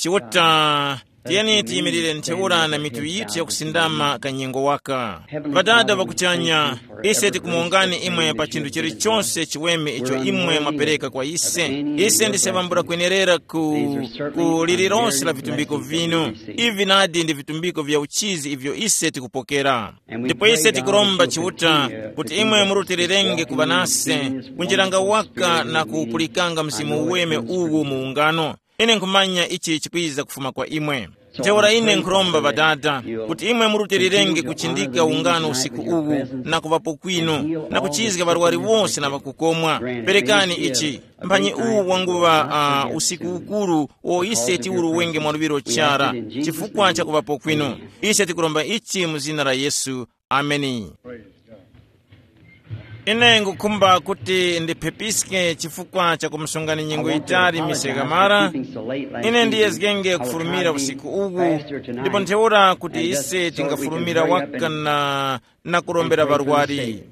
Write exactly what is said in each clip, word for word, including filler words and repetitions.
Chiuta, tiyeni tiyimirire ntheura na mitu yithu yakusindama kanyengo waka. Ŵadada ŵakuchanya, ise tikumuwongani imwe pa chinthu chilichonse chiweme icho imwe mwapereka kwa ise. Ise ndise ŵambula kwenerera ku, ku lililonse la vitumbiko vinu. Ivi nadi ndi vitumbiko vya uchizi ivyo ise tikupokera. Ndipo ise tikuromba Chiuta kuti imwe murutilirenge kuŵa nase, kunjiranga waka na kuwupulikanga Mzimu Uweme uwu mu ungano. Ine nkhumanya ichi chikwiza kufuma kwa imwe. Ntheura ine nkhuromba Ŵadada kuti imwe murutilirenge kuchindika ungano usiku uwu, na kuŵapo kwinu, na kuchizga ŵarwari wose na ŵakukomwa. Perekani ichi, mphanyi uwu wanguŵa uh, usiku ukuru wo ise tiwuruwenge mwaluŵiro chara, chifukwa cha kuŵapo kwinu. Ise tikuromba ichi mu zina la Yesu. Ameni. Ine ngukhumba kuti ndiphepiske chifukwa cha kumusungani nyengo yitali mise kamara. Ine ndiyezgenge kufurumira usiku uwu, ndipo ntheura kuti ise tingafurumira waka na, na kurombera ŵarwari.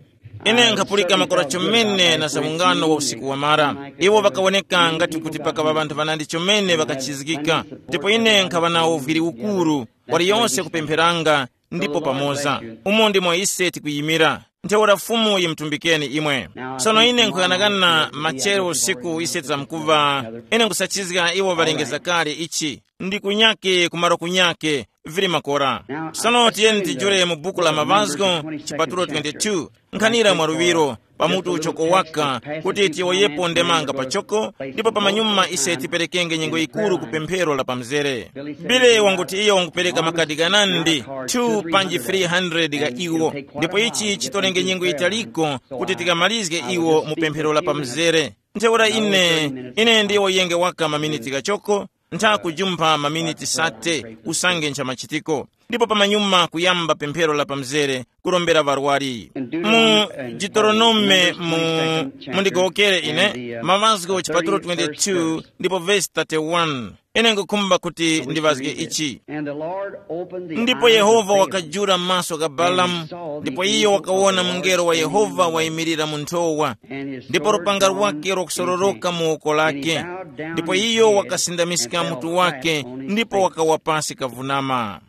Ine nkhapulika makora chomene na za ungano wa usiku wamara. Iwo ŵakawoneka ngati kuti pakaŵa ŵanthu ŵanandi chomene ŵakachizgika, ndipo ine nkhaŵa nawo viri ukuru, waliyonse kupempheranga, ndipo pamoza. Umo ndimo ise tikuyimira. Ntheura Fumu yimutumbikeni imwe. Sono ine nkhuyanakana machero usiku ise tizamkuva. Ine nkusachizga iwo ŵalengeza kale ichi. Ndi kunyake kumaro kunyake, vili makora. Sono tiyeni tijule mu buku la Mavazgo, chipatulo twenty-two, nkhanira mwaluŵiro, pamutu uchoko waka, kuti tiyowoyepo ndemanga pachoko, ndipo pamanyuma ise tiperekenge nyengo yikuru ku pemphero la pamzere. Bile wanguti iyo wangupereka makadi ganandi, two panji three hundred ga iwo, ndipo ichi chitolenge nyengo yitaliko kuti tikamalizge iwo mu pemphero la pamzere. Ntheura ine, ine ndiyowoyenge waka maminiti gachoko, ntha kujumpha maminiti sate usange nchamachitiko, ndipo pamanyuma kuyamba pemphero la pamzere, kurombera ŵarwari. Mu Deuteronome mu, mundigowokere ine, Mavazgo chipatulo twenty-two ndipo vesi thirty-one. Ine ngukhumba kuti ndiŵazge ichi. Ndipo Yehova wakajula maso gha Balamu, ndipo iyo wakawona mungelo wa Yehova wayimirira mu nthowa, ndipo lupanga lwake lwakusororoka mu woko lake, ndipo iyo wakasindamiska mutu wake, ndipo wakawa pasi kavunama.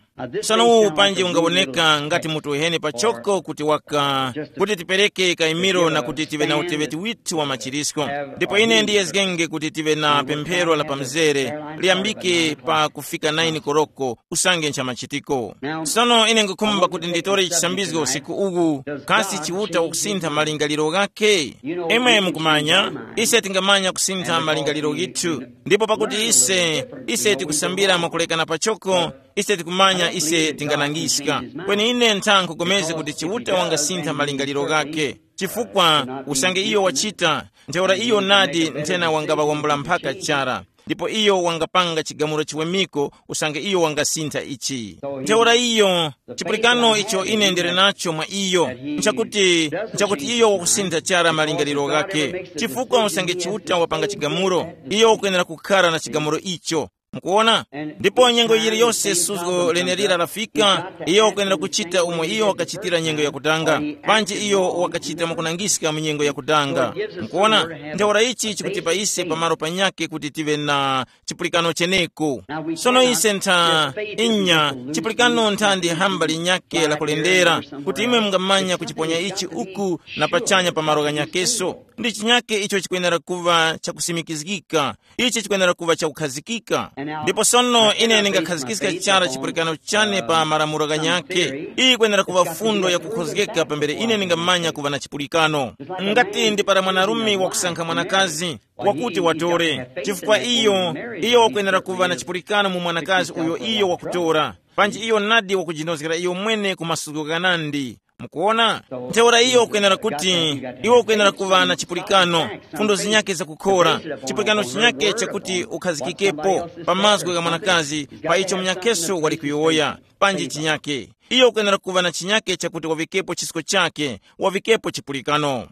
Sono uwu panji ungawoneka ngati mutu uheni pachoko kuti waka, kuti tipereke kaimiro na kuti tive na uteŵeti withu wa machirisko. Ndipo ine ndiyezgenge kuti tive na pemphero la pamzere, liyambike pa kufika naini koroko, usange nchamachitiko. Sono ine ngukhumba kuti nditore chisambizgo usiku uwu, kasi Chiuta wakusintha malingaliro ghakhe? Imwe mukumanya, ise tingamanya kusintha malingaliro ghithu. Ndipo pakuti ise, ise tikusambira mwakulekana pachoko, ise tikumanya ise tinganangiska. Kweni ine ntha nkhugomezge kuti Chiuta wangasintha malingaliro ghakhe, chifukwa usange iyo wachita, ntheura iyo nadi nthena wangaŵawambula mphaka chara, ndipo iyo wangapanga chigamulo chiwemiko usange iyo wangasintha ichi. Ntheura iyo, chipulikano icho ine ndili nacho mwa iyo, nchakuti, nchakuti iyo wakusintha chara malingaliro ghakhe, chifukwa usange Chiuta wapanga chigamulo, iyo wakwenera kukhara na chigamulo icho. Mukuona? Ndipo nyengo yiliyose suzgo lenelira lafika, iyo wakwenera kuchita umo iyo wakachitira nyengo yakutanga, panji iyo wakachita mwakunangiska mu nyengo yakutanga. Mukuona? Ntheura ichi chikutipa ise pamalo panyakhe kuti tive na chipulikano cheneko. Sono ise ntha, inya, chipulikano ntha ndi hamba linyakhe lakulendera, kuti imwe mungamanya kuchiponya ichi uku na pachanya pamalo ghanyakeso. Ndi chinyakhe icho chikwenera kuva chakusimikizgika. Ichi chikwenera kuŵa chakukhazikika. Ndipo sono ine ndingakhazikiska chara chipulikano chane pa malamulo ghanyakhe. Iyi yikwenera kuŵa fundo yakukhozgeka pambere ine ndingamanya kuŵa na chipulikano. Ngati ndi para mwanarume wakusankha mwanakazi, wakuti watore, chifukwa iyo, iyo wakwenera kuŵa na chipulikano mu mwanakazi uyo iyo wakutora, panji iyo nadi wakujinozgera iyo mwene ku masuko ghanandi. Mukuona? Ntheura iyo ukwenera kuti, iwe ukwenera kuŵa na chipulikano, fundo zinyakhe zakukhora, chipulikano chinyakhe chakuti ukhazikikepo pa mazgu gha mwanakazi, pa icho munyakheso wali kuyowoya, panji chinyakhe. Iyo ukwenera kuŵa na chinyakhe chakuti wavikepo chisko chakhe, wavikepo chipulikano.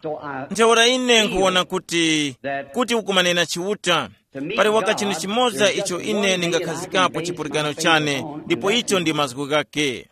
Ntheura ine nkhuwona kuti, kuti ukumanena Chiuta, pali waka chinthu chimoza icho ine ndingakhazikapo chipulikano chane, ndipo icho ndi mazgu ghakhe.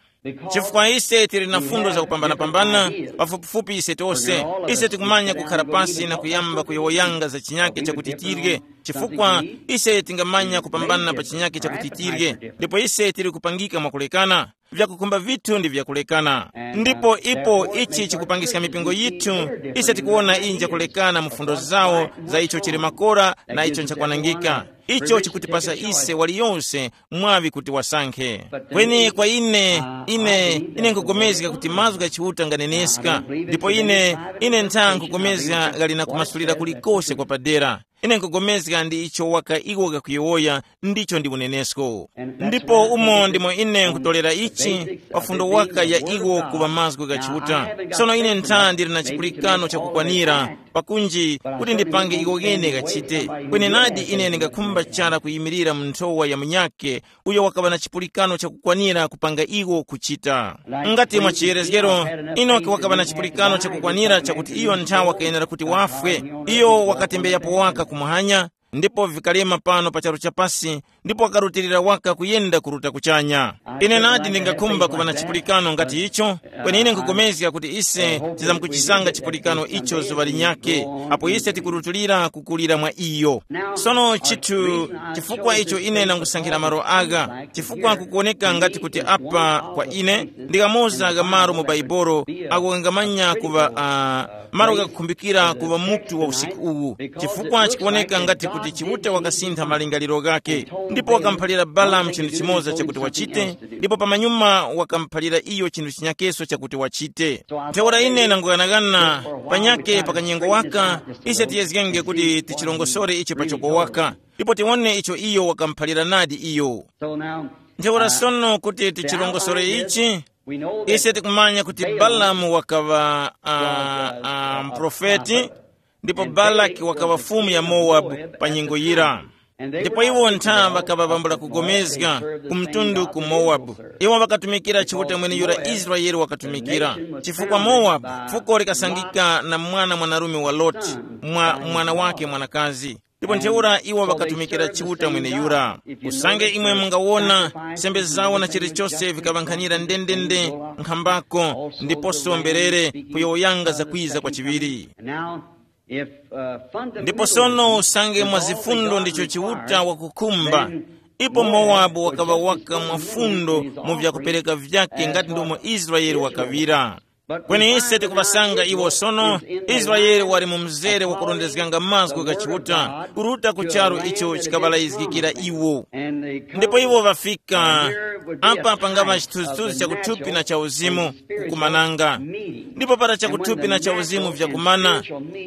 Chifukwa ise tili na fundo zakupambanapambana, pafupifupi ise tose, ise tikumanya kukhara pasi na kuyamba kuyowoyanga za chinyake chakuti tirye, chifukwa ise tingamanya kupambana pa chinyake chakuti tirye, ndipo ise tili kupangika mwakulekana. Vyakukhumba vithu ndi vyakulekana. Ndipo ipo ichi chikupangiska mipingo yithu, ise tikuwona inja kulekana mu fundo zawo za icho chili makora na icho nchakwanangika. Icho chikutipasa ise waliyonse mwaŵi kuti wasankhe. Kweni kwa ine, ine ine nkugomezga kuti mazgu gha Chiuta nganeneska, ndipo ine ine ntha nkugomezga ghali na kumasulira kulikose kwa padera. Ine nkugomezga ndi icho waka iwo kakuyowoya, ndicho ndi unenesko. Ndipo umo ndimo ine nkutolera ichi, pa fundo waka ya iwo kuŵa mazgu gha Chiuta. Sono ine ntha ndili na chipulikano chakukwanira pakunji kuti ndipange iko ghene ghachite. Kwenenadi ine ndingakhumba chara kuyimirira mu nthowa ya munyakhe uyo wakaŵa na chipulikano chakukwanira kupanga iwo kuchita. Ngati mwa chiyerezgero, Enoki wakaŵa na chipulikano chakukwanira chakuti iyo nthawi wakayenera kuti wafwe. Iyo wakatembeyapo waka kumuhanya, ndipo vikalema pano pa charu chapasi, ndipo wakarutilira waka kuyenda kuruta kuchanya. Ine nadi ndingakhumba kuŵa na chipulikano ngati icho, kweni ine nkupulikana kuti ise tizamkuchisanga chipulikano icho zuŵa linyakhe, apo ise tikurutulira kukulira mwa iyo. Sono chithu chifukwa icho ine ndangusankhira malo agha, chifukwa kukuwoneka ngati kuti apa kwa ine ndikamoza gha malo mu Baibolo ako kangamanya kuŵa uh, malo ghakukhumbikira kuŵa mutu wa usiku uwu, chifukwa chikuwoneka ngati kuti Chiuta wakasintha malingaliro ghakhe, ndipo wakamuphalira Balamu chinthu chimoza chakuti wachite, ndipo pamanyuma wakamuphalira iyo chinthu chinyakeso chakuti wachite. Ntheura ine nanguyanaghana panyakhe pa kanyengo waka, ise tiyezgenge kuti tichirongosore icho pachoko waka, ndipo tiwone icho iyo wakamuphalira nadi iyo. Ntheura sono kuti tichirongosore ichi, ise tikumanya kuti Balamu wakaŵa uh, uh, mprofeti, ndipo Balaki wakaŵa fumu ya Mowabu pa nyengo yira. Ndipo iwo ntha ŵakaŵa ŵambula kugomezga ku mtundu ku Mowabu. Iwo ŵakatumikira Chiuta mweneyura Israele wakatumikira, chifukwa Mowabu fuko likasangika na mwana mwanarume wa Loti, mwa mwana wake mwanakazi. Ndipo ntheura iwo ŵakatumikira Chiuta mweneyura. Usange imwe mungawona, sembe zawo na chilichose vikaŵankhanira ndendende, nkhambako ndiposo mberere kuyowoyanga zakwiza kwa chiŵiri. Ndipo sono usange mwa zifundo ndicho Chiuta wakukhumba, ipo Mowabu wakaŵa waka mwa fundo mu vyakupereka vyake ngati ndomo Israele wakaŵira. Kweni ise tikuŵasanga iwo sono, Israele wali mu mzere wakurondezganga mazgu gha Chiuta kuruta ku charu icho chikaŵalayizgikira iwo. Ndipo iwo ŵafika apa pangaŵa chithunzithunzi cha kuthupi na cha uzimu kukumananga. Ndipo para chakuthupi na cha uzimu vyakumana,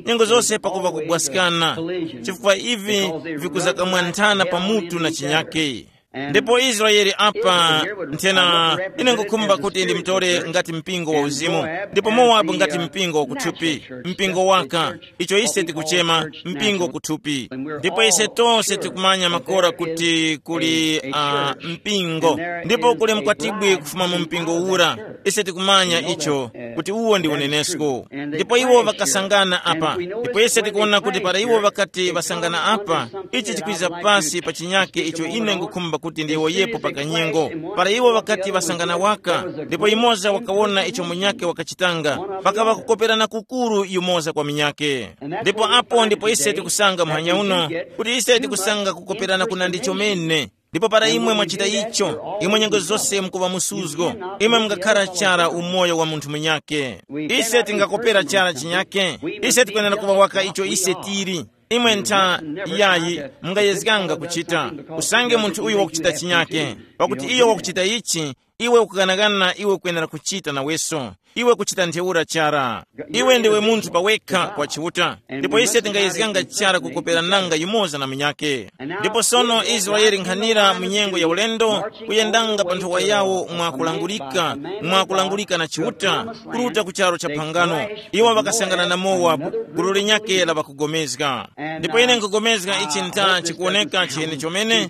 nyengo zose pakuŵa kugwaskana, chifukwa ivi vikuzakamwanthana pa mutu na chinyake. Ndipo Israele apa, nthena, ine ngukhumba kuti ndimutore ngati mpingo wa uzimu, ndipo Mowabu ngati mpingo wa kuthupi, mpingo waka, icho ise tikuchema mpingo kuthupi. Ndipo ise tonse tikumanya makora kuti kuli uh, mpingo, ndipo kuli mkwatibwi kufuma mu mpingo ura. Ise tikumanya icho, kuti uwo ndi unenesko. Ndipo iwo ŵakasangana apa, ndipo ise tikuwona kuti para iwo ŵakati ŵasangana apa, ichi chikwiza pasi pa chinyake icho ine ngukhumba kuti ndiyowoyepo pa kanyengo. Para iwo ŵakati ŵasangana waka, ndipo yumoza wakawona icho munyake wakachitanga, pakaŵa kukoperana kukuru yumoza kwa munyake. Ndipo apo ndipo ise tikusanga muhanya uno, kuti ise tikusanga kukoperana kuna ndi chomene. Ndipo para imwe mwachita icho, imwe nyengo zose mukuŵa musuzgo. Imwe mungakhara chara umoyo wa munthu munyake. Ise tingakopera chara chinyake. Ise tikwenera kuŵa waka icho ise tili. Imwe ntha, yayi, mungayezganga kuchita. Usange munthu uyo wakuchita chinyake, pakuti iyo wakuchita ichi, iwe ukukanakana iwe ukwenera kuchita naweso. Iwe kuchita ntheura chara. Iwe ndiwe munthu pawekha kwa Chiuta. Ndipo ise tingayezganga chara kukopera nanga yumoza na munyake. Ndipo sono Israele nkhanira mu nyengo ya ulendo, kuyendanga pa nthowa yawo mwa kulangurika, mwa kulangurika na Chiuta, kuruta ku charo cha phangano. Iwo ŵakasangana na Mowabu, gulu linyakhe la ŵakugomezga. Ndipo ine nkugomezga ichi ntha chikuwoneka chene chomene.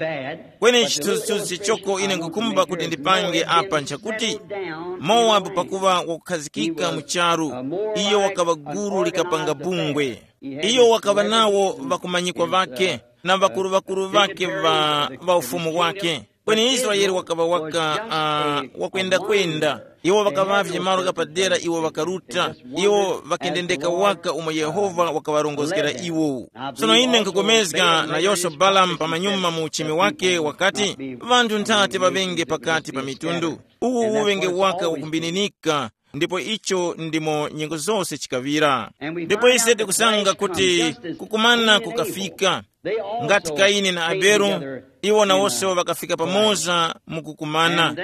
Kweni chithunzithunzi choko ine nkukhumba kuti ndipange apa nchakuti, Mowabu pakuŵa wakukhazikika mu charu, iyo wakaŵa gulu likapanga bungwe. Iyo wakaŵa nawo ŵakumanyikwa ŵakhe na ŵakuru-ŵakuru ŵakhe ŵa, ŵa ufumu wake. Kweni Israele wakaŵa waka uh, wakwenda-kwenda. Iwo ŵakaŵavye malo ghapadera iwo ŵakaruta. Iwo ŵakendendeka waka umo Yehova wakaŵarongozgera iwo. Tsono ine nkhupulikana nayonso Balamu pamanyuma mu uchimi wake wakati, ŵanthu nthate ŵaŵenge pakati pa mitundu. Uwu uŵenge waka wakumbininika, ndipo icho ndimo nyengo zose chikaŵira. Ndipo ise tikusanga kuti kukumana kukafika. Ngati Kaini na Abele, iwo nawonso ŵakafika pamoza mu kukumana.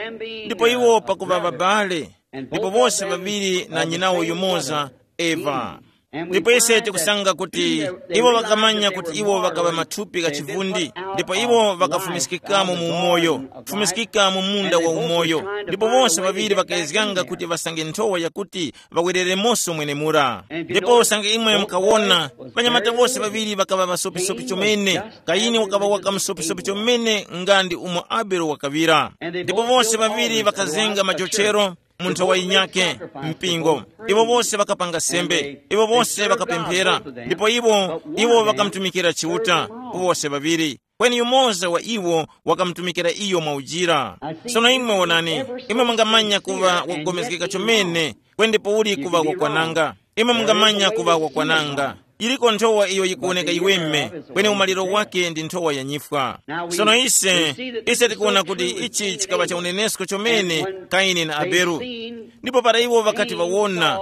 Ndipo iwo pakuŵa ŵabale, ndipo wose ŵaŵiri na nyinawo yumoza, Eva. Ndipo ise tikusanga kuti iwo ŵakamanya kuti iwo ŵakaŵa mathupi gha chivundi, ndipo iwo ŵakafumiskikamo mu umoyo, kufumiskika mu munda wa umoyo. Ndipo wose ŵaŵiri ŵakayezganga kuti ŵasange nthowa yakuti ŵawereremoso mwenemura. Ndipo usange imwe mukawona, ŵanyamata wose ŵaŵiri ŵakaŵa ŵasopisopi chomene. Kaini wakaŵa waka msopisopi chomene nga ndi umo Abele wakaŵira. Ndipo wose ŵaŵiri ŵakazenga majochero mu nthowa yinyakhe, mpingo. Iwo wose ŵakapanga sembe, iwo wose ŵakapemphera. Ndipo iwo iwo ŵakamutumikira Chiuta, wose ŵaŵiri. Kweni yumoza wa iwo wakamutumikira iyo mwaujira. Sono imwe wonani, imwe mungamanya kuŵa wakugomezgeka chomene, kweni ndipo uli kuŵa wakwananga. Imwe mungamanya kuŵa wakwananga. Iliko nthowa iyo yikuwoneka iweme, kweni umaliro wake ndi nthowa ya nyifwa. Sono ise, ise tikuwona kuti ichi chikaŵa cha unenesko chomene, Kaini na Abele. Ndipo para iwo ŵakati ŵawona,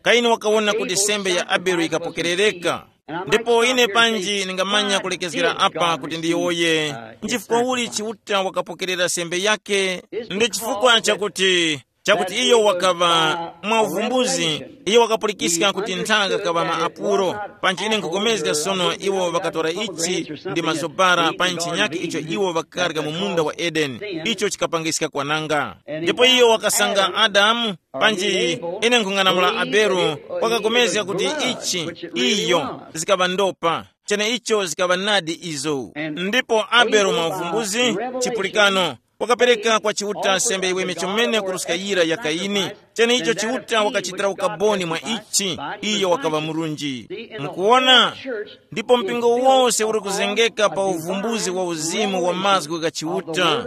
Kaini wakawona kuti sembe ya Abele yikapokerereka. Ndipo ine panji ningamanya kulekezgera apa kuti ndiyowoye nchifukwa uli Chiuta wakapokerera sembe yake. Ndi chifukwa chakuti, chakuti iyo wakaŵa mwa uvumbuzi, iyo wakapulikiska kuti nthaka kaŵa ma apuro. Panji ine nkupulikana sono iwo ŵakatora ichi ndi mazobara pa ntchinyake icho iwo ŵakarya mu munda wa Edeni, icho chikapangiska kwananga. Ndipo iyo wakasanga Adamu. Panji ine nkhung'anamula Abele, wakapulikana kuti ichi, iyo, zikaŵa ndopa. Cheneicho zikaŵa nadi izo. Ndipo Abele mwa uvumbuzi, chipulikano, wakapereka kwa Chiuta sembe yiweme chomene kuruska yira ya Kaini. Cheneicho Chiuta wakachitira ukaboni mwa ichi, iyo wakaŵa murunji. Mukuwona? Ndipo mpingo wose uri kuzengeka pa uvumbuzi wa uzimu wa mazgu gha Chiuta.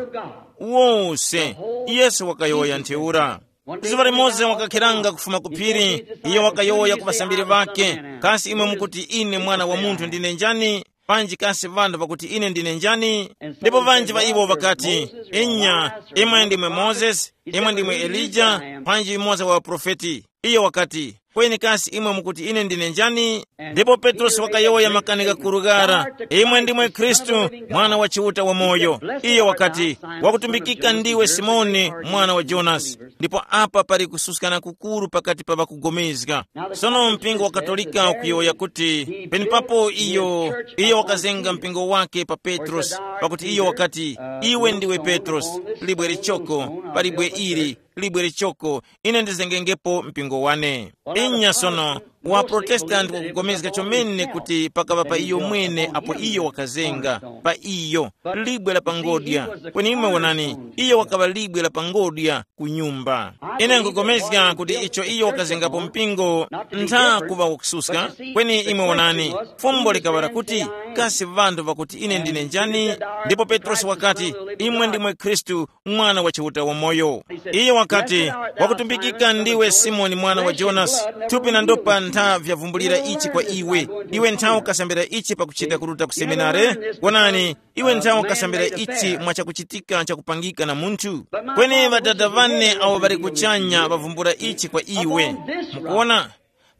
Wose, Yesu wakayowoya ntheura. Zuŵa limoza wakakhiranga kufuma ku phiri, iyo wakayowoya ku ŵasambiri ŵakhe, kasi imwe mukuti ine Mwana wa Munthu ndine njani? Panji kasi ŵanthu ŵakuti ine ndine njani? Ndipo ŵanji ŵa iwo ŵakati, inya, imwe ndimwe Mozesi, imwe ndimwe Elija, panji yumoza wa ŵaprofeti. Iyo wakati, kweni kasi imwe mukuti ine ndine njani? Ndipo Petrosi wakayowoya makani ghakuru ghara, imwe ndimwe Khristu, Mwana wa Chiuta wamoyo. Iyo wakati, wakutumbikika ndiwe Simoni, mwana wa Jonasi. Ndipo apa pali kususkana kukuru pakati pa ŵakugomezga. Sono mpingo wa Katolika ukuyowoya kuti, penepapo iyo, iyo wakazenga mpingo wake pa Petrosi, pakuti iyo wakati, iwe ndiwe Petrosi, libwe lichoko, pa libwe ili, libwe lichoko, ine ndizengengepo mpingo wane. Inya sono, wa Protestanti wakupulikana chomene kuti pakaŵa pa iyo mwene apo iyo wakazenga, pa iyo, libwe la pangodya. Kweni imwe wonani, iyo wakaŵa libwe la pangodya ku nyumba. Ine nkupulikana kuti icho iyo wakazengapo mpingo ntha kuŵa wakususka, kweni imwe wonani, fumbo likaŵa lakuti, kasi ŵanthu ŵakuti ine ndine njani? Ndipo Petrosi wakati, imwe ndimwe Khristu, Mwana wa Chiuta wamoyo. Iye wakati, wakutumbikika ndiwe Simoni mwana wa Jonasi, thupi na ndopa ntha vyavumbulira ichi kwa iwe. Iwe ntha ukasambira ichi pakuchita kuruta ku seminare? Wonani, iwe ntha ukasambira ichi mwa chakuchitika chakupangika na munthu. Kweni Ŵadada ŵane awo ŵali kuchanya ŵavumbula ichi kwa iwe. Mukuona?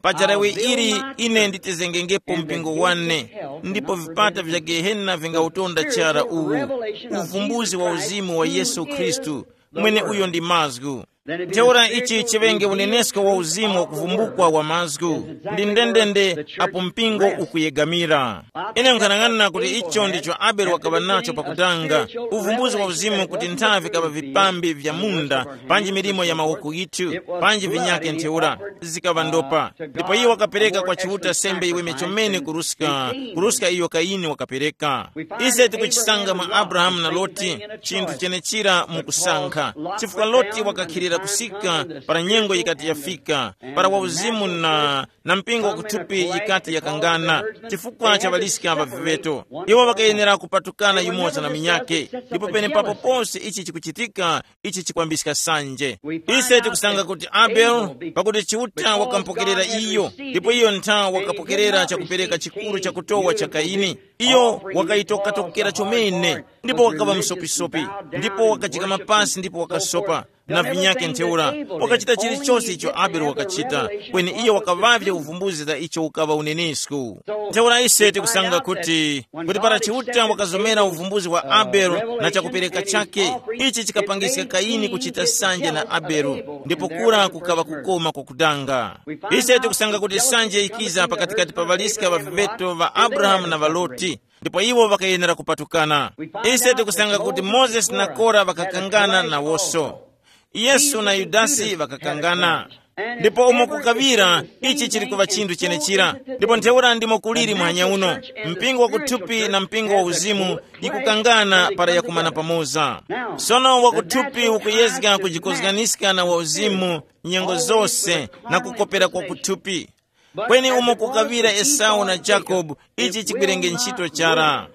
Pa jarawe ili ine nditizengengepo mpingo wane, ndipo vipata vya Gehena vingautonda chara uwu. Uvumbuzi wa uzimu wa Yesu Khristu, mwene uyo ndi mazgu. Ntheura ichi chiŵenge unenesko wa uzimu wa kuvumbukwa wa mazgu, ndi ndendende apo mpingo ukuyegamira. Ine nkhanang'ana kuti icho ndicho Abele wakaŵa nacho pakutanga, uvumbuzi wa uzimu kuti nthavi kaŵa vipambi vya munda, panji milimo ya mawoko yithu, panji vinyake ntheura, zikaŵa ndopa. Ndipo iwo wakapereka kwa Chiuta sembe iweme chomene kuruska, kuruska iyo Kaini wakapereka. Ise tikuchisanga mwa Abrahamu na Loti, chinthu chenechira mukusankha. Chifukwa Loti wakakhilira kusika para nyengo yikati yafika, para wauzimu na, na mpingo wakuthupi yikati yakangana, chifukwa cha ŵaliska ŵa viveto. Iwo ŵakayenera kupatukana yumoza na minyake, ndipo penepapo pose ichi chikuchitika, ichi chikwambiska sanje. Ise tikusanga kuti Abele, pakuti Chiuta wakampokerera iyo, ndipo iyo ntha wakapokerera chakupereka chikuru chakutowa cha Kaini. Iyo wakayitokatokera chomene, ndipo wakaŵa msopisopi, ndipo wakajikama pasi ndipo wakasopa, na vinyake ntheura, wakachita chilichose icho Abele wakachita, kweni iyo wakaŵavye uvumbuzi za icho ukaŵa unenisku. Ntheura ise tikusanga kuti, kuti para Chiuta wakazomera uvumbuzi wa Abele na chakupereka chake, ichi chikapangiska Kaini kuchita sanje na Abele, ndipo kura kukaŵa kukoma kwakudanga. Ise tikusanga kuti sanje ikiza pakatikati pa ŵaliska ŵa viveto ŵa Abrahamu na ŵa Loti, ndipo iwo ŵakayenera kupatukana. Ise tikusanga kuti Mozesi na Kora ŵakakangana nawoso. Yesu na Yudasi ŵakakangana. Ndipo umo kukaŵira, ichi chili kuŵa chinthu chenechira. Ndipo ntheura ndimo kuliri muhanya uno. Mpingo wakuthupi na mpingo wa uzimu yikukangana para yakumana pamoza. Sono wakuthupi ukuyezga kujikozganiska na wauzimu nyengo zose, na kukopera kwa kuthupi. Kweni umo kukaŵira Esau na Jakobu, ichi chigwirenge ntchito chara.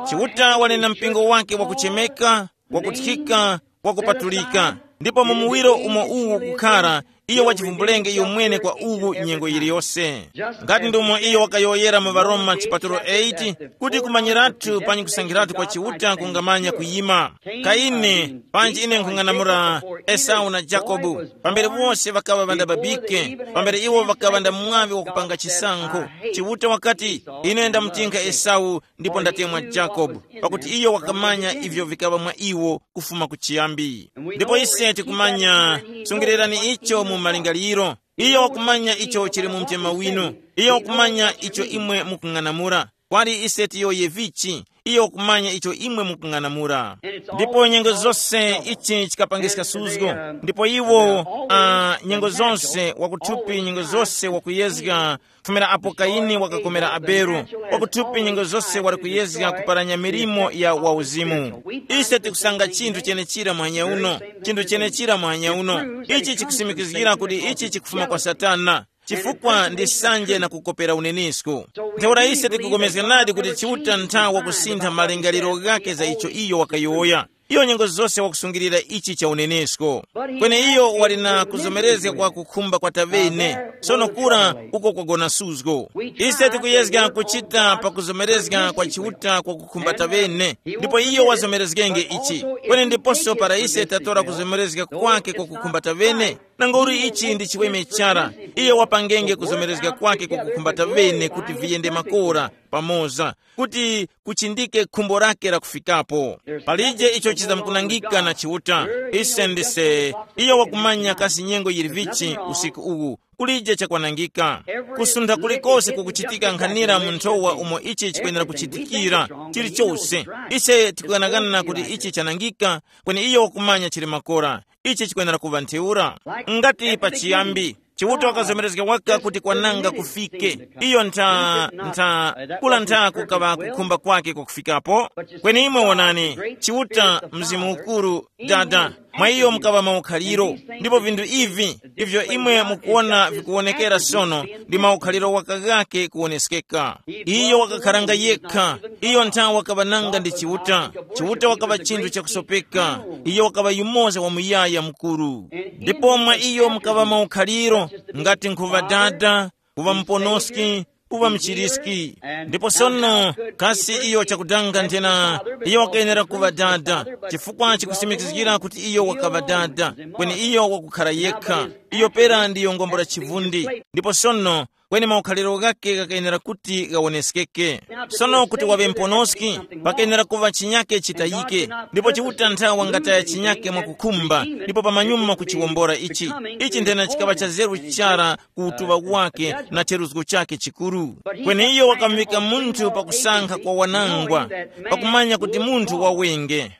Chiuta wali na mpingo wake wakuchemeka, wakuthika, wakupatulika, ndipo mu muwiro umo uwu ukukhara, iyo wachivumbulenge iyo mwene kwa uwu nyengo yiliyose. Ngati ndumo iyo wakayowoyera mu Varoma chipatulo eight, kuti kumanyiratu panyi kusankhiratu kwa Chiuta kungamanya kuyima. Kaine, panji ine nkhung'anamula Esau na Jakobu, pambere wose ŵakaŵa ŵandababike, pambere iwo ŵakaŵa nda mwaŵi wakupanga chisankho, Chiuta wakati, ine ndamutinkha Esau ndipo ndatemwa Jakobu, pakuti iyo wakamanya ivyo vikaŵa mwa iwo kufuma kuchiyambi. Ndipo ise tikumanya, sungilirani icho mu malingaliro. Iyo wakumanya icho chili mu mtima winu. Iyo wakumanya icho imwe mukung'anamula. Kwali ise tiyoye vichi, iyo wakumanya icho imwe mukung'anamula. Ndipo nyengo zose ichi chikapangiska suzgo. Ndipo iwo, uh, nyengo zonse wakuthupi, nyengo zose wakuyezga, kufumira apo Kaini wakakomera Abele, wakuthupi nyengo zose wali kuyezga kuparanya milimo ya wauzimu. Ise tikusanga chinthu chenechira muhanya uno, chinthu chenechira muhanya uno. Ichi chikusimikizgira kuti ichi chikufuma kwa Satana, chifukwa ndi sanje na kukopera unenisku. Ntheura ise tikupulikana nadi kuti Chiuta nthawa kusintha malingaliro ghake za icho iyo wakayowoya. Iyo nyengo zose wakusungilira ichi cha unenesko. Kweni iyo wali na kuzomerezga kwa kukhumba kwa tavene. Sono kura uko kwagona suzgo. Ise tikuyezga kuchita pa kuzomerezga kwa Chiuta kwa kukhumba tavene, ndipo iyo wazomerezgenge ichi. Kweni ndiposo para ise tatora kuzomerezga kwake kwa kukhumba tavene, nangauli ichi ndi chiweme chara, iyo wapangenge kuzomerezga kwake kwa kukhumba tavene kuti viyende makora pamoza, kuti kuchindike khumbo lake la kufikapo. Palije icho chizamkunangika na Chiuta. Ise ndise, iyo wakumanya kasi nyengo yili vichi usiku uwu, kulije chakwanangika. Kusuntha kulikose kukuchitika nkhanira mu nthowa umo ichi chikwenera kuchitikira, chilichose. Ise tikughanaghana kuti ichi chanangika, kweni iyo wakumanya chili makora. Ichi chikwenera kuŵa ntheura. Ngati pachiyambi, Chiuta wakazomerezga waka kuti kwananga kufike. Iyo ntha, ntha, kula ntha kukaŵa kukhumba kwake kwakufikapo. Kweni imwe wonani, Chiuta, Mzimu Ukuru, Dada, mwa iyo mukaŵa maukhaliro, ndipo vinthu ivi, ivyo imwe mukuwona vikuwonekera sono, ndi maukhaliro waka ghake kuwoneskeka. Iyo wakakharanga yekha. Iyo nthawe wakaŵa nanga ndi Chiuta. Chiuta wakaŵa chinthu chakusopeka. Iyo wakaŵa yumoza wa muyaya mukuru. Ndipo mwa iyo mukaŵa maukhaliro, ngati nkhuŵa Dada, kuŵa muponoski, kuŵa mchiriski. Ndipo sono, kasi iyo chakudanga nthena, iyo wakayenera kuŵa Dada, chifukwa chikusimikizgira kuti iyo wakaŵa Dada, kweni iyo wakukhara yekha. Iyo pera ndiyo ngombo la chivundi. Ndipo sono, kweni maukhaliro ghake ghakayenera kuti ghawoneskeke. Sono kuti waŵe mponoski, pakayenera kuŵa chinyake chitayike, ndipo Chiuta nthawe wangataya chinyake mwakukhumba, ndipo pamanyuma kuchiwombora ichi. Ichi nthena chikaŵa cha zeru chara ku utuŵa wake na cheruzgo chake chikuru. Kweni iyo wakamuvika munthu pakusankha kwa wanangwa, pakumanya kuti munthu wawenge.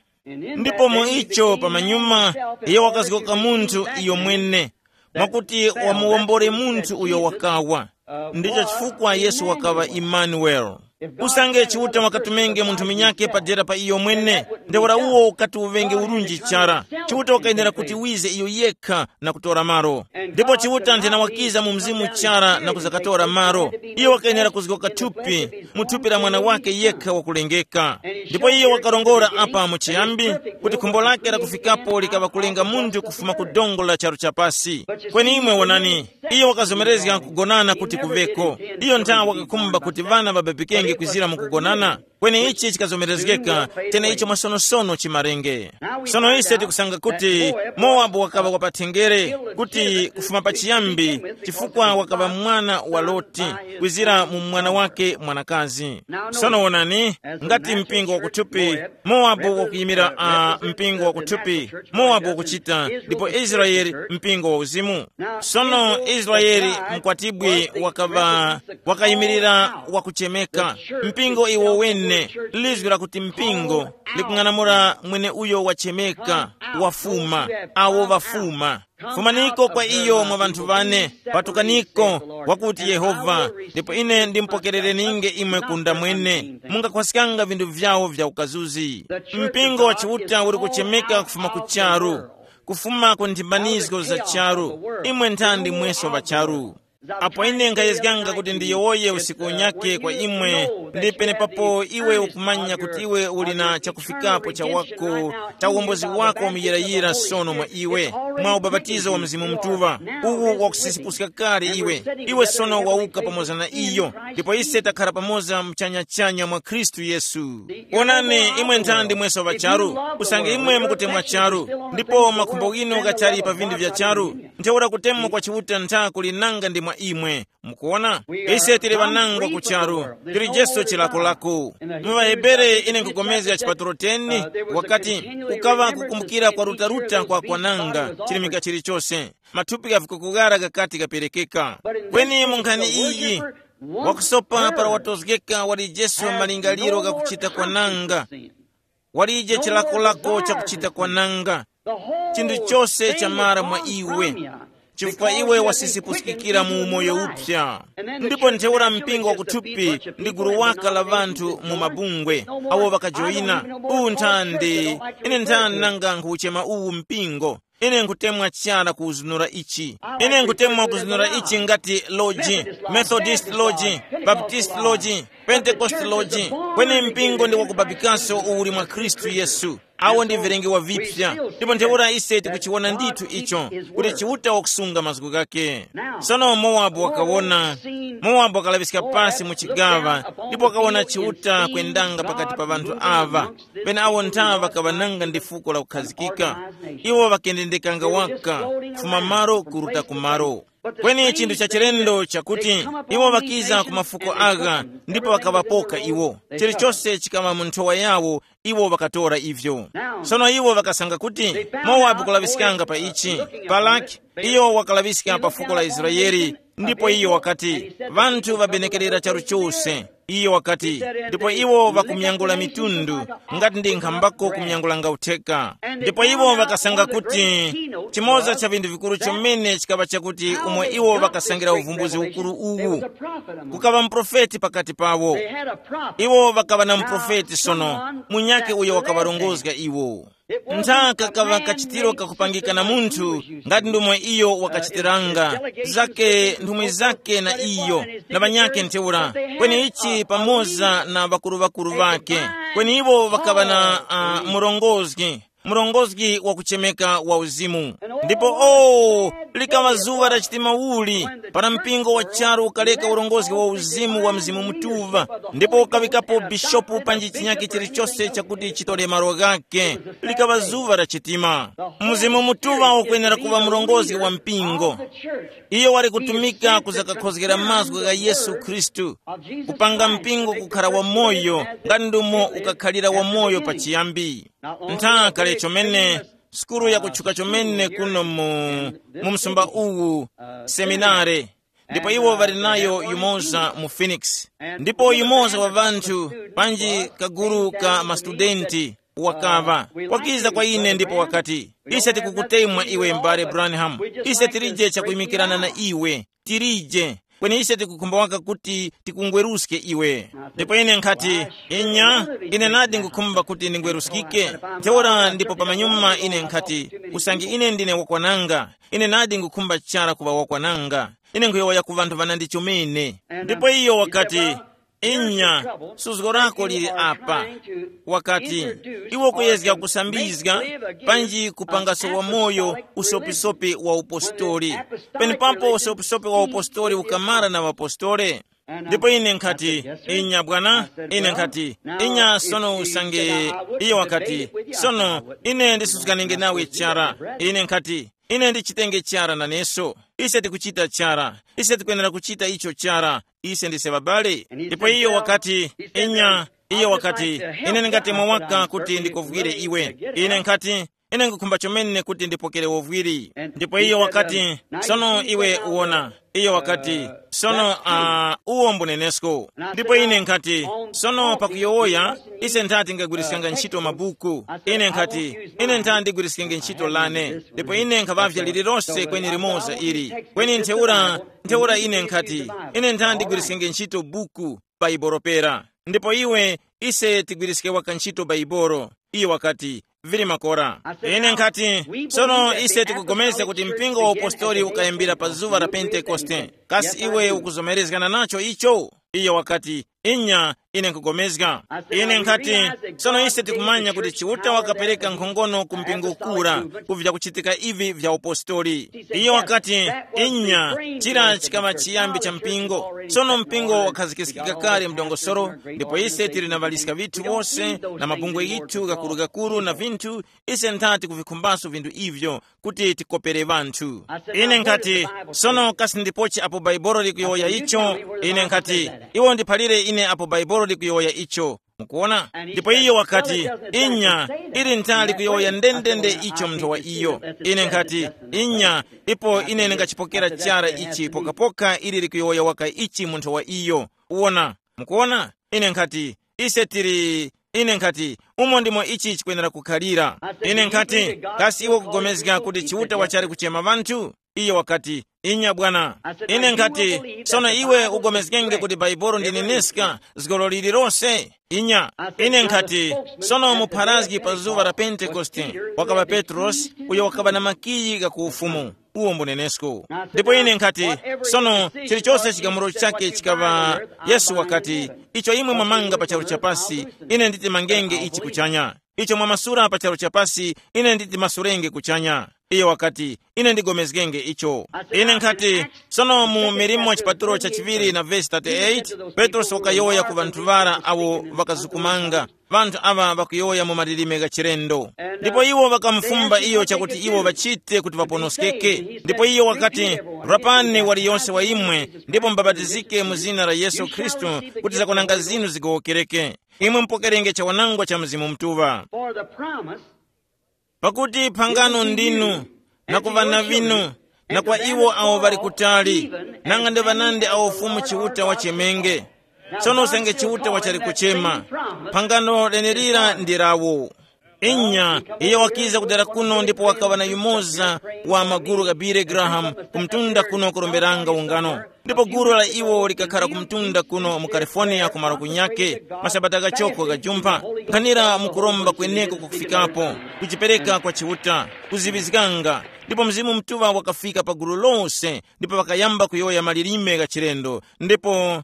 Ndipo mu icho pamanyuma, iyo wakazgoka munthu iyo mwene, mwakuti wamuwombole munthu uyo wakawa. Ndicho chifukwa Yesu wakaŵa Imanueli. Usange Chiuta wakatumenge munthu munyakhe padera pa iyo mwene, ntheura uwo ukati uŵenge urunji chara. Chiuta wakayenera kuti wize iyo yekha na kutora malo. Ndipo Chiuta nthena wakiza mu mzimu chara na kuzakatora malo. Iyo wakayenera kuzgoka thupi mu thupi la mwana wake yekha wakulengeka. Ndipo iyo wakarongora apa mu chiyambi kuti khumbo lake lakufikapo likaŵa kulenga munthu kufuma ku dongo la charu chapasi. Kweni imwe wonani, iyo wakazomerezga kugonana kuti kuveko. Iyo nthawe wakakhumba kuti ŵana ŵababikenge kwizira mu kugonana. Kweni ichi chikazomerezgeka, tena icho mwasonosono chimarenge. Sono ise tikusanga kuti Mowabu wakaŵa wapathengere kuti kufuma pachiyambi, chifukwa wakaŵa mwana wa Loti, kwizira mu mwana wake mwanakazi. Sono wonani, ngati mpingo wakuthupi, Mowabu wakuyimira uh, mpingo wakuthupi, Mowabu wakuchita, ndipo Israeli mpingo wa uzimu. Sono Israeli mkwatibwi wakaŵa wakayimirira wakuchemeka. Mpingo iwo wene, lizwi lakuti mpingo likung'anamula mwene uyo wachemeka, wafuma, awo ŵafuma. Fumaniko kwa iyo mwa ŵanthu ŵane, patukaniko, wakuti Yehova, ndipo ine ndimpokerereninge imwe kunda mwene. Mungakhwaskanga vinthu vyawo vya ukazuzi. Mpingo wa Chiuta uri kuchemeka kufuma ku charu, kufuma ku nthimbanizgo za charu. Imwe nthandi mweso ŵa charu. Apo ine nkhayezganga kuti ndiyowoye usiku unyake kwa imwe, ndi penepapo iwe ukumanya kuti iwe uli na chakufikapo cha wako, cha uwombozi wako wamuyirayira sono mwa iwe, mwa ubapatizo wa Mzimu Mutuŵa, uwu wakusisipuska kale iwe. Iwe sono wawuka pamoza na iyo, ndipo ise takhara pamoza mchanyachanya mwa Khristu Yesu. Wonani, imwe nthandi mweso ŵa charu, usange imwe mukutemwa charu, ndipo makhumbo ghinu ghachali pa vinthu vya charu, ntheura kutemwa kwa Chiuta ntha kuli nanga ndi mwa imwe. Mukuona, ise tili ŵanangwa ku charu, tili Jesu chilakolako. Mu ŵaHebere ine nkupulikana chipatulo teni, wakati, kukaŵa kukumbukira kwa rutaruta kwa kwananga, chilimika chilichose, mathupi gha vikukughara ghakati ghaperekeka. Kweni mu nkhani iyi, wakusopa para watozgeka wali Jesu malingaliro ghakuchita kwananga. Walije chilakolako chakuchita kwananga. Chinthu chose chamara mwa iwe, chifukwa iwe wasisipusikikira mu umoyo upsa. Ndipo ntheura mpingo wakuthupi ndi gulu waka la ŵanthu mu mabungwe, awo ŵakajoyina. Uwu nthandi, ine nthani nanga nkhuchema uwu mpingo? Ine nkutemwa chara kuzunura ichi. Ine nkutemwa kuzunura ichi ngati loji, Methodist loji, Baptist loji, Pentecost loji. Kweni mpingo ndi wakubabikaso uli mwa Khristu Yesu. Awo ndi vilengewa vipya. Ndipo ntheura ise tikuchiwona ndithu icho, kuti Chiuta wakusunga mazgu ghake. Sono Mowabu wakawona, Mowabu wakalaŵiska pasi mu chigaŵa, ndipo wakawona Chiuta kwendanga pakati pa ŵanthu aŵa. Penawo nthaŵa ŵakaŵananga ndi fuko la kukhazikika. Iwo ŵakendendekanga waka, kufuma malo kuruta ku malo. Kweni chinthu cha chilendo chakuti iwo ŵakiza ku mafuko agha, ndipo ŵakaŵapoka iwo. Chilichose chikaŵa mu nthowa yawo, iwo ŵakatora ivyo. Sono iwo ŵakasanga kuti Mowabu kulaŵiskanga pa ichi. Balaki, iyo wakalaŵiska pa fuko la Israeli, ndipo iyo wakati, ŵanthu ŵabenekerera charu chose. Iyo wakati, ndipo iwo ŵakumyangula mitundu, ngati ndi nkhambako kumyangulanga utheka. Ndipo iwo ŵakasanga kuti chimoza cha vinthu vikuru chomene chikaŵa chakuti umo iwo ŵakasangira uvumbuzi ukuru uwu, kukaŵa muprofeti pakati pawo. Iwo ŵakaŵa na muprofeti sono, munyakhe uyo wakaŵarongozga iwo. Nthaka kaŵa kachitiro kakupangika na munthu, ngati ndomwe iyo wakachitiranga, zake nthumwi zake na iyo, na ŵanyakhe ntheura, kweni ichi pamoza na ŵakuru-ŵakuru ŵakhe. Kweni iwo ŵakaŵa na uh, murongozgi, murongozgi wakuchemeka wa uzimu. Ndipo o, likaŵa zuŵa la chitima uli, para mpingo wa charu ukaleka urongozgi wa uzimu wa Mzimu Mutuŵa, ndipo ukaŵikapo bishopu panji chinyakhe chilichose chakuti chitore malo ghake. Likaŵa zuŵa la chitima. Mzimu Mutuŵa ukwenera kuŵa murongozgi wa mpingo. Iyo wali kutumika kuzakakhozgera mazgu gha Yesu Khristu, kupanga mpingo kukhara wamoyo, ngati ndumo ukakhalira wamoyo pachiyambi. Nthaka kale chomene, sukulu yakutchuka chomene kuno mu, mu msumba uwu, seminare. Ndipo iwo ŵali nayo yumoza mu Phoenix. Ndipo yumoza wa ŵanthu, panji kagulu ka mastudenti, wakaŵa, wakiza kwa ine ndipo wakati, ise tikukutemwa iwe, m'bale Branham. Ise tilije chakuyimikirana na iwe. Tilije. Kweni ise tikukhumba waka kuti tikungweruske iwe. Ndipo ine nkhati, inya, ine nadi ngukhumba kuti ndingweruskike. Ntheura ndipo pamanyuma ine nkhati, usange ine ndine wakwananga, ine nadi ngukhumba chara kuŵa wakwananga. Ine nkhuyowoya ku ŵanthu ŵanandi chomene. Ndipo iyo wakati, inya, suzgo lako lili apa. Wakati, iwe ukuyezga kusambizga, panji kupanga sowa moyo usopisopi wa upostoli. Penepapo usopisopi wa upostoli ukamara na ŵapostole. Ndipo ine nkhati, inya bwana. Ine nkhati, inya sono usange. Iyo wakati, sono, ine ndisuzganenge nawe chara. Ine nkhati, ine ndichitenge chara naneso. Ise tikuchita chara. Ise tikwenera kuchita icho chara. Ise ndise babale. Ndipo iyo wakati, inya, iyo wakati, ine ndingatemwa waka kuti ndikovwire iwe. Ine nkhati, ine ngukhumba chomene kuti ndipokere wovwiri. Ndipo iyo wakati, sono iwe uwona. Iyo wakati, sono uh, uwo mbunenesko. Ndipo ine nkhati, sono pakuyowoya, ise ntha tingagwiriskanga ntchito mabuku. Ine nkhati, ine ntha ndigwiriskenge ntchito lane. Ndipo ine nkhavavya lililose kweni limoza ili. Kweni ntheura, ntheura ine nkhati, ine ntha ndigwiriskenge ntchito buku, Baibolo pera. Ndipo iwe, ise tigwiriske waka ntchito Baibolo. Iyo wakati, vili makora. Ine nkhati, sono ise tikugomezga kuti mpingo wa upostoli ukayambira pa zuŵa la Pentekoste. Kasi iwe ukuzomerezgana nacho icho? Iyo wakati, inya, ine nkugomezga. Ine nkhati, sono ise tikumanya kuti Chiuta wakapereka nkhongono ku mpingo kura ku vyakuchitika ivi vya upostoli. Iyo wakati, inya, chira chikaŵa chiyambi cha mpingo. Sono mpingo wakhazikiskika kale mdongosolo, ndipo ise tili na ŵaliska vithu wose, na mabungwe yithu gakuru-gakuru na vinthu. Ise nthati kuvikhumbaso vinthu ivyo kuti tikopere ŵanthu. Ine nkhati, sono kasi ndipochi apo Baibolo likuyowoya icho? Ine nkhati, iwo ndiphalire ine apo Baibolo likuyowoya icho. Mukuona? Ndipo iyo wakati, inya, ili ntha likuyowoya ndendende icho munthu wa iyo. Ine nkhati, inya, ipo ine ndingachipokera chara ichi pokapoka ili likuyowoya waka ichi munthu wa iyo. Uwona? Mukuona? Ine nkhati, ise tili, ine nkhati, umo ndimo ichi chikwenera kukhalira. Ine nkhati, kasi iwe ukugomezga kuti Chiuta wachali kuchema ŵanthu? Iyo wakati, inya bwana. Ine nkhati, sono iwe ugomezgenge kuti Baibolo ndi neneska zgolo lililose? Inya. Ine nkhati, sono mupharazgi pa zuŵa la Pentekoste, wakaŵa Petrosi, uyo wakaŵa na makiyi gha ku ufumu. Uwo mbunenesko. Ndipo ine nkhati, sono, chilichose chigamulo chake chikaŵa, Yesu wakati, icho imwe mwamanga pa charu chapasi, ine nditimangenge ichi kuchanya. Icho mwamasura pa charu chapasi, ine nditimasurenge kuchanya. Iyo wakati, ine ndigomezgenge icho. Ine nkhati, sono mu milimo chipatulo cha chiŵiri na vesi thirty-eight, Petrosi wakayowoya ku ŵanthu ŵara awo ŵakazukumanga, ŵanthu aŵa ŵakuyowoya mu malilime gha chilendo. Ndipo iwo ŵakamufumba iyo chakuti iwo ŵachite kuti ŵaponoskeke. Ndipo iyo wakati, rapani waliyonse wa imwe, ndipo mubapatizike mu zina la Yesu Khristu, kuti zakunanga zinu zigowokereke. Imwe mupokerenge chawanangwa cha Mzimu Mutuŵa. For the promise. Pakuti phangano ndinu, na ku ŵana vinu, na kwa iwo awo ŵali kutali, nanga ndi ŵanandi awo Fumu Chiuta wachemenge. Tsono usange Chiuta wachali kuchema, phangano lenelira ndi lawo. Inya, iyo wakiza kudera kuno ndipo wakaŵa na yumoza wa maguru gha Billy Graham kumtunda kuno kuromberanga ungano. Ndipo gulu la iwo likakhala kumtunda kuno mu California ku malo kunyake, masabata ghachoko ghajumpha, nkhanira mukuromba kweneko kukufikapo, kujipereka kwa Chiuta, kuziŵizganga. Ndipo Mzimu Mutuŵa wakafika pa gulu lose, ndipo ŵakayamba kuyowoya malilime gha chilendo. Ndipo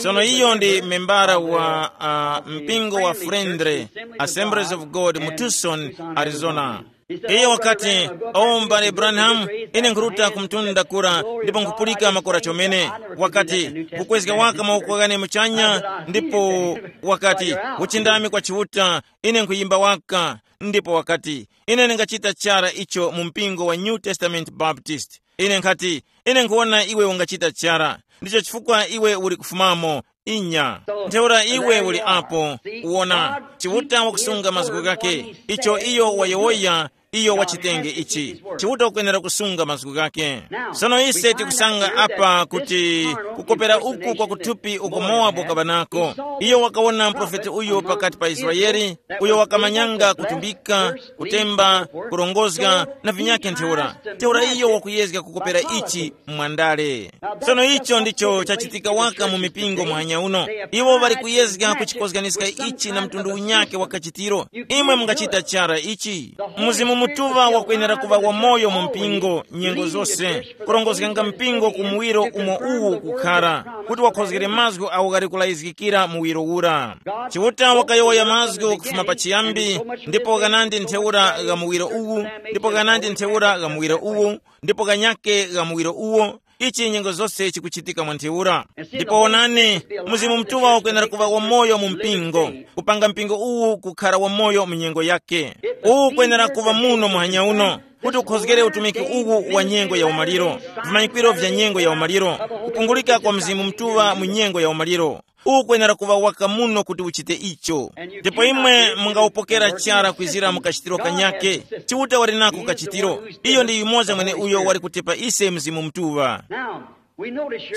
sono iyo ndi membara wa uh, mpingo wa Friendly Assemblies of God mu Tucson, Arizona. Iye wakati, o m'bale Branham, ine nkhuruta ku mtunda kura ndipo nkhupulika makora chomene. Wakati, kukwezga waka mawoko ghane muchanya, ndipo wakati, uchindami kwa Chiuta, ine nkhuyimba waka. Ndipo wakati, ine ndingachita chara icho mu mpingo wa New Testament Baptist. Ine nkhati, ine nkhuwona iwe ungachita chara. Ndicho chifukwa iwe uli kufumamo. Inya. Ntheura iwe uli apo. Uwona, Chiuta wakusunga mazgu ghake. Icho iyo wayowoya, Iyo wachitenge ichi. Chiuta ukwenera kusunga mazgu ghake. Sono ise tikusanga apa kuti kukopera uku kwa kuthupi uko Mowabu wakaŵa nako. Iyo wakawona muprofeti uyo pakati pa Israeli, uyo wakamanyanga kutumbika, kutemba, kurongozga na vinyakhe ntheura. Ntheura iyo wakuyezga kukopera ichi mwandale. Sono icho ndicho chachitika waka mu mipingo muhanya uno. Iwo ŵali kuyezga kuchikozganiska ichi na mtundu unyakhe wa kachitiro. Imwe mungachita chara ichi. Mzimu Mutuŵa wakwenera kuŵa wamoyo mu mpingo nyengo zose, kurongozganga mpingo ku muwiro umo uwu kukhara, kuti wakhozgere mazgu awo ghali kulayizgikira muwiro ura. Chiuta wakayowoya mazgu kufuma pachiyambi, ndipo ghanandi ntheura gha muwiro uwu, ndipo ghanandi ntheura gha muwiro uwu, ndipo ghanyake gha muwiro uwo. Ichi nyengo zose chikuchitika mwa ntheura. Ndipo onani, Mzimu Mutuŵa ukwenera kuŵa wamoyo mu mpingo, kupanga mpingo uwu kukhara wamoyo mu nyengo yake. Uwu ukwenera kuŵa muno muhanya uno, kuti ukhozgere utumiki uwu wa nyengo ya umaliro, vimanyikwiro vya nyengo ya umaliro, kupungulika kwa Mzimu Mutuŵa mu nyengo ya umaliro. Ukwenera kuŵa waka muno kuti uchite icho. Ndipo imwe mungawupokera chara kwizira mu kachitiro kanyake. Chiuta wali nako kachitiro. Iyo ndi yumoza mwene uyo wali kutipa ise Mzimu Mutuŵa.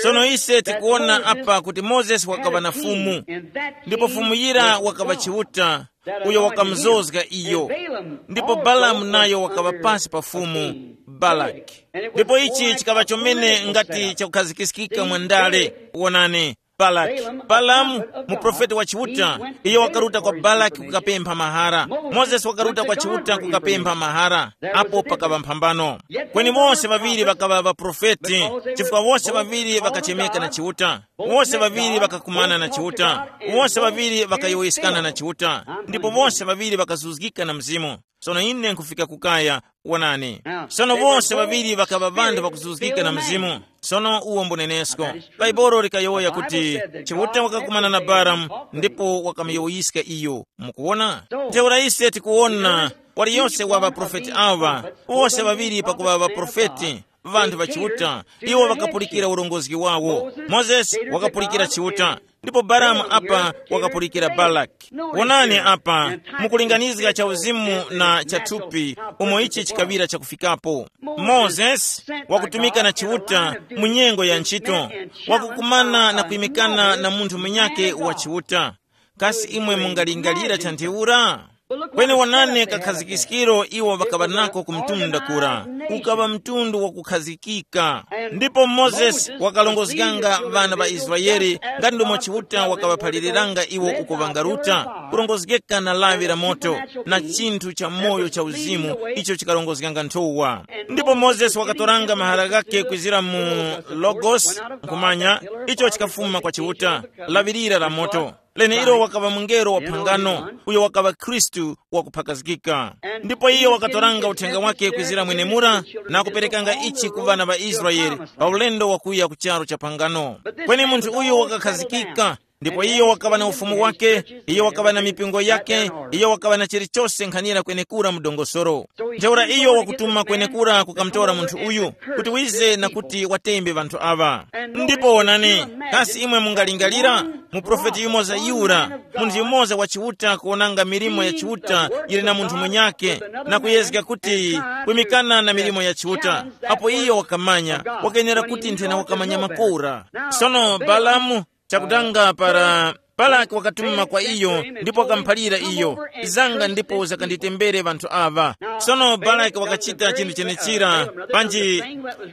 Sono ise tikuwona apa kuti Mozesi wakaŵa na fumu, ndipo fumu yira wakaŵa Chiuta, uyo wakamuzozga iyo. Ndipo Balamu nayo wakaŵa pasi pa fumu Balaki. Ndipo ichi chikaŵa chomene ngati chakukhazikiskika mwa ndale. Wonani, Balaki, Balamu, muprofeti wa Chiuta, iyo wakaruta kwa Balaki kukapempha mahara. Mozesi wakaruta kwa Chiuta kukapempha mahara. Apo pakaŵa mphambano. Kweni wose ŵaŵiri ŵakaŵa ŵaprofeti, chifukwa wose ŵaŵiri ŵakachemeka na Chiuta. Wose ŵaŵiri ŵakakumana na Chiuta. Wose ŵaŵiri ŵakayowoyeskana na Chiuta. Ndipo wose ŵaŵiri ŵakazuzgika na Mzimu. Sono ine nkhufika kukaya. Wonani. Sono wose ŵaŵiri ŵakaŵa ŵanthu ŵakuzuzgika na Mzimu. Sono uwo mbunenesko. Bhaibuli likayowoya kuti, Chiuta wakakumana na Balamu, ndipo wakamuyowoyiska iyo. Mukuwona? Ntheura ise tikuwona, waliyose wa ŵaprofeti awa, wose ŵaŵiri pakuŵa ŵaprofeti, ŵanthu ŵa Chiuta, iwo ŵakapulikira urongozgi wawo. Mozesi wakapulikira Chiuta, ndipo Balamu apa wakapulikira Balaki. Wonani apa, mukulinganizga cha uzimu na cha thupi, umo ichi chikaŵira chakufikapo. Mozesi wakutumika na Chiuta mu nyengo ya nchito, wakukumana na kuyimikana na munthu munyakhe wa Chiuta. Kasi imwe mungalingalira cha ntheura? Kweni wonani kakhazikiskiro iwo ŵakaŵa nako ku mtunda kura, ukaŵa mtundu wakukhazikika. Ndipo Mozesi wakalongozganga ŵana ŵa Israele, ngati ndomwe Chiuta wakaŵaphaliranga iwo uko ŵangaruta, kurongozgeka na lawi la moto, na chinthu cha moyo cha uzimu icho chikarongozganga nthowa. Ndipo Mozesi wakatoranga mahara ghakhe kwizira mu Logos, nkhumanya, icho chikafuma kwa Chiuta, lawi lira la moto. Leneilo wakaŵa mungelo wa phangano, uyo wakaŵa Khristu wakuphakazgika. Ndipo iyo wakatoranga uthenga wake kwizira mwenemura, na kuperekanga ichi ku ŵana ŵa Israele pa ulendo wakuya ku charu cha phangano. Kweni munthu uyo wakakhazikika, ndipo iyo wakaŵa na ufumu wake, iyo wakaŵa na mipingo yake, iyo wakaŵa na chilichose nkhanira kwenekura mu dongosolo. Ntheura iyo wakutuma kwenekura kukamutora munthu uyu, kuti wize na kuti watembe ŵanthu aŵa. Ndipo wonani, kasi imwe mungalingalira? Muprofeti yumoza yura, munthu yumoza wa Chiuta kuwonanga milimo ya Chiuta yili na munthu munyakhe, na kuyezga kuti kwimikana na milimo ya Chiuta. Apo iyo wakamanya, wakenera kuti nthena wakamanya makora. Sono Balamu, chakutanga para Balaki wakatuma kwa iyo, ndipo wakamuphalira iyo, zanga ndipo zakanditembere ŵanthu aŵa. Sono Balaki wakachita chinthu chenechira, panji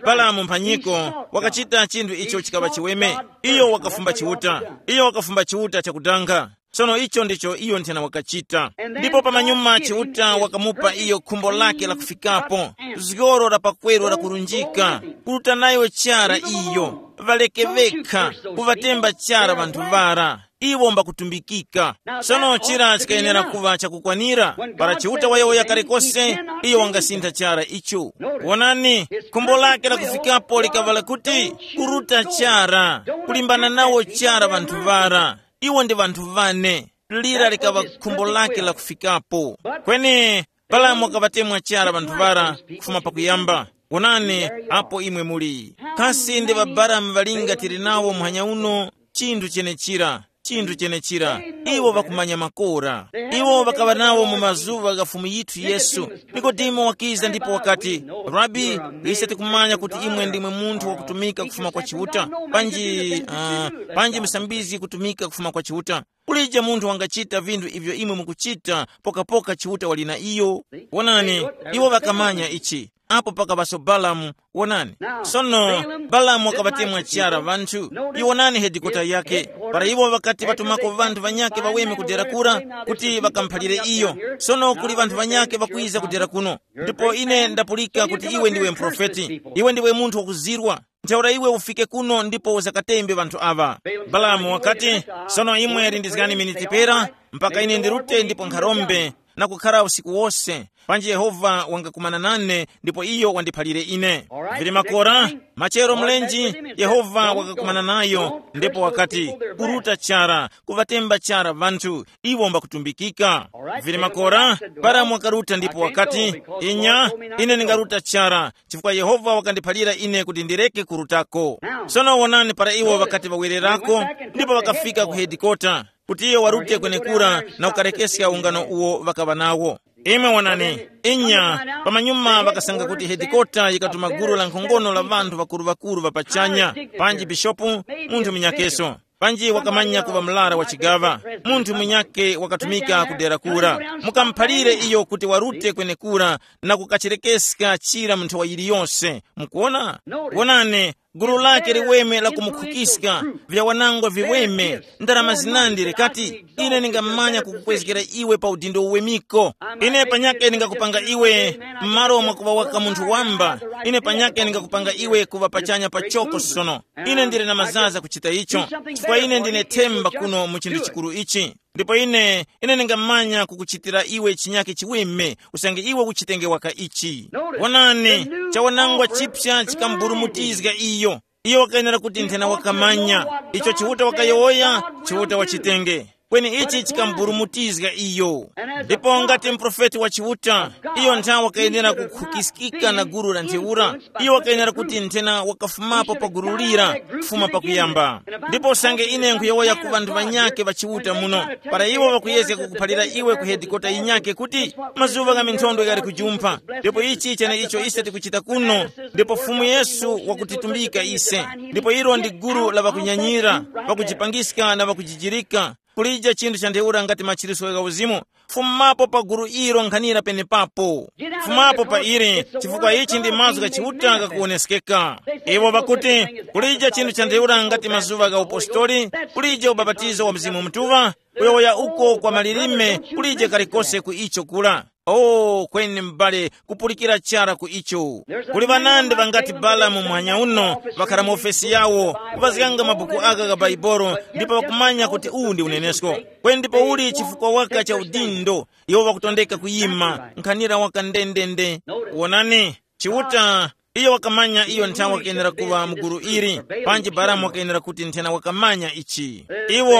Balamu mphanyiko wakachita chinthu icho chikaŵa chiweme. Iyo wakafumba Chiuta. Iyo wakafumba Chiuta chakudanga. Sono icho ndicho iyo nthena wakachita. Ndipo pamanyuma Chiuta wakamupa iyo khumbo lake la kufikapo, zgoro la pakweru la kurunjika, kuruta nayo chara iyo, ŵaleke ŵekha, kuŵatemba chara ŵanthu ŵara. Iwo mbakutumbikika. Sono chira chikayenera kuŵa chakukwanira. Para Chiuta wayowoya kale kose, iyo wangasintha chara icho. Wonani, khumbo lake la kufikapo likaŵala kuti, kuruta chara, kulimbana nawo chara ŵanthu ŵara. Iwo ndi ŵanthu ŵane. Lira likaŵa khumbo lake la kufikapo. Kweni Balamu wakaŵatemwa chara ŵanthu ŵara kufuma pakuyamba. Wonani, apo imwe muli. Kasi ndi ŵaBalamu ŵalinga tili nawo muhanya uno? Chinthu chenechira. Chinthu chenechira, iwo ŵakumanya makora. Iwo ŵakaŵa nawo mu mazuŵa gha Fumu yithu Yesu. Nikodemo wakiza ndipo wakati, "Rabi, ise tikumanya kuti imwe ndimwe munthu wakutumika kufuma kwa Chiuta, panji, uh, panji musambizgi kutumika kufuma kwa Chiuta. Kulije munthu wangachita vinthu ivyo imwe mukuchita, pokapoka Chiuta wali na iyo." Wonani, iwo ŵakamanya ichi. Apo pakaŵaso Balamu. Wonani, sono Balamu wakaŵatemwa chara ŵanthu. Iwonani hedikota yake. Para iwo ŵakati ŵatumako ŵanthu ŵanyakhe ŵaweme kudera kura, kuti ŵakamuphalire iyo. Sono kuli ŵanthu ŵanyakhe ŵakwiza kudera kuno, ndipo ine ndapulika kuti iwe ndiwe mprofeti. Iwe ndiwe munthu wakuzirwa. Ntheura iwe ufike kuno ndipo uzakatembe ŵanthu aŵa. Balamu wakati, "Sono imwe lindizgani miniti pera, mpaka ine ndirute ndipo nkharombe, na kukhara usiku wose, panji Yehova wangakumana nane ndipo iyo wandiphalire ine." Vili makora, machero mlenji, Yehova wakakumana nayo ndipo wakati, "Kuruta chara, kuŵatemba chara ŵanthu, iwo mbakutumbikika." Vili makora, Balamu wakaruta ndipo wakati, "Inya, ine ndingaruta chara, chifukwa Yehova wakandiphalira ine kuti ndireke kurutako." Sono wonani, para iwo ŵakati ŵawererako, ndipo ŵakafika ku hedikota, kuti iyo warute kwenekura na kukarekeska ungano uwo ŵakaŵa nawo. Imwe wonani, inya, pamanyuma ŵakasanga kuti hedikota yikatuma gulu la nkhongono la ŵanthu ŵakuru-ŵakuru ŵa pachanya, panji bishopu, munthu munyakeso, panji wakamanya kuŵa mlara wa chigaŵa, munthu munyake wakatumika kudera kura. Mukamuphalire iyo kuti warute kwenekura na kukacherekeska chira mu nthawa yiliyose. Mukuona? Wonani, gulu lake liweme la kumukhukiska, vyawanangwa viweme, ndarama zinandi likati, "Ine ningamanya kukukwezgera iwe pa udindo uwemiko. Ine panyake ningakupanga iwe, m'malo mwakuŵa waka munthu wamba, ine panyake ningakupanga iwe kuŵa pachanya pachoko sono. Ine ndili na mazaza kuchita icho, chifukwa ine ndine themba kuno mu chinthu chikuru ichi. Ndipo ine, ine ndingamanya kukuchitira iwe chinyake chiweme, usange iwe uchitenge waka ichi." Wonani, chawanangwa chipsa chikamburumutizga iyo. Iyo wakayenera kuti nthena wakamanya icho Chiuta wakayowoya, Chiuta wachitenge. Kweni ichi chikamburumutizga iyo. Ndipo ngati mprofeti wa Chiuta, iyo nthawi wakayenera kukhukiskika na gulu la ntheura. Iyo wakayenera kuti nthena wakafumapo pa gulu lira kufuma pakuyamba. Ndipo usange ine nkhuyowoya ku ŵanthu ŵanyakhe ŵa Chiuta muno, para iwo ŵakuyezga kukuphalira iwe ku hedikota yinyakhe kuti, mazuŵa gha minthondwe ghali kujumpha, ndipo ichi chene icho ise tikuchita kuno. Ndipo Fumu Yesu wakutitumbika ise, ndipo ilo ndi gulu la ŵakunyanyira, ŵakujipangiska na ŵakujijirika. Kulija chinthu cha ntheura ngati machiritso gha uzimu, fumapo pa gulu ilo nkhanira penepapo. Fumapo pa ili, chifukwa ichi ndi mazgu gha Chiuta ghakuwoneskeka. Iwo ŵakuti, kulija chinthu cha ntheura ngati mazuŵa gha upostoli, kulija ubapatizo wa Mzimu Mutuŵa, kuyowoya uko kwa malilime, kulije kalikose ku icho kura. O, kweni m'bale, kupulikira chara ku icho. Kuli ŵanandi ŵangati Balamu muhanya uno ŵakhara mu ofesi yawo, kupazganga mabuku aka gha Baibolo, ndipo ŵakumanya kuti uwu ndi unenesko. Kweni ndipo uli chifukwa waka cha udindo, iwo ŵakutondeka kuyima, nkhanira waka ndendende. Wonani, Chiuta, iyo wakamanya iyo nthawi wakayenera kuŵa mu gulu ili, panji Balamu wakayenera kuti nthena wakamanya ichi. Iwo,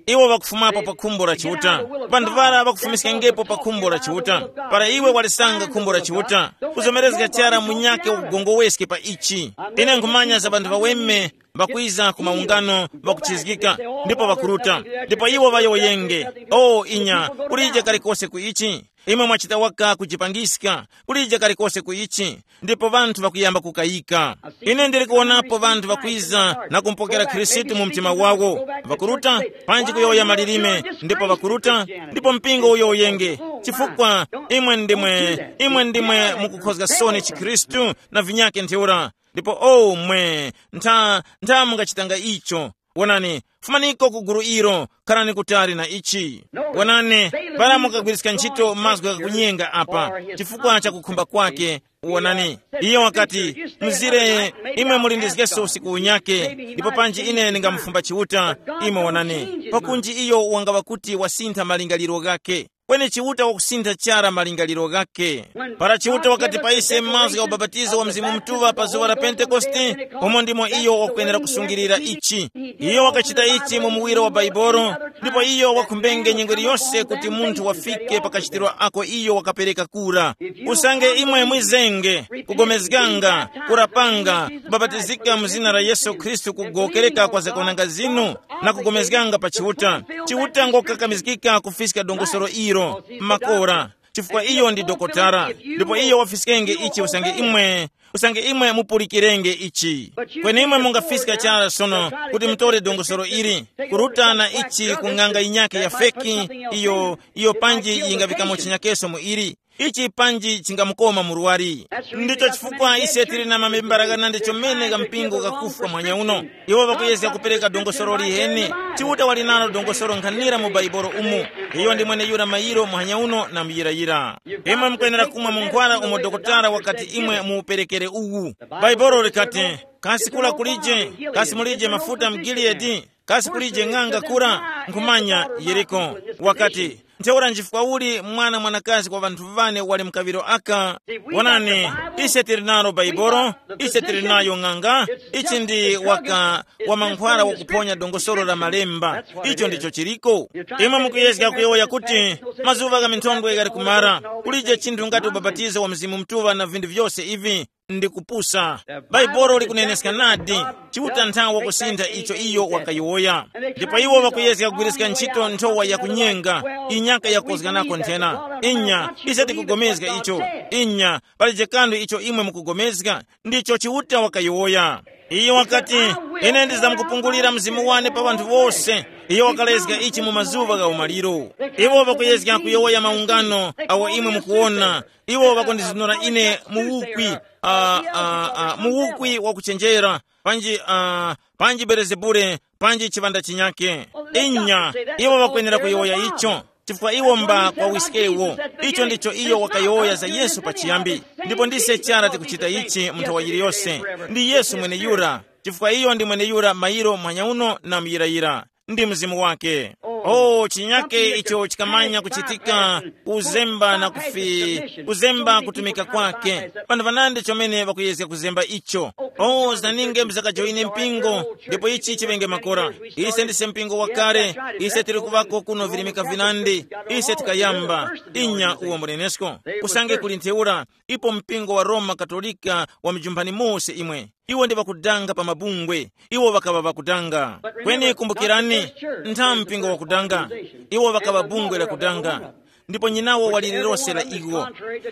iwo ŵakufumapo pa khumbo la Chiuta. Panthu para ŵakufumiskangepo pa khumbo la Chiuta. Para iwe walisanga khumbo la Chiuta, kuzomerezga chara munyakhe wakugongoweske pa ichi. Ine nkhumanya za ŵanthu ŵaweme ŵakwiza ku maungano ŵakuchizgika, ndipo ŵakuruta, ndipo iwo ŵayowoyenge. O inya, kulije kalikose ku ichi. Imwe mwachita waka kujipangiska, kulije kalikose ku ichi, ndipo ŵanthu ŵakuyamba kukayika. Ine ndili kuwonapo ŵanthu ŵakwiza na kumupokera Khristu mu mtima wawo, ŵakuruta, panji kuyowoya malilime, ndipo ŵakuruta, ndipo mpingo uyowoyenge, chifukwa imwe ndimwe, imwe ndimwe mukukhozga soni chikhristu na vinyake ntheura. Ndipo o mwe, ntha, ntha mungachitanga icho. Wonani, fumaniko ku gulu ilo, kharani kutali na ichi. Wonani, para mukagwiriska ntchito mazgu ghakunyenga apa, chifukwa cha kukhumba kwake. Wonani, iyo wakati, mzire, imwe muli ndi zgeso usiku unyake, ndipo panji ine ndingamufumba Chiuta. Imwe wonani, pakunji iyo wangaŵa kuti wasintha malingaliro ghake. Kweni Chiuta wakusintha chara malingaliro ghakhe. Para Chiuta wakati pa ise mazgu gha ubapatizo wa Mzimu Mutuŵa pa zuŵa la Pentekoste, umo ndimo iyo wakwenera kusungilira ichi. Iyo wakachita ichi mu muwiro wa Baibolo, ndipo iyo wakhumbenge nyengo iliyose kuti munthu wafike pa kachitiro ako iyo wakapereka kura. Usange imwe mwizenge, kugomezganga, kurapanga, kubabatizika mu zina la Yesu Khristu, kugokereka kwa zakwananga zinu, na kugomezganga pa Chiuta, Chiuta ngokakamizgika kufiska dongosolo ilo makora, chifukwa iyo ndi dokotala, ndipo iyo wafiskenge ichi usange imwe usange imwe mupulikirenge ichi. Kweni imwe mungafiska chara sono kuti mutore dongosolo ili, kurutana ichi ku ng'anga yinyakhe ya feki, iyo iyo panji yingavikamo chinyakeso mu ili, ichi panji chingamukoma murwari. Ndicho chifukwa ise tili na mamembara ghanandi chomene ga mpingo gakufwa mwanya uno. Iwo ŵakuyezga kupereka dongosolo liheni. Chiuta wali nalo dongosolo nkhanira mu Baibolo umu. Iyo ndi mweneyura mayiro muhanya uno na muyirayira. Imwe mukwenera kumwa munkhwara umo dokotala wakati imwe muuperekere uwu. Baibolo likati, kasi kula kulije? Kasi mulije mafuta mu Giliyadi? Kasi kulije ng'anga kura? Nkhumanya Yeriko. Wakati, ntheura nchifukwa uli mwana mwanakazi kwa ŵanthu ŵane wali mkaŵiro aka? Wonani, ise tili nalo Baibolo, ise tili nayo ng'anga, ichi ndi waka wa mankhwala wakuphonya dongosolo la malemba. Icho ndicho chiliko. Imwe mukuyezga kuyowoya kuti mazuŵa gha minthondwe ghali kumara, kulije chinthu ngati ubapatizo wa Mzimu Mutuŵa na vinthu vyose ivi, ndi kupusa. Baibolo likuneneska nadi, Chiuta nthawe wakusintha icho iyo wakayowoya. Ndipo iwo ŵakuyezga kugwiriska ntchito nthowa yakunyenga, inyaka yakozganako nthena. Inya, ise tikugomezga icho. Inya, palije kanthu icho imwe mukugomezga, ndicho Chiuta wakayowoya. Iyo wakati, ine ndizamkupungulira mzimu wane pa ŵanthu wose. Iyo wakalezga ichi mu mazuŵa gha umaliro. Iwo ŵakuyezga kuyowoya maungano awo imwe mukuwona. Iwo ŵakundizunura ine mu ukwi, uh, uh, uh, mu ukwi wakuchenjera, panji uh, panji Belezebule, panji chiŵanda chinyake. Inya, iwo ŵakwenera kuyowoya icho, chifukwa iwo mba kwa wiskewo. Icho ndicho iyo wakayowoya za Yesu pachiyambi. Ndipo ndise chara tikuchita ichi mu nthawa yiliyose. Ndi Yesu mweneyura, chifukwa iyo ndi mweneyura mayiro muhanya uno na muyirayira. Ndi mzimu wake. Oh, chinyake icho chikamanya kuchitika, kuzemba na kufi kuzemba kutumika kwake. Pano panandi chomene ŵakuyezga kuzemba icho. Oh, zinaninge mzakajoine mpingo, ndipo ichi chivenge makora. Ise ndise mpingo wakale. Ise tili kuvako kuno virimika vinandi. Ise tikayamba inya uwo munenesko. Kusange kuli ntheura, ipo mpingo wa Roma Katolika wa mijumpani mose imwe. Iwo ndi ŵakudanga pa mabungwe. Iwo ŵakaŵa ŵakudanga. Kweni kumbukirani, ntha mpingo wakudanga. Iwo ŵakaŵa bungwe lakudanga. Ndipo nyinawo wali lilose la iwo.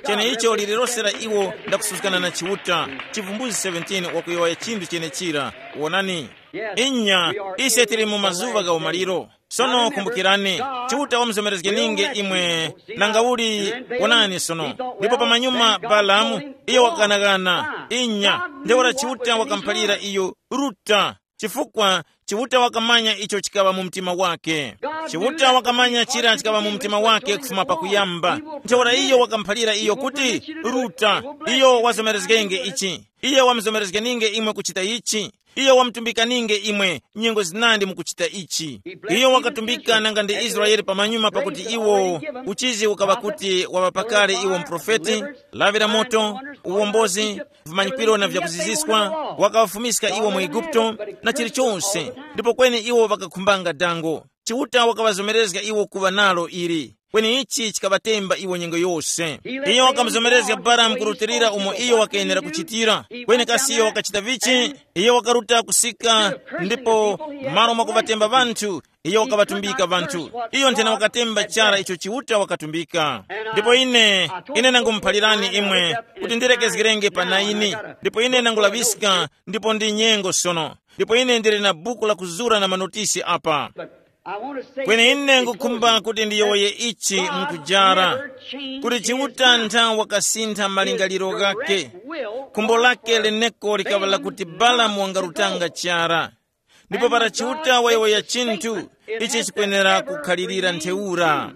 Cheneicho lililose la iwo ndakusuzgana na Chiuta. Chivumbulutso seventeen wakuyowoya chinthu chenechira. Wonani. Inya, ise tili mu mazuŵa gha umaliro. Sono kumbukirani, Chiuta wamuzomerezgeninge imwe, nanga uli, wonani sono. Ndipo pamanyuma Balamu, iyo wakanaghana. Inya, ntheura Chiuta wakamuphalira iyo, Ruta. Chifukwa Chiuta wakamanya icho chikaŵa mu mtima wake. Chiuta wakamanya chira chikaŵa mu mtima wake kufuma pakuyamba. Ntheura iyo wakamuphalira iyo kuti, Ruta, iyo wazomerezgenge ichi. Iyo wamuzomerezgeninge imwe kuchita ichi. Iyo wamutumbikaninge imwe nyengo zinandi mukuchita ichi. Iyo wakatumbika nanga ndi Israele pamanyuma pakuti iwo uchizi ukaŵa kuti waŵa pakale iwo muprofeti, lawi la moto, uwombozi, vimanyikiro na vyakuziziswa, wakaŵafumiska iwo mu Eguputo na chilichonse, ndipo kweni iwo ŵakakhumbanga dango. Chiuta wakaŵazomerezga iwo kuŵa nalo ili. Kweni ichi chikaŵatemba iwo nyengo yose. Iyo wakamuzomerezga Balamu kurutilira umo iyo wakayenera kuchitira. Kweni kasi iyo wakachita vichi? Iyo wakaruta kusika, ndipo malo mwakuŵatemba ŵanthu, iyo wakaŵatumbika ŵanthu. Iyo nthena wakatemba chara icho Chiuta wakatumbika. Ndipo ine, ine nangumuphalirani imwe kuti ndilekezgerenge pa naini. Ndipo ine nangulaŵiska, ndipo ndi nyengo sono. Ndipo ine ndili na buku la kuzura na manotisi apa. Kweni ine ngukhumba kuti ndiyowoye ichi mkujara, kuti Chiuta ntha wakasintha malingaliro ghakhe. Khumbo lake leneko likaŵa lakuti Balamu wangarutanga chara. Ndipo para Chiuta wayowoya chinthu, ichi chikwenera kukhalirira ntheura.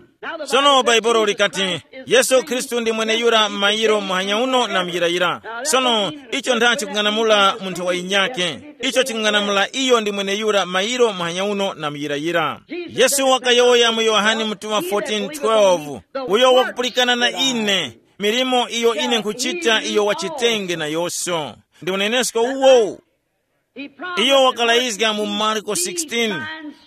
Sono Bhaibuli likati, Yesu Khristu ndi mweneyura mayiro muhanya uno na muyirayira. Sono icho nda chikung'anamula munthu wa yinyake. Icho chikung'anamula iyo ndi mweneyura mayiro muhanya uno na muyirayira. Yesu wakayowoya mu Yohane mutuŵa fourteen twelve, uyo wakupulikana na ine, milimo iyo ine nkhuchita iyo wachitenge nayonso. Ndi unenesko uwo. Iyo wakalayizga mu Marko sixteen,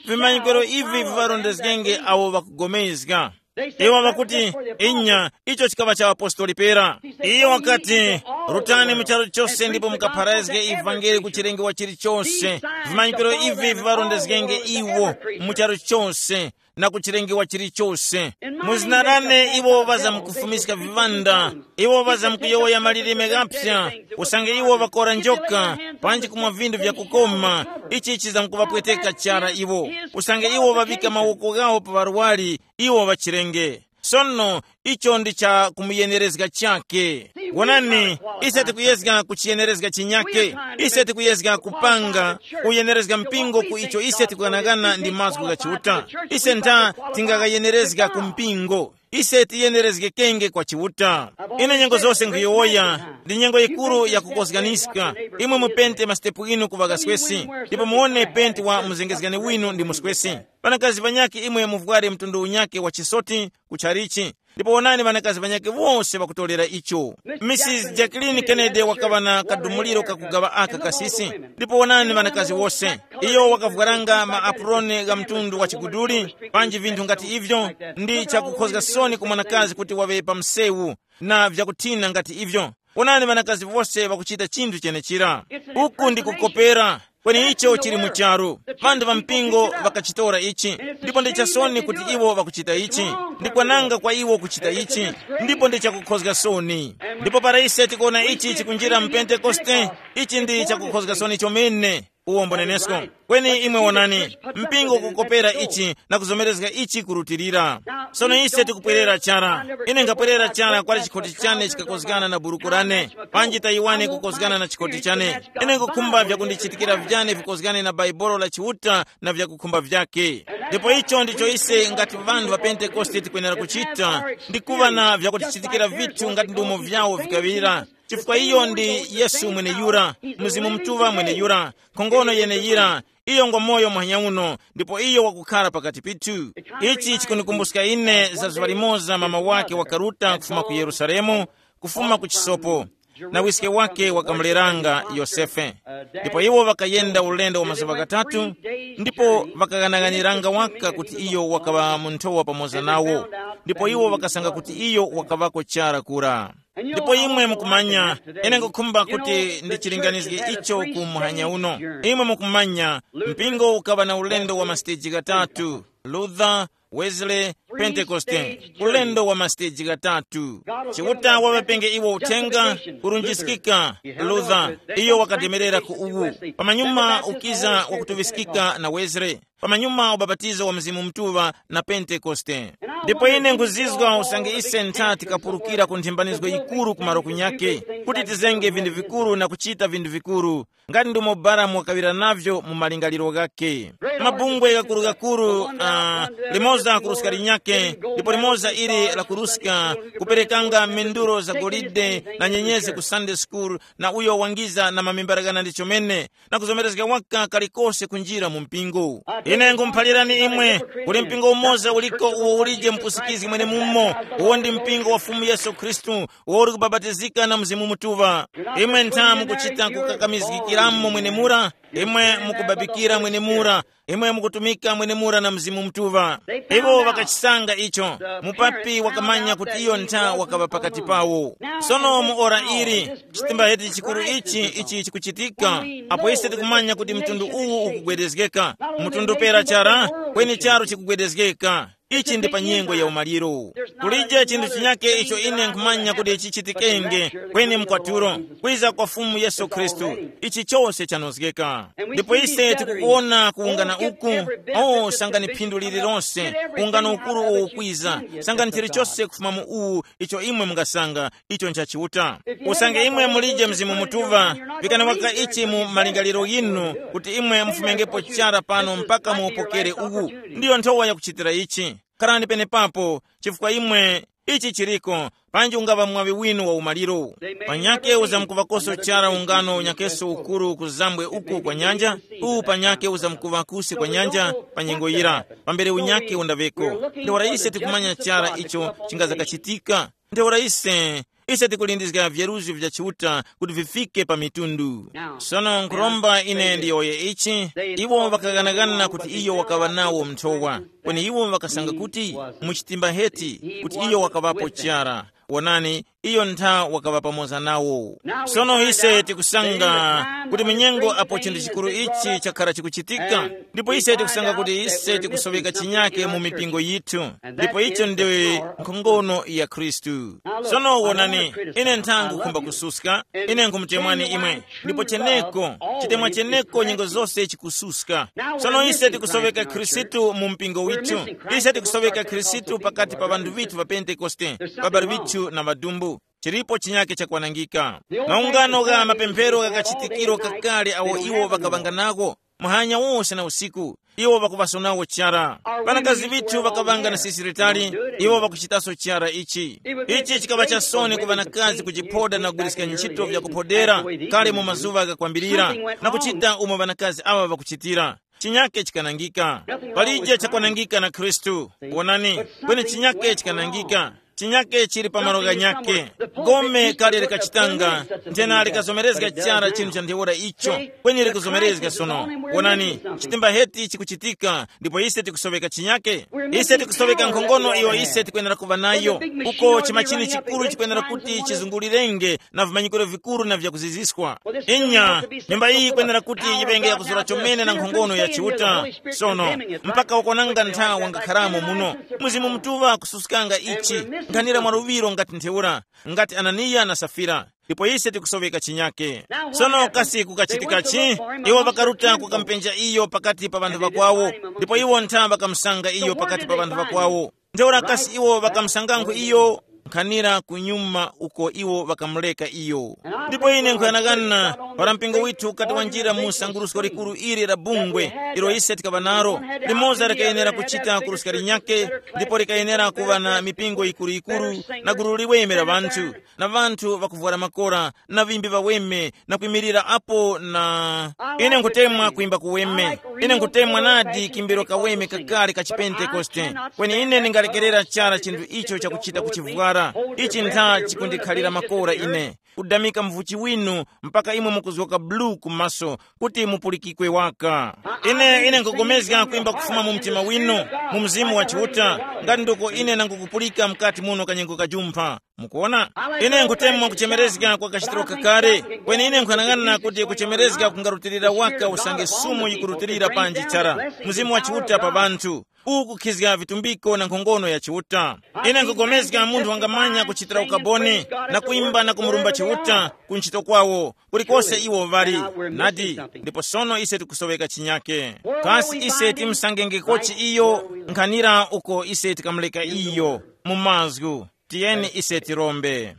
vimanyikiro ivi viŵarondezgenge awo ŵakupulikana. Iwo ŵakuti, inya, icho chikaŵa cha apostoli pera. Iyo wakati, rutani mu charu chose ndipo mukapharazge ivangeli ku chilengewa chilichose. Vimanyikiro ivi viŵarondezgenge iwo mu charu chose na ku chilengewa chilichose. Mu zina lane iwo ŵazamkufumiska viŵanda, iwo ŵazamkuyowoya malilime ghaphya. Usange iwo ŵakora njoka, panji kumwa vinthu vyakukoma, ichi chizamkuvapweteka chara iwo. Usange iwo ŵavika mawoko ghawo pa ŵarwari, iwo ŵachirenge. Sono icho ndi cha kumuyenerezga chake. Wonani, ise tikuyezga kuchiyenerezga chinyake. Ise tikuyezga kupanga kuyenerezga mpingo ku icho ise tikughanaghana ndi mazgu gha Chiuta. Ise ntha tingakayenerezga ku mpingo. Ise tiyenerezgekenge kwa Chiuta. Ine nyengo zose nkhuyowoya, ndi nyengo yikuru yakukozganiska. Imwe mupente masitepu inu kuŵa kaswesi, ndipo muwone penti wa muzengezgani winu ndi muswesi. Ŵanakazi ŵanyakhe imwe muvware mtundu unyakhe wa chisoti kuchalichi. Ndipo wonani ŵanakazi ŵanyakhe wose ŵakutorera icho. Mrs Jacqueline Kennedy wakaŵa na kadumuliro kakugaŵa aka kasisi. Ndipo wonani ŵanakazi wose, iyo wakavwaranga maapuroni gha mtundu wa chiguduli, panji vinthu ngati ivyo. Ndi chakukhozga soni ku mwanakazi kuti waŵe pa msewu na vyakuthina ngati ivyo. Wonani ŵanakazi wose ŵakuchita chinthu chenechira. Uku ndi kukopera. Kweni icho chili mu charu. Ŵanthu ŵa mpingo ŵakachitora ichi. Ndipo ndi chasoni kuti iwo ŵakuchita ichi. Ndi kwananga kwa iwo kuchita ichi. Ndipo ndi chakukhozga soni. Ndipo para ise tikuona ichi chikunjira mu Pentekoste, ichi ndi chakukhozga soni chomene. Uwo mbonenesko. Kweni imwe wonani, mpingo kukopera ichi na kuzomerezga ichi kurutilira. Sono ise tikupwerera chara. Ine nkapwerera chara kwali chikhoti chane chikakozgana na buruku lane, panji tayiwane kukozgana na chikhoti chane. Ine nkukhumba vyakundichitikira vyane vikozgane na Baibolo la Chiuta na vyakukhumba vyake. Ndipo icho ndicho ise ngati ŵanthu ŵa Pentekoste tikwenera kuchita, ndi kuŵa na vyakutichitikira vithu ngati ndumo vyawo vikaŵira. Chifukwa iyo ndi Yesu mweneyura, Mzimu Mutuŵa mweneyura, nkhongono yeneyira, iyo ngwa moyo muhanya uno, ndipo iyo wakukhara pakati pithu. Ichi chikundikumbuska ine za zuŵa limoza mama wake wakaruta kufuma ku Yerusalemu, kufuma ku chisopo, na wiske wake wakamuleranga Yosefe. Ndipo iwo ŵakayenda ulendo wa mazuŵa ghatatu, ndipo ŵakaghanaghaniranga waka kuti iyo wakaŵa mu nthowa pamoza nawo, ndipo iwo ŵakasanga kuti iyo wakaŵako chara kura. Ndipo imwe mukumanya, ine nkukhumba kuti ndichilinganizge icho ku muhanya uno. Imwe mukumanya, mpingo ukaŵa na ulendo wa masiteji ghatatu: Luther, Wesley, Pentekoste. Ulendo wa masiteji ghatatu. Chiuta waŵapenge iwo uthenga, kurunjiskika. Luther, iyo wakademerera ku uwu. Pamanyuma ukiza wakutuŵiskika na Wesley. Pamanyuma ubapatizo wa Mzimu Mutuŵa na Pentekoste. Ndipo ine nkuzizwa usange ise ntha tikapulukira ku nthimbanizgo yikuru ku malo kunyake, kuti tizenge vinthu vikuru na kuchita vinthu vikuru, ngati ndumo Balamu wakaŵira navyo mu malingaliro ghakhe. Mabungwe ghakuru-ghakuru, uh, limoza kuruska linyake, ndipo limoza ili la kuruska, kuperekanga menduro za golide na nyenyezi ku Sunday school, na uyo wangiza na mamembera ghana ndi chomene, na kuzomerezga waka kalikose kunjira mu mpingo. Ine nkhumuphalirani imwe, kuli mpingo umoza uliko uwo ulije mupusikizgi mwenemumo, uwo ndi mpingo wa Fumu Yesu Khristu, uwo uli kubabatizika na Mzimu Mutuŵa. Imwe ntha mukuchita kukakamizgikiramo mwenemura, imwe mukubabikira mwenemura, imwe mukutumika mwenemura na Mzimu Mutuŵa. Iwo ŵakachisanga icho. Mupapi wakamanya kuti iyo ntha wakaŵa pakati pawo. Sono mu ora ili, chitimba chiti chikuru ichi, ichi chikuchitika, apo ise tikumanya kuti mtundu uwu ukugwedezgeka, mtundu pera chara, kweni charu chikugwedezgeka. Ichi ndi pa nyengo ya umaliro. Kulije chinthu chinyake icho ine nkhumanya kuti chichitikenge, kweni mkwatulo, kwiza kwa Fumu Yesu Khristu. Ichi chose chanozgeka. Ndipo ise tikukuwona kuwungana uku, o, sangani phindu lililonse, ungano ukuru uwo ukwiza, sangani chilichose kufuma mu uwu, icho imwe mungasanga, icho ncha Chiuta. Usange imwe mulije Mzimu Mutuŵa, vikani waka ichi mu malingaliro ghinu, kuti imwe mufumengepo chara pano mpaka muwupokere uwu. Ndiyo nthowa yakuchitira ichi. Kharani penepapo, chifukwa imwe ichi chiriko, panji ungaŵa mwaŵi winu wa umaliro. Panyake uzamkuŵakoso chara ungano unyakeso ukuru kuzambwe uku kwa nyanja, uwu panyake uzamkuŵa kusi kwa nyanja pa nyengo yira, pambere unyake undaŵeko. Ntheura ise tikumanya chara icho chingazakachitika. Ntheura ise, ise tikulindizga vyeruzgo vya Chiuta kuti vifike pa mitundu. Sono nkhuromba ine ndiyowoye ichi, iwo ŵakaghanaghana kuti iyo wakaŵa nawo mnthowa, kweni iwo ŵakasanga kuti mu chitimba heti kuti iyo wakaŵapo chara. Wonani, iyo ntha wakaŵa pamoza nawo. Sono ise tikusanga kuti mu nyengo apo chinthu chikuru ichi chakhara chikuchitika, ndipo ise tikusanga kuti ise tikusoweka chinyake mu mipingo yithu, ndipo icho ndi nkhongono ya Khristu. Sono wonani, ine ntha nkhukhumba kususka, ine nkhumutemwani imwe, ndipo cheneko, chitemwa cheneko nyengo zose chikususka. Sono ise tikusoweka Khristu mu mpingo withu, ise tikusoweka Khristu pakati pa ŵanthu vithu va Pentekoste, ŵabali vithu na ŵadumbu. Chilipo chinyake chakwanangika. Maungano gha mapemphero ghakachitikiro kakale awo iwo ŵakaŵanga nako, muhanya wose na usiku, iwo ŵakuŵasonawo chara. Ŵanakazi vithu ŵakaŵanga na sisiritali, iwo ŵakuchitaso chara ichi. Ichi chikaŵa chasoni ku ŵanakazi kujiphoda na kugwiriska ntchito vyakuphodera kale mu mazuŵa ghakwambirira, na kuchita umo ŵanakazi aŵa ŵakuchitira. Chinyake chikanangika. Palije chakwanangika na Khristu. Wonani, kweni chinyake chikanangika. Chinyake chili pa malo ghanyakhe. Gome kale likachitanga, nthena likazomerezga chara chinthu cha ntheura icho, kweni likuzomerezga sono. Wonani, chitimba heti chikuchitika, ndipo ise tikusoweka chinyake. Ise tikusoweka nkhongono iyo ise tikwenera kuva nayo, uko chimachini chikuru chikwenera kuti chizungulirenge na vimanyikiro vikuru na vyakuziziswa. Inya, nyumba iyi yikwenera kuti yiŵenge yakuzura chomene na nkhongono ya Chiuta. Sono, mpaka wakonanga nthawi wangakharamo muno. Mzimu Mutuŵa kususkanga ichi, nkhanira mwa luŵiro ngati ntheura, ngati Ananiya na Safira. Ndipo ise tikusoweka chinyake. Sono kasi kukachitikachi? Iwo ŵakaruta kukampenja iyo pakati pa ŵanthu ŵakwawo, ndipo iwo ntha ŵakamusanga iyo pakati pa ŵanthu ŵakwawo. Ntheura kasi iwo ŵakamusangankho iyo? Nkhanira kunyuma uko iwo ŵakamureka iyo. Ndipo ine nkhuyanakana para mpingo withu ukati wanjira mu sangurusko likuru ili la bungwe, ilo ise tikaŵa naro, limoza likayenera kuchita kuruska linyakhe, ndipo likayenera kuŵa na mipingo yikuru-yikuru, na gulu liweme la ŵanthu, na ŵanthu ŵakuvwara makora, na ŵimbi ŵaweme, na kwimirira apo na ine nkutemwa kuimba kuweme. Ine nkutemwa nadi kimbiro kaweme kakale ka chipentekoste. Kweni ine ndingalekerera chara chinthu icho chakuchita kuchivwara. Ichi ntha chikundikhalira makora ine, kudamika mvuchi winu, mpaka imwe mukuzgoka bulu ku maso, kuti mupulikikwe waka. Ine ine nkugomezga kuimba kufuma mu mtima winu, mu mzimu wa Chiuta, ngati nduko ine nangukupulika mkati muno kanyengo kajumpha. Mukuona, ine nkutemwa kuchemerezga kwa kachitiro kakale, kweni ine nkhanang'ana kuti kuchemerezga kungarutilira waka usange sumu yikurutilira panji chara, mzimu wa Chiuta pa ŵanthu, ukukhizga vitumbiko na nkhongono ya Chiuta. Ine nkugomezga munthu wangamanya kuchitira ukaboni, na kuimba na kumurumba Chiuta ku ntchito kwawo, kulikose iwo ŵali. Nadi, ndipo sono ise tikusoweka chinyake. Kasi ise timsangenge kochi iyo? Nkhanira uko ise tikamuleka iyo mu mazgu. Tiyeni ise tirombe.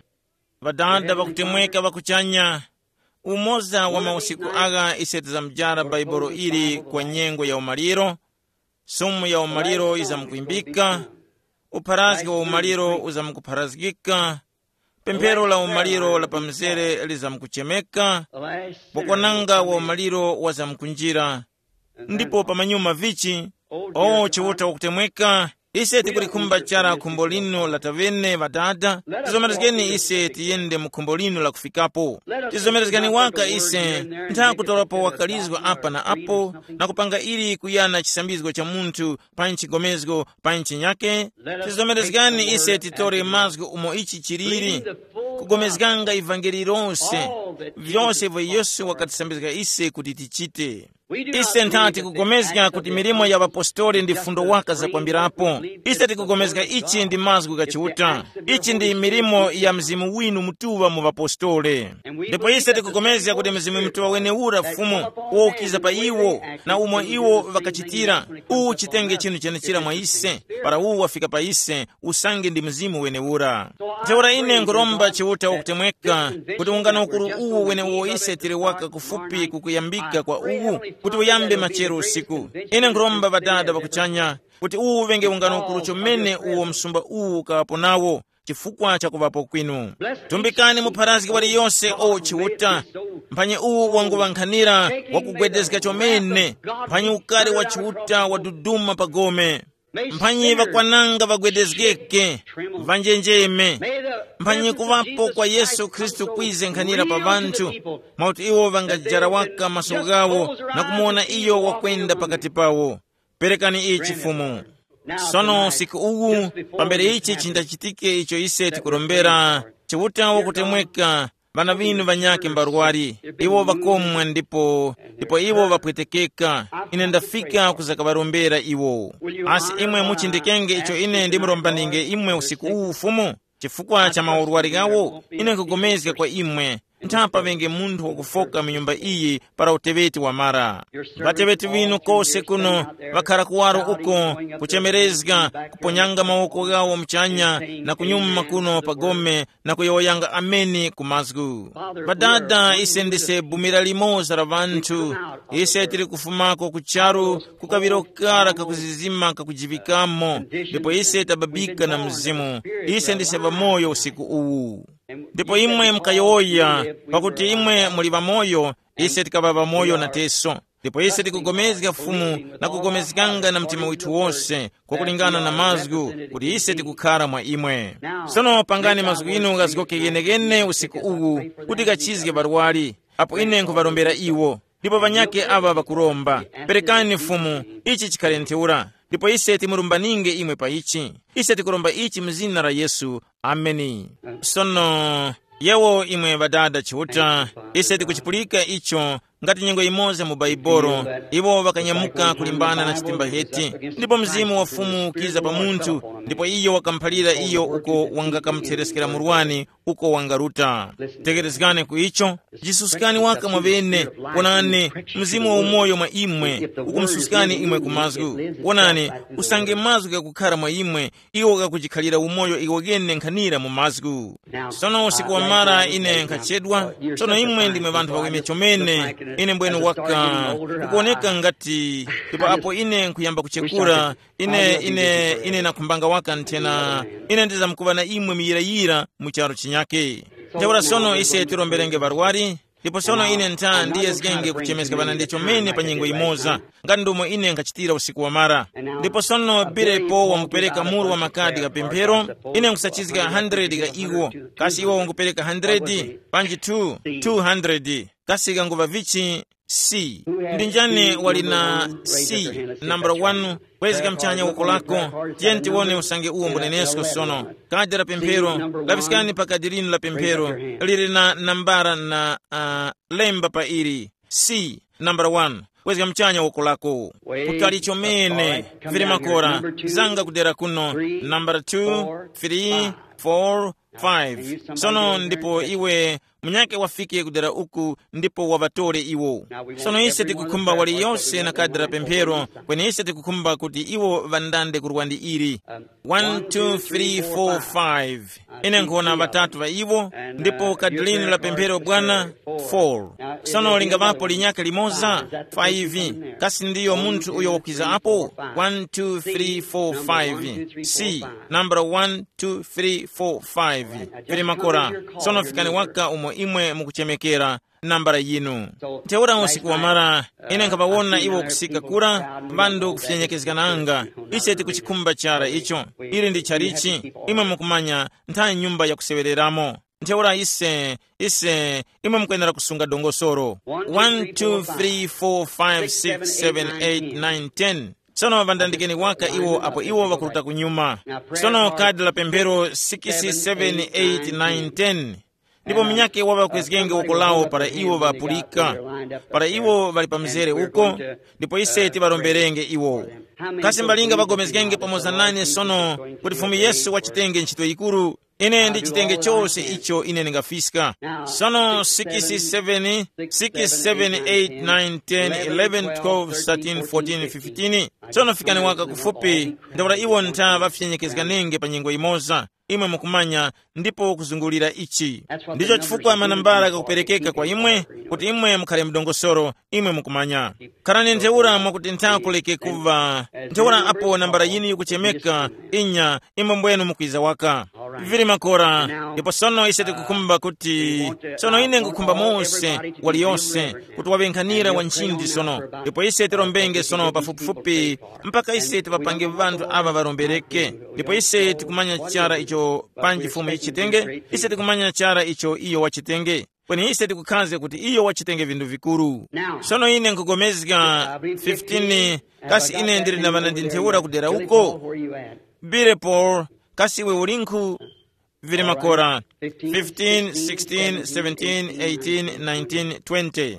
Ŵadada ŵakutemweka ŵa kuchanya, umoza wa mausiku agha ise tizamjara Bhaibuli ili kwa nyengo ya umaliro. Sumu ya umaliro yizamkwimbika, upharazgi wa umaliro uzamkupharazgika, pemphero la umaliro la pamzere lizamkuchemeka, bokwananga wa umaliro wazamkunjira. Ndipo pamanyuma vichi, o Chiuta wakutemweka, ise tikulikhumba chara khumbo linu la tavene ŵadada. Tizomerezgeni ise tiyende mu khumbo linu la kufikapo. Tizomerezgani waka ise, ntha kutorapo wakalizwa apa na apo, na kupanga ili kuyana chisambizgo cha munthu pa nchigomezgo pa nchinyake. Tizomerezgani ise titore mazgu umo ichi chiliri, kugomezganga ivangeli lose, vyose vyo Yesu wakatisambizga ise kuti tichite. Ise ntha tikugomezga kuti milimo ya ŵapostoli ndi fundo waka zakwambirapo. Ise tikugomezga ichi ndi mazgu gha Chiuta. Ichi ndi milimo ya Mzimu winu Mutuŵa mu ŵapostoli. Ndipo ise tikugomezga kuti Mzimu Mutuŵa weneura Fumu, wokiza pa iwo, na umo iwo ŵakachitira, uwu chitenge chinthu chenechira mwa ise, para uwu wafika pa ise, usange ndi Mzimu weneura. Ntheura ine nkhuromba Chiuta wakutemweka, kuti ungano ukuru Uwu wenewo ise tili waka kufupi kukuyambika kwa uwu, kuti uyambe machero usiku. Ine nkhuromba Ŵadada ŵa kuchanya, kuti uwu uŵenge ungano ukuru chomene uwo msumba uwu ukaŵapo nawo, chifukwa cha kuŵapo kwinu. Tumbikani mupharazgi waliyonse o Chiuta. Mphanyi uwu wanguŵankhanira wakugwedezga chomene. Mphanyi ukari wa Chiuta waduduma pa gome. Mphanyi ŵakwananga ŵagwedezgeke, ŵanjenjeme. Mphanyi kuŵapo kwa Yesu Khristu kwize nkhanira pa ŵanthu, mwakuti iwo ŵangajara waka maso ghawo na kumuwona iyo wakwenda pakati pawo. Perekani ichi Fumu. Sono usiku uwu, pambere ichi chindachitike icho ise tikurombera, Chiuta wakutemweka, ŵana ŵinu ŵanyakhe mbarwari, iwo ŵakomwa ndipo, ndipo iwo ŵapwetekeka. Ine ndafika kuzakaŵarombera iwo. Asi imwe muchindikenge icho ine ndimurombaninge imwe usiku uwu Fumu? Chifukwa cha maurwari ghawo, ine nkugomezga kwa imwe, ntha paŵenge munthu wakufoka mu nyumba iyi para uteŵeti wamara. Ŵateŵeti ŵinu kose kuno ŵakhara kuwaro uko, kuchemerezga, kuponyanga mawoko ghawo muchanya, na kunyuma kuno pa gome, na kuyowoyanga ameni ku mazgu. Ŵadada, ise ndise bumira limoza la ŵanthu. Ise tili kufumako ku charu, ku kaŵiro kara kakuzizima kakujivikamo, ndipo ise tababika na Mzimu. Ise ndise ŵamoyo usiku uwu. Ndipo imwe mukayowoya, pakuti imwe muli ŵamoyo, ise tikaŵa ŵamoyo nateso. Ndipo ise tikugomezga Fumu na kugomezganga na mtima withu wose, kwakulingana na mazgu, kuti ise tikukhara mwa imwe. Sono pangani mazgu inu ghazgoke ghenegene usiku uwu, kuti ghachizge ŵarwari, apo ine nkhuŵarombera iwo. Ndipo ŵanyakhe aŵa ŵakuromba, perekani Fumu, ichi chikhale ntheura. Ndipo ise timurumbaninge imwe pa ichi. Ise tikuromba ichi mu zina la Yesu. Ameni. Sono, yewo imwe Ŵadada Chiuta, ise tikuchipulika icho, ngati nyengo yimoza mu Baibolo, iwo ŵakanyamuka kulimbana na chitimbaheti, ndipo Mzimu wa Fumu ukiza pa munthu, ndipo iyo wakamuphalira iyo uko wangakamuthereskera murwani, uko wangaruta. Tekerezgani ku icho, jisuskani waka mwaŵene, wonani, Mzimu wa umoyo mwa imwe, ukumususkani imwe ku mazgu. Wonani, usange mazgu ghakukhara mwa imwe, iwo ghakujikhalira umoyo iwo ghene nkhanira mu mazgu. Sono usiku wamara ine nkhachedwa, sono imwe ndimwe ŵanthu ŵaweme chomene, ine mbwenu waka, kukuwoneka ngati, ndipo apo ine nkhuyamba kuchekura, ine, ine, ine nakhumbanga waka nthena, ine ndizamkuŵa na imwe muyirayira mu charu chinyake. Ntheura sono ise tiromberenge ŵarwari, ndipo sono ine ntha ndiyezgenge kuchemeska ŵanandi chomene pa nyengo yimoza, ngati ndomwe ine nkhachitira usiku wamara. Ndipo sono Birepo wangupereka muru wa makadi gha pemphero, ine nkhusachizga hundred gha iwo, kasi iwo wangupereka hundred, panji two, two hundred, kasi ghanguŵa vichi? C. Ndi njani wali na C, number one, kwezga mchanya woko lako? Tiye tiwone usange uwo mbunenesko sono. Kadi la pemphero, lapiskani pa kadi linu la pemphero, lili na nambara na, uh, lemba pa ili. C, number one, kwezga mchanya woko lako. Kutali chomene, vili makora, zanga kudera kuno, number two, three, four, five. Sono ndipo iwe munyake wafike kudera uku ndipo waŵatore iwo. Sono ise tikukhumba waliyose na kadi la pemphero, kweni ise tikukhumba kuti iwo ŵandande kurwa ndi ili. One, two, three, four, five. Ine nkhona ŵatatu ŵa iwo, ndipo kadi linu la pemphero bwana, four. Sono lingaŵapo linyake limoza, five. Kasi ndiyo munthu uyo wakwiza apo? One, two, three, four, five. C, number one, two, three, four, five. Vili makora. Sono fikani waka umo imwe mukuchemekera nambala yinu. Ntheura usiku wamara, ine nkhaŵawona iwo kusika kura, ŵandu kufyenyekezgananga. Ise tikuchikhumba chara icho. Ili ndi chalichi, imwe mukumanya, ntha nyumba yakusewereramo. Ntheura ise, ise, imwe mukwenera kusunga dongosolo. One, two, three, four, five, six, seven, eight, nine, ten. Sono ŵandandikeni waka iwo apo iwo ŵakuruta kunyuma. Sono kadi la pemphero six, seven, eight, nine, ten. Ndipo munyakhe waŵakwezgenge woko lawo para iwo ŵapulika, para iwo ŵali pa mzere uko, ndipo ise tiŵaromberenge iwo. Kasi mbalinga ŵagomezgenge pamoza nane sono kuti Fumu Yesu wachitenge ntchito yikuru? Ine ndichitenge chose icho ine ndingafiska. Sono six, seven, six, seven, eight, nine, ten, eleven, twelve, thirteen, fourteen, fifteen. Sono fikani waka kufupi, ntheura iwo ntha ŵafyenyekezganenge pa nyengo imoza. imwe mukumanya, ndipo kuzungulira ichi. Ndicho chifukwa manambala ghakuperekeka kwa imwe, kuti imwe mukhale mdongosoro, imwe mukumanya. Kharani ntheura mwakuti nthako leke kuva ntheura apo nambala yinu yikuchemeka, inya, imwe mbwenu mukwiza waka. Vili makora. Ndipo sono ise tikukhumba kuti, sono ine ngukhumba mose waliyonse kuti waŵe nkhanira wa nchindi sono. Ndipo ise tirombenge sono pafupifupi mpaka ise tiŵapange vanthu ava varombereke. Ndipo ise tikumanya chara icho panji fumu yichitenge, ise tikumanya chara icho iyo wachitenge. Kweni ise tikukhaza kuti iyo wachitenge vindu vikuru. Sono ine nkugomezga fifteen, kasi ine ndili na ŵana ndi ntheura kudera uko? Bile Paul, kasi iwe ulinkhu? Vili makora fifteen, sixteen, seventeen, eighteen, nineteen, twenty.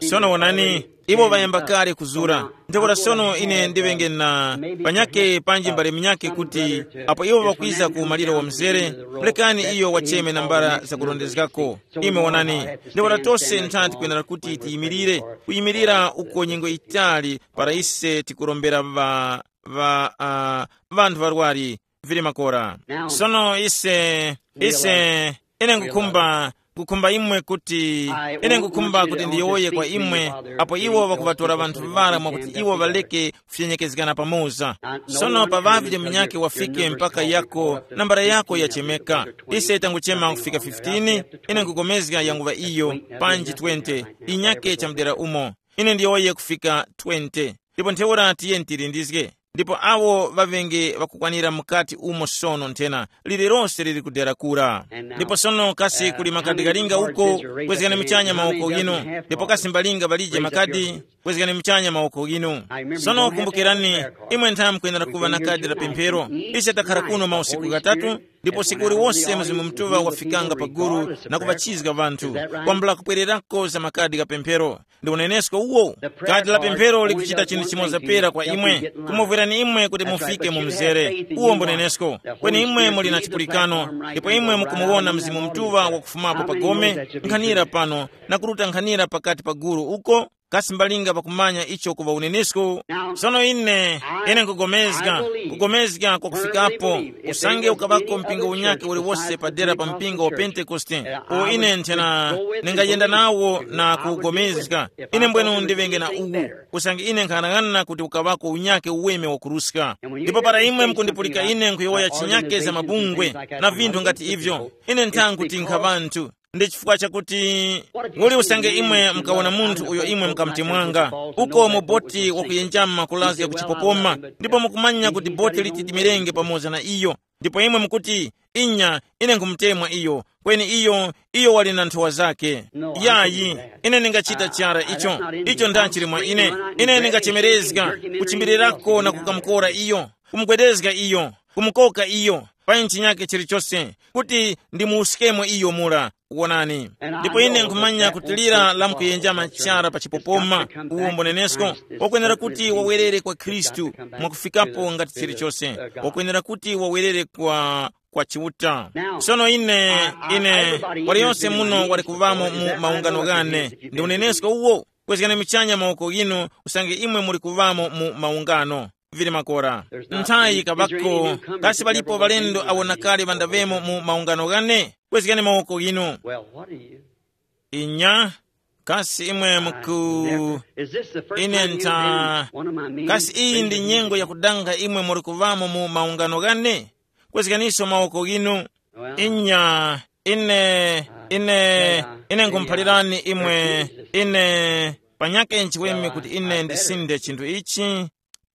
Sono wonani, iwo ŵayamba kale kuzura. Ntheura sono ine ndiŵenge na panyake panji mbale minyake kuti apo iwo ŵakwiza ku maliro wa mzere, mulekani iyo wacheme nambala zakurondezgako. Ime wonani, ntheura tose ntha tikwenera kuti tiyimirire, kuyimirira uko nyengo itali para ise tikurombera ŵa, ŵa, uh, vanthu varwari. Vili makora. Sono ise, ise, ine ngukhumba, ngukhumba imwe kuti, ine ngukhumba kuti ndiyowoye kwa imwe, apo iwo ŵakuŵatora ŵanthu ŵara mwakuti iwo ŵaleke kufyenyekezgana pamoza. Sono pa ŵavye munyakhe wafike mpaka yako, nambala yako yachemeka. Ise tanguchema kufika fifteen, ine nkugomezga yanguŵa iyo, panji twenty, inyakhe chamudera umo. Ine ndiyowoye kufika twenty. Ndipo ntheura tiye tilindizge. Ndipo awo ŵaŵenge ŵakukwanira mukati umo sono nthena, lililonse lili kudera kura. Ndipo sono kasi kuli makadi kalinga uko? Kwezgani muchanya mawoko ghinu. Ndipo kasi mbalinga ŵalije makadi? Kwezgani muchanya mawoko ghinu. Sono kumbukirani, imwe nthawi mukwenera kuŵa na kadi la pemphero. Ise takhala kuno mausiku ghatatu, ndipo usiku uliwonse Mzimu Mutuŵa wafikanga pa gulu na kuŵachizga ŵanthu, kwambula kupwererako za makadi gha pemphero. Ndi unenesko uwo. Kadi la pemphero likuchita chinthu chimoza pera kwa imwe, kumuvwerani imwe kuti mufike mu mzere. Uwo mbunenesko. Kweni imwe muli na chipulikano, ndipo imwe mukumuwona Mzimu Mutuŵa wakufumapo pa gome, nkhanira pano, na kuruta nkhanira pakati pa gulu uko, kasi mbalinga pakumanya icho kuŵa unenesko? Sono ine, ine nkugomezga, kugomezga kwakufikapo, usange ukaŵako mpingo unyakhe uliwose padera pa mpingo wa Pentekoste, uwo ine nthena ningayenda nawo na kuwugomezga. Ine mbwenu ndiŵenge na uwu, usange ine nkhanang'ana kuti ukaŵako unyakhe uweme wakuruska. Ndipo para imwe mukundipulika ine nkuyowoya chinyakhe za mabungwe na vinthu ngati ivyo, ine nthangu kuti nkha ŵanthu. Ndi chifukwa chakuti uli usange imwe mukawona munthu uyo imwe mukamutemwanga uko mu boti wakuyenjama kulazga ku chipopoma, ndipo mukumanya kuti boti liti limirenge pamoza na iyo, ndipo imwe mukuti, inya, ine nkhumutemwa iyo, kweni iyo, iyo wali na nthowa zake. Yayi, ine ndingachita chara icho. Icho ndachili mwa ine. Ine ndingachemerezga kuchimbirirako na kukamukora iyo, kumugwedezga iyo, kumukoka iyo pa nchinyake chilichose, kuti ndimuwuskemo iyo mura. Wonani. Ndipo ine nkhumanya kuti lira lamkuyenjama chara pa chipopoma, uwo mbonenesko, wakwenera kuti wawerere kwa Khristu, mwakufikapo ngati chilichose, wakwenera kuti wawerere kwa kwa Chiuta. Sono ine, ine, waliyonse muno wali kuvamo mu maungano ghane. Ndi unenesko uwo. Kwezgani michanya mawoko ghinu, usange imwe muli kuvamo mu maungano. Vili makora. Nthayi kabako, kasi palipo ŵalendo awo na kale ŵandavemo mu maungano ghane? Kwezgani mawoko ghinu. Inya, kasi imwe muku ine ntha, kasi iyi ndi nyengo yakudanga imwe muli kuvamo mu maungano ghane? Kwezganiso mawoko ghinu. Inya, ine, ine, ine nkhumuphalirani imwe, ine, panyake nchiweme kuti ine ndisinde chinthu ichi.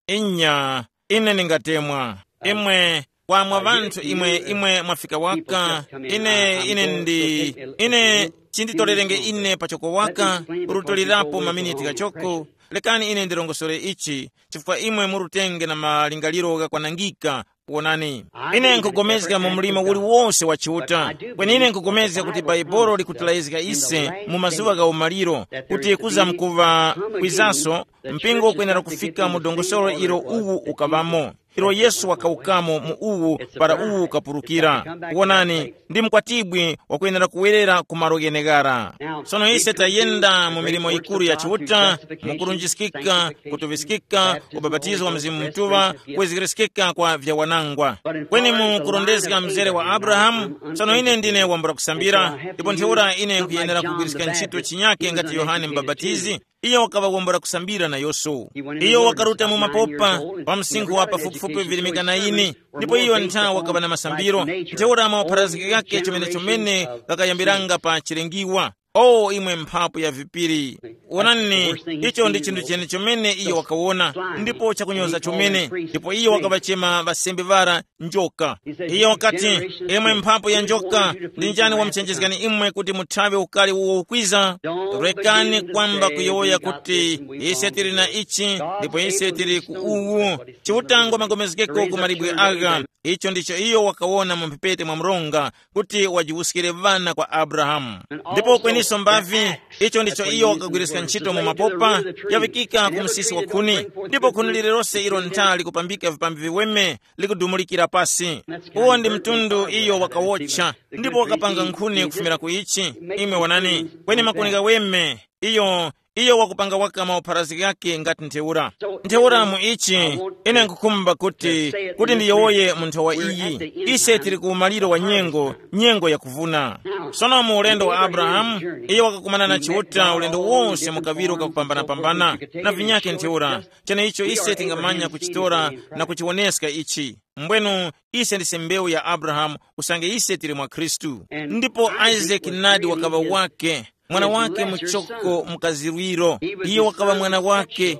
Inya, ine ndingatemwa. Imwe, kwamwa ŵanthu imwe, imwe mwafika waka. Ine, ine ndi, ine, chinditolelenge ine pachoko waka, kurutolerapo maminiti ghachoko. Lekani ine ndirongosore ichi, chifukwa imwe murutenge na malingaliro ghakwanangika. Wonani, ine nkugomezga mu mlimo uliwose wa Chiuta. Kweni ine nkugomezga kuti Bhaibuli likutilayizga ise mu mazuŵa gha umaliro, kuti kuzamkuŵa kwizaso, mpingo ukwenera kufika mu dongosolo ilo uwu ukaŵamo. ilo Yesu wakawukamo mu uwu para uwu ukapulukira. Wonani, ndi mkwatibwi wakwenera kuwerera ku malo gheneghara. Sono ise tayenda mu milimo yikuru ya Chiuta, mu kurunjiskika, kutuŵiskika, ubapatizo wa Mzimu Mutuŵa, kwezekereskeka kwa vyawanangwa. Kweni mu kurondezga mzere wa Abrahamu, sono ine ndine wambula kusambira, ndipo ntheura ine nkhuyenera kugwiriska ntchito chinyake ngati Yohane Mubapatizi. Iyo wakaŵa wambula kusambira nayonso. Iyo wakaruta mu mapopa pa msinkhu wa pafupifupi virimika na ine, ndipo iyo ntha wakaŵa na masambiro. Ntheura mapharazgika ghakhe chomene-chomene ghakayambiranga pa chilengiwa. O imwe mphapu ya vipiri, wonani, icho ndi chinthu chene chomene iyo wakawona, ndipo chakunyoza chomene. Ndipo iyo wakaŵachema ŵasembe ŵara njoka. Iyo wakati, imwe mphapu ya njoka, ndi njani wamuchenjezgani imwe kuti muthawe ukali uwo ukwiza? Rekani kwamba kuyowoya kuti, ise tili na ichi, ndipo ise tili ku uwu. Chiutango magomezgeko ku malibwe agha. Icho ndicho iyo wakawona mu mphepete mwa mronga, kuti wajiwuskire ŵana kwa Abrahamu. Ndipo kweniso mbavi, icho ndicho iyo wakagwiriska ntchito mu mapopa yaŵikika ku msisi wa khuni, ndipo khuni lililose ilo ntha likupambika vipambi viweme likudumulikira pasi. Uwo ndi mtundu iyo wakawotcha, ndipo wakapanga nkhuni kufumira ku ichi. Imwe wanani, kweni makuni ghaweme, iyo iyo wakupanga waka maupharazi ghakhe ngati ntheura. Ntheura mu ichi, ine nkhukhumba kuti kuti ndiyowoye mu nthowa iyi. Ise tili ku umaliro wa nyengo, nyengo yakuvuna. Sono mu ulendo wa Abrahamu, iye wakakumana na Chiuta ulendo wonse mu kaŵiro kakupambanapambana, na vinyakhe ntheura. Cheneicho ise tingamanya kuchitora na kuchiwoneska ichi. Mbwenu, ise ndise mbewu ya Abrahamu, usange ise tili mwa Khristu. Ndipo Isaac nadi wakaŵa wake, mwana wake muchoko mukazirwiro. Iye wakaŵa mwana wake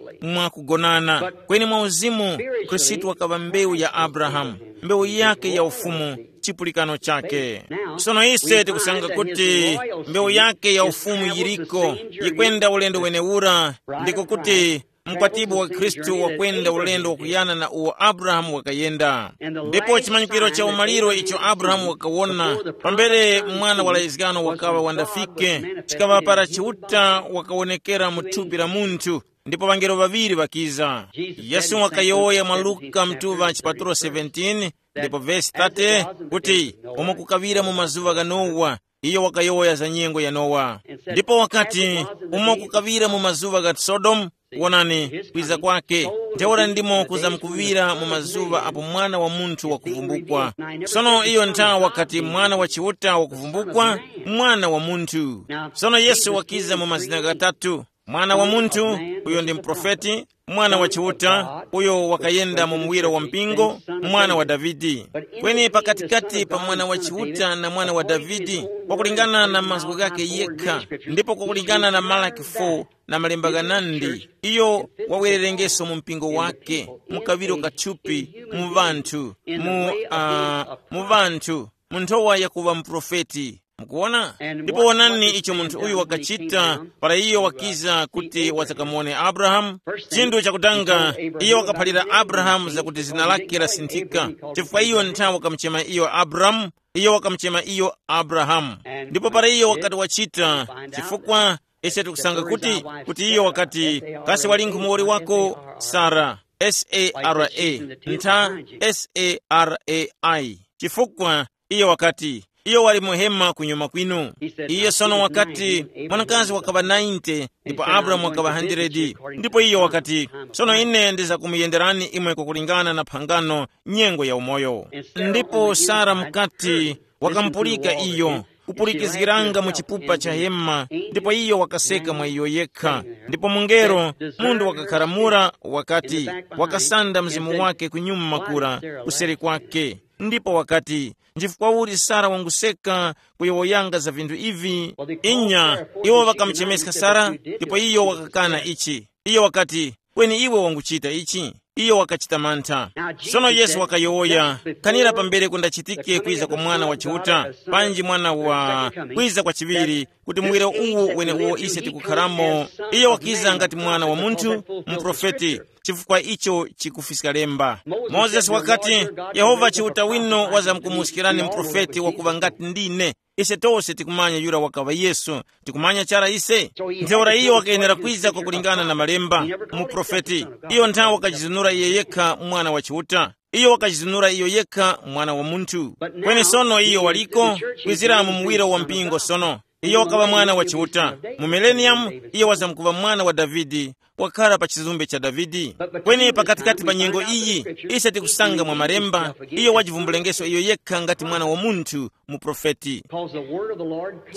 mwakugonana, kweni mwa uzimu Khristu wakaŵa mbewu ya Abrahamu, mbewu yake ya ufumu, chipulikano chake. Sono ise tikusanga kuti mbewu yake ya ufumu yiriko, yikwenda ulendo wenewura, ndiko kuti mkwatibwi wa Khristu wakwenda ulendo wakuyana na uwo Abrahamu wakayenda. Ndipo chimanyikiro cha umaliro icho Abrahamu wakawona pambere mwana wa laizgano wakaŵa wandafike, chikaŵa para Chiuta wakawonekera mu thupi la munthu, ndipo ŵangelo ŵaŵiri ŵakiza. Yesu wakayowoya mwa Luka mtuŵa chipatulo seventeen, ndipo vesi thirty, kuti, umo kukaŵira mu mazuŵa gha Nowa, iyo wakayowoya za nyengo ya Nowa. Ndipo wakati, umo kukaŵira mu mazuŵa gha Sodomu, wonani, kwiza kwake, ntheura ndimo kuzamkuŵira mu mazuŵa apo Mwana wa Munthu wakuvumbukwa. Sono iyo nthawi wakati Mwana wa Chiuta wakuvumbukwa, Mwana wa Munthu. Sono Yesu wakiza mu mazina ghatatu: Mwana wa Munthu, uyo ndi muprofeti, Mwana wa Chiuta, uyo wakayenda mu muwiro wa mpingo, Mwana wa Davide. Kweni pakatikati pa Mwana wa Chiuta na Mwana wa Davide, kwakulingana na mazgu ghakhe yekha, ndipo kwakulingana na Malaki four na malemba ghanandi, iyo wawererengeso mu mpingo wake, mu kaŵiro ka thupi, mu ŵanthu, mu, uh, mu ŵanthu, mu nthowa yakuŵa muprofeti. Mukuwona? Ndipo wonani icho munthu uyu wakachita para iyo wakiza kuti wazakamuwone Abrahamu. Chinthu chakutanga, iyo wakaphalira Abrahamu zakuti zina lake lasinthika, chifukwa iyo nthawi wakamuchema iyo Abrahamu, iyo wakamuchema iyo Abrahamu. Ndipo para iyo wakati wachita, chifukwa ise tikusanga kuti, kuti iyo wakati, kasi wali nkhumuwoli wako? Sara, S A R A, ntha, S A R A I. Chifukwa iyo wakati, iyo wali muhema kunyuma kwinu. Iye sono wakati, mwanakazi wakaŵa ninety, ndipo Abrahamu wakaŵa hundred. Ndipo iyo wakati, sono ine ndizakumuyenderani imwe kwakulingana na phangano, nyengo ya umoyo. Ndipo Sara mukati, wakamupulika iyo, kupulikizgiranga mu chipupa cha hema, ndipo iyo wakaseka mwa iyo yekha. Ndipo mungelo, munthu wakakharamura, wakati, wakasanda mzimu wake kunyuma kura, kuseri kwake. Ndipo wakati, nchifukwa uli Sara wanguseka kuyowoyanga za vinthu ivi? Inya, iwo ŵakamuchemeska Sara, ndipo iyo wakakana ichi. Iyo wakati, kweni iwe wanguchita ichi? Iyo wakachita mantha. Sono Yesu wakayowoya, khanira pambere kundachitike kwiza kwa Mwana wa Chiuta, panji mwana wa kwiza kwa chiŵiri, kuti muwiro uwu weneuwo ise tikukharamo, iyo wakiza ngati Mwana wa Munthu, muprofeti, chifukwa icho chikufiska lemba. Mozesi wakati, Yehova Chiuta wino wazamkumuskirani muprofeti wakuŵa ngati ndine. Ise tose tikumanya yura wakaŵa Yesu. Tikumanya chara ise. Ntheura iyo wakayenera kwiza kwakulingana na malemba, muprofeti. Iyo nthawe wakajizunura iye yekha Mwana wa Chiuta. Iyo wakajizunura iyo yekha mwana wa munthu. Kweni sono iyo waliko, kwizira mu muwiro wa mpingo sono. Iyo wakaŵa mwana wa Chiuta. Mu millennium, iyo wazamkuŵa mwana wa Davide, wakhala pa chizumbe cha Davide. Kweni pakatikati pa nyengo iyi, ise tikusanga mwa malemba, iyo wajivumbulengeso iyo yekha ngati mwana wa munthu, muprofeti.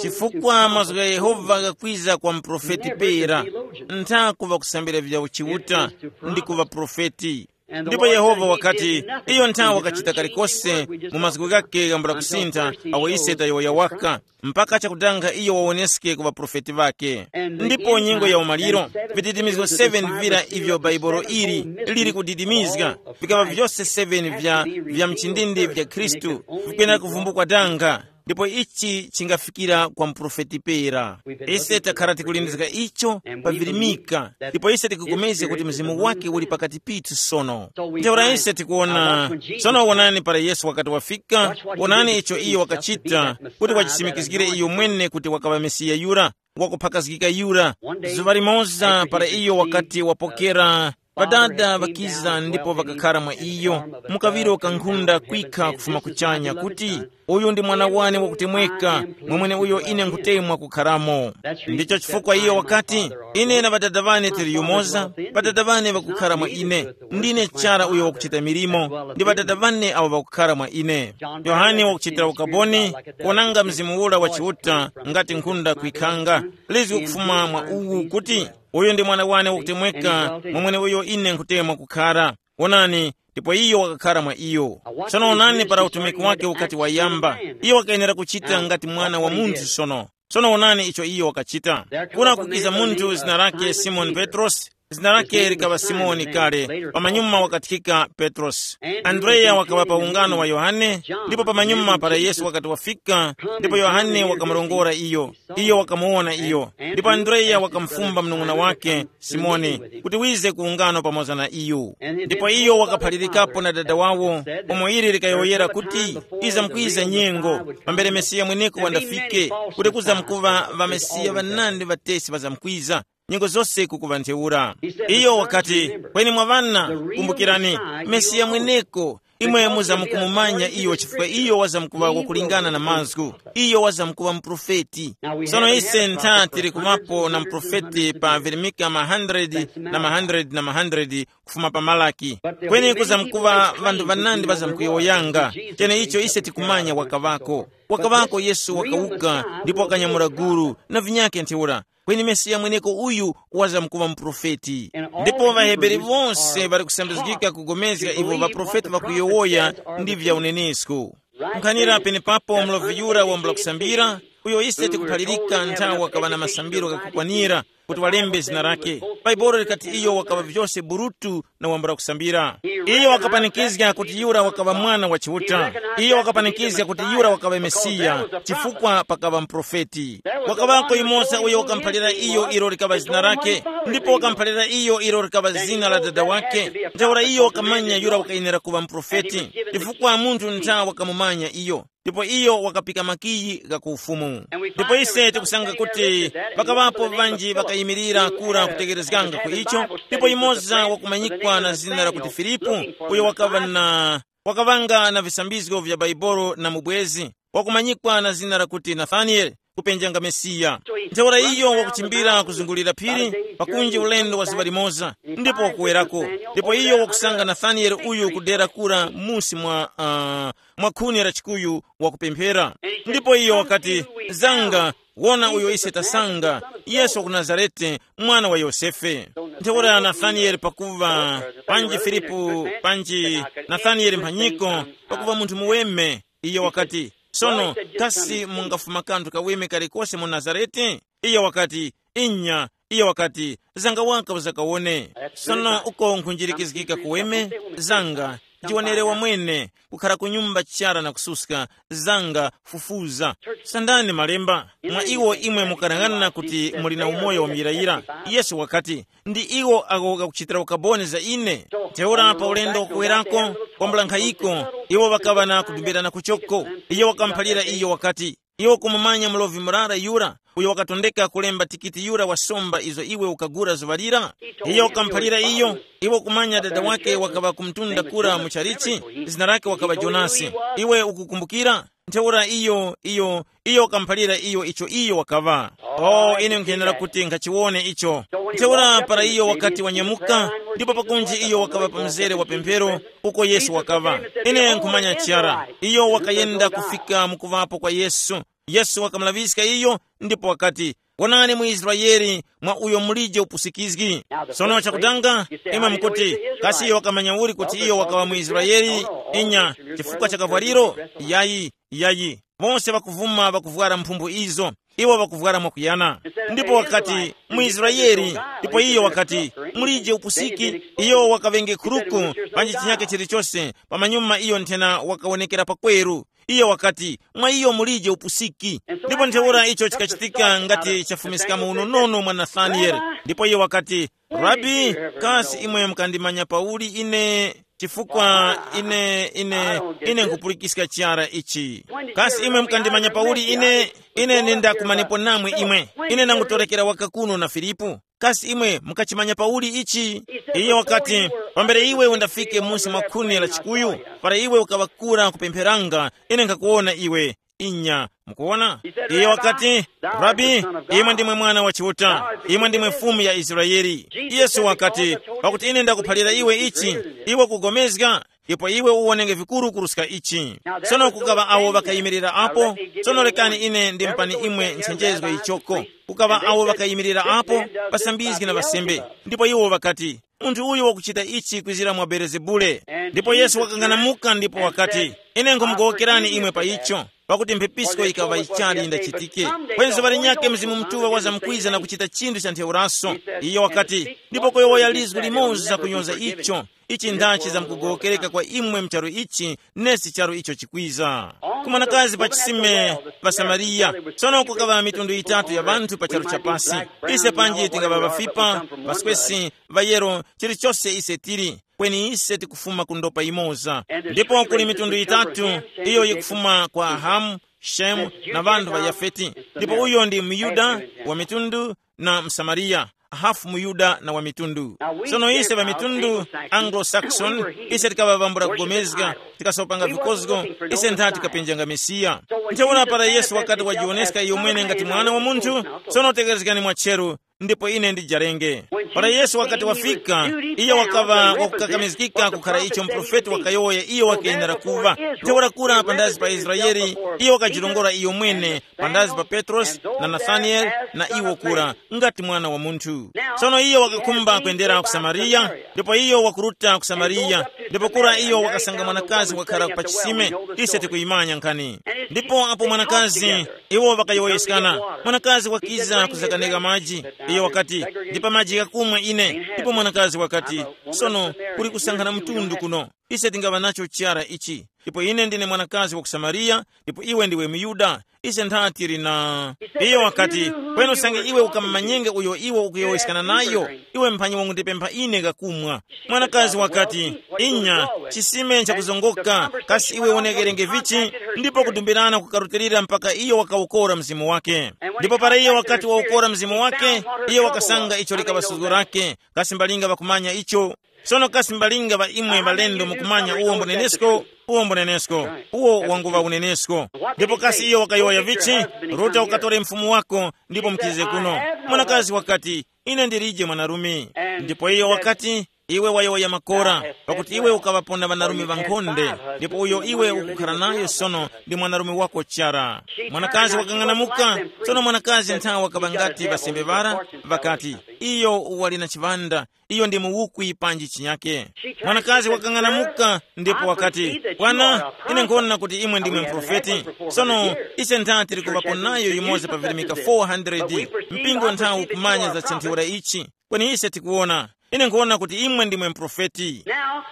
Chifukwa mazgu gha Yehova ghakwiza kwa muprofeti pera, ntha kuŵa kusambira vya uchiuta, ndi kuŵa profeti. Ndipo Yehova wakati, iyo nthawi wakachita kalikose mu mazgu ghake ghambula kusintha, awo ise tayowoya waka, mpaka chakudanga iyo wawoneske ku ŵaprofeti ŵake. Ndipo nyengo ya umaliro, vididimizgo seven vira ivyo Bhaibuli ili liri kudidimizga, vikaŵa vyose seven vya, vya mchindindi vya Khristu, vikwenera kuvumbukwa danga. Ndipo ichi chingafikira kwa muprofeti pera. Ise takhala tikulindizga icho pa virimika, ndipo ise tikupulikana kuti mzimu wake uli pakati pithu sono. Ntheura ise tikuwona sono, wonani para Yesu wakati wafika, wonani icho iyo wakachita, kuti wachisimikizgire iyo mwene kuti wakaŵa Mesiya yura, wakuphakazgika yura. Zuŵa limoza para iyo wakati wapokera, Ŵadada ŵakiza ndipo ŵakakhara mwa iyo, mukaŵiro kankhunda kwikha kufuma kuchanya kuti, uyu ndi mwana wane wakutemweka, mwamwene uyo ine nkhutemwa kukharamo. Ndicho chifukwa iyo wakati, ine na ŵadada ŵane tili yumoza, ŵadada ŵane ŵakukhara mwa ine. Ndine chara uyo wakuchita milimo, ndi ŵadada ŵane awo ŵakukhara mwa ine. Yohane wakuchitira ukaboni, kuonanga mzimu ura wa Chiuta, ngati nkhunda kwikhanga, lizwi kufuma mwa uwu kuti, uyu ndi mwana wane wakutemweka, mwamwene uyo ine nkhutemwa kukhara. Wonani, ndipo iyo wakakhara mwa iyo. Sono wonani para utumiki wake ukati wayamba, iyo wakayenera kuchita ngati mwana wa munthu sono. Sono wonani icho iyo wakachita. Kuna kukiza munthu zina lake Simoni Petrosi, zina lake likaŵa Simoni kale, pamanyuma wakathika Petrosi. Andreya wakaŵa pa ungano wa Yohane, ndipo pamanyuma para Yesu wakati wafika, ndipo Yohane wakamurongora iyo. Iyo wakamuwona iyo, ndipo Andreya wakamufumba munung'una wake Simoni, kuti wize ku ungano pamoza na iyo. Ndipo iyo wakaphalirikapo na dada wawo, umo ili likayowoyera kuti, iza mukwiza nyengo, pambere Mesiya mweneko wandafike, kuti kuzamkuŵa ŵamesiya ŵanandi ŵatesi ŵazamkwiza, nyengo zose kukuŵa ntheura. Iyo wakati, kweni mwa ŵana, kumbukirani, Mesiya mweneko, imwe muzamukumumanya iyo chifukwa iyo wazamkuŵa wakulingana na mazgu, iyo wazamkuŵa muprofeti. Sono ise ntha tili kuŵapo na muprofeti pa Velemika ma hundred na ma hundred na ma hundred kufuma pa Malaki. Kweni kuzamkuŵa ŵanthu ŵanandi ŵazamkuyowoyanga, cheneicho ise tikumanya wakaŵako. Wakaŵako Yesu wakawuka ndipo wakanyamula gulu na vinyakhe ntheura. Kweni Mesiya mweneko uyu wazamkuŵa muprofeti. Ndipo ŵaHebere wose ŵali kusambizgika kugomezga ivo ŵaprofeti ŵakuyowoya ndi vya unenesko. Nkhanira penepapo mulovi yura wambula kusambira, uyo ise tikuphalirika nthawi wakaŵa na masambiro ghakukwanira kuti walembe zina lake. Bhaibuli likati iyo wakaŵa vyose burutu na wambula kusambira. Iyo wakapanikizga kuti yura wakaŵa Mwana wa Chiuta. Iyo wakapanikizga kuti yura wakaŵa Mesiya, chifukwa pakaŵa muprofeti. Wakaŵako yumoza uyo wakamuphalira iyo ilo likaŵa zina lake, ndipo wakamuphalira iyo ilo likaŵa zina la dada wake. Ntheura iyo wakamanya yura wakayenera kuŵa muprofeti, chifukwa munthu ntha wakamumanya iyo. Ndipo iyo wakapika makiyi gha ku ufumu. Ndipo ise tikusanga kuti pakaŵapo ŵanji ŵakayimirira kura kutekerezganga ku icho, ndipo yumoza wakumanyikwa na zina lakuti Filipu, uyo wakaŵa na wakaŵanga na visambizgo vya Bhaibuli na mubwezi, wakumanyikwa na zina lakuti Nathanieli, kupenjanga Mesiya. Ntheura iyo wakuchimbira kuzungulira phiri, pakunji ulendo wa zuŵa limoza, ndipo wakuwerako. Ndipo iyo wakusanga Nathanieli uyu kudera kura musi mwa, uh, mwa khuni la chikuyu wakupemphera. Ndipo iyo wakati, zanga, wona uyo ise tasanga, Yesu wa ku Nazarete, mwana wa Yosefe. Ntheura Nathanieli pakuva, panji Filipu, panji Nathanieli mphanyiko, pakuva munthu muweme, iyo wakati, sono, kasi mungafuma kanthu kaweme kalikose mu Nazarete? Iyo wakati, inya. Iyo wakati, zanga waka uzakawone. Sono uko nkhunjirikizgika kuweme, zanga, jiwonere wamwene, kukhara ku nyumba chara na kususka, zanga, fufuza. Sandani malemba, mwa iwo imwe mukarang'ana kuti muli na umoyo wa muyirayira. Yesu wakati, ndi iwo ako kakuchitira ukaboni za ine. Ntheura pa ulendo wakuwerako, kwambula nkhayiko, iwo ŵakaŵa na kudumbirana kuchoko. Iyo wakamuphalira iyo wakati, Iwe ukumumanya mulovi murara yura, uyo wakatondeka kulemba tikiti yura wa somba izo iwe ukagura zuŵa lira? Iyo wakamuphalira iyo. Iwe ukumanya dada wake wakaŵa kumtunda kura mu chalichi, zina lake wakaŵa Jonasi. Iwe ukukumbukira? Ntheura iyo iyo iyo wakamuphalira iyo icho iyo wakaŵa. Oh, ine nkhenera kuti nkhachiwone icho. Ntheura para iyo wakati wanyamuka, ndipo pakunji iyo wakaŵa pa mzere wa pemphero, uko Yesu wakaŵa. Ine nkhumanya chara, iyo wakayenda kufika mukuvapo kwa Yesu. Yesu wakamulaŵiska iyo, ndipo wakati, wonani mu Israeli, mwa uyo mulije upusikizgi. Sono chakutanga, imwe mukuti, kasi iyo wakamanya uli kuti iyo wakaŵa mu Israeli? Inya, chifukwa cha kavwariro? Yayi, yayi. Bose bakuvuma bakuvwara mphumbu izo, iwo bakuvwara mwakuyana. Ndipo wakati, mu Israeli. Ndipo iyo wakati, mulije upusiki. Iyo wakaŵenge khuruku, panji chinyake chilichose, pamanyuma iyo nthena wakawonekera pakweru. Iyo wakati, mwa iyo mulije upusiki. Ndipo ntheura icho chikachitika ngati chafumiskamo unonono mwa Nathanieli. Ndipo iyo wakati, rabi, kasi imwe mukandimanya pauli ine? Chifukwa ine ine ine nkupulikiska chara ichi. Kasi imwe mukandimanya pauli ine? Ine nindakumanepo namwe imwe. Ine nangutorekera waka kuno na Filipu. Kasi imwe mukachimanya pauli ichi? Iye wakati, pambere iwe undafike musi mwa khuni la chikuyu, para iwe ukaŵakura kupempheranga, ine nkhakuwona iwe. Inya, mukuwona? Iye wakati, rabi, imwe ndimwe mwana wa Chiuta, imwe ndimwe Fumu ya Israeli. Yesu wakati, pakuti ine ndakuphalira iwe ichi, iwe kugomezga, ndipo iwe uwonenge vikuru kuruska ichi. Sono kukaŵa awo ŵakayimirira apo. Sono lekani ine ndimpani imwe nchenjezgo ichoko. Kukaŵa awo ŵakayimirira apo, ŵasambizgi na ŵasembe, ndipo iwo ŵakati, munthu uyu wakuchita ichi kwizira mwa Belezebule. Ndipo Yesu wakang'anamuka ndipo wakati, ine nkhumugowokerani imwe pa icho, pakuti mphepisko yikaŵa yichali yindachitike. Kweni zuŵa linyakhe Mzimu Mutuŵa wazamkwiza na kuchita chinthu cha ntheuraso. Iyo wakati, ndipo kuyowoya lizgu limoza kunyoza icho, ichi ndachi zamkugowokereka kwa imwe mcharu ichi, nesi charu icho chikwiza. Ku mwanakazi pa chisime pa Samariya. Sono kukaŵa mitundu yitatu ya ŵanthu pa charu chapasi. Ise panji tingaŵa ŵafipa, ŵaswesi, ŵayero, chilichose ise tili, kweni ise tikufuma ku ndopa yimoza. Ndipo kuli mitundu yitatu, iyo yikufuma kwa Hamu, Shemu, na ŵanthu ŵa Yafeti. Ndipo uyo ndi muyuda wa mitundu, na msamariya, hafu muyuda na wa mitundu. Sono ise ŵa mitundu, Anglo-Saxon, ise tikaŵa ŵambula kugomezga, tikasopanga vikozgo, ise ntha tikapenjanga Mesiya. Ntheura para Yesu wakati wajiwoneska iyo mwene ngati Mwana wa Munthu, sono tekerezgani mwacheru, ndipo ine ndijarenge. Para Yesu wakati wafika, iyo wakaŵa wakukakamizgika kukhara icho muprofeti wakayowoya iyo wakenera kuŵa. Ntheura kura pandazi pa Israeli, iyo wakajirongora iyo mwene, pandazi pa Petrosi na Nathanieli na iwo kura, ngati Mwana wa Munthu. Sono iyo wakakhumba kwendera ku Samariya, ndipo iyo wakuruta ku Samariya, ndipo kura iyo wakasanga mwanakazi wakhara pa chisime. Ise tikuyimanya nkhani. Ndipo apo mwanakazi, iwo ŵakayowoyeskana, mwanakazi wakiza kuzakaneka maji. Iyo wakati, ndipa maji ghakumwa ine. Ndipo mwanakazi wakati, sono, kuli kusankhana mtundu kuno. Ise tingaŵa nacho chara ichi. Ndipo ine ndine mwanakazi wa ku Samariya, ndipo iwe ndiwe muyuda. Ise ntha tili na. Iyo wakati, kweni usange iwe ukamumanyenge uyo iwe ukuyowoyeskana nayo, iwe mphanyi wangundipempha ine kakumwa. Mwanakazi wakati, inya, chisime nchakuzongoka. Kasi iwe wonekerenge vichi? Ndipo kudumbirana kukarutilira mpaka iyo wakawukora mzimu wake. Ndipo para iyo wakati wawukora mzimu wake, iyo wakasanga icho likaŵa suzgo lake. Kasi mbalinga ŵakumanya icho? Sono kasi mbalinga ŵa imwe ŵalendo mukumanya uwo mbunenesko? Uwo mbunenesko. Uwo wanguŵa unenesko. Ndipo kasi iyo wakayowoya vichi? Ruta ukatore mfumu wako, ndipo mukize kuno. Mwanakazi wakati, ine ndilije mwanarume. Ndipo iyo wakati, iwe wayowoya makora, pakuti iwe ukaŵapona ŵanarume ŵankhonde, ndipo uyo iwe ukukhara nayo sono ndi mwanarume wako chara. Mwanakazi wakang'anamuka. Sono mwanakazi nthawi wakaŵa ngati ŵasembe ŵara, ŵakati, iyo wali na chiŵanda, iyo ndi muwukwi panji chinyake. Mwanakazi wakang'anamuka ndipo wakati, bwana, ine nkhona kuti imwe ndimwe mprofeti. Sono ise ntha tili kuŵapo nayo yumoza pa virimika four hundred. Mpingo nthawi ukumanya za chinthiwira ichi. Kweni ise tikuwona, ine nkhona kuti imwe ndimwe mprofeti. Now,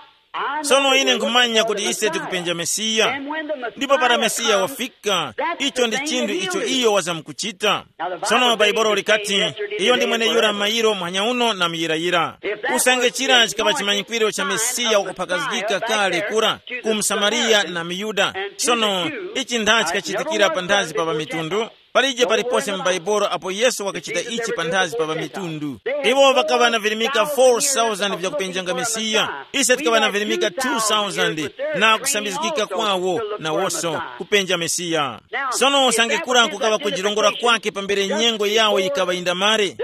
Sono ine nkhumanya kuti ise tikupenja Mesiya. Ndipo para Mesiya wafika, icho ndi chinthu icho iyo wazamkuchita. Sono Bhaibuli likati, iyo ndi mweneyura mayiro muhanya uno na muyirayira. Usange chira chikaŵa chimanyikwiro cha Mesiya wakuphakazgika kale kura ku Msamariya na Muyuda, sono ichi ntha chikachitikira panthazi pa ŵamitundu? Palije palipose mu Bhaibuli apo Yesu wakachita ichi panthazi pa ŵamitundu. Iwo ŵakaŵa na virimika four thousand vyakupenjanga Mesiya. Ise tikaŵa na virimika two thousand na kusambizgika kwawo nawonso kupenja Mesiya. Sono usange kura kukaŵa kujirongora kwake pambere nyengo yawo yikaŵa yindamare,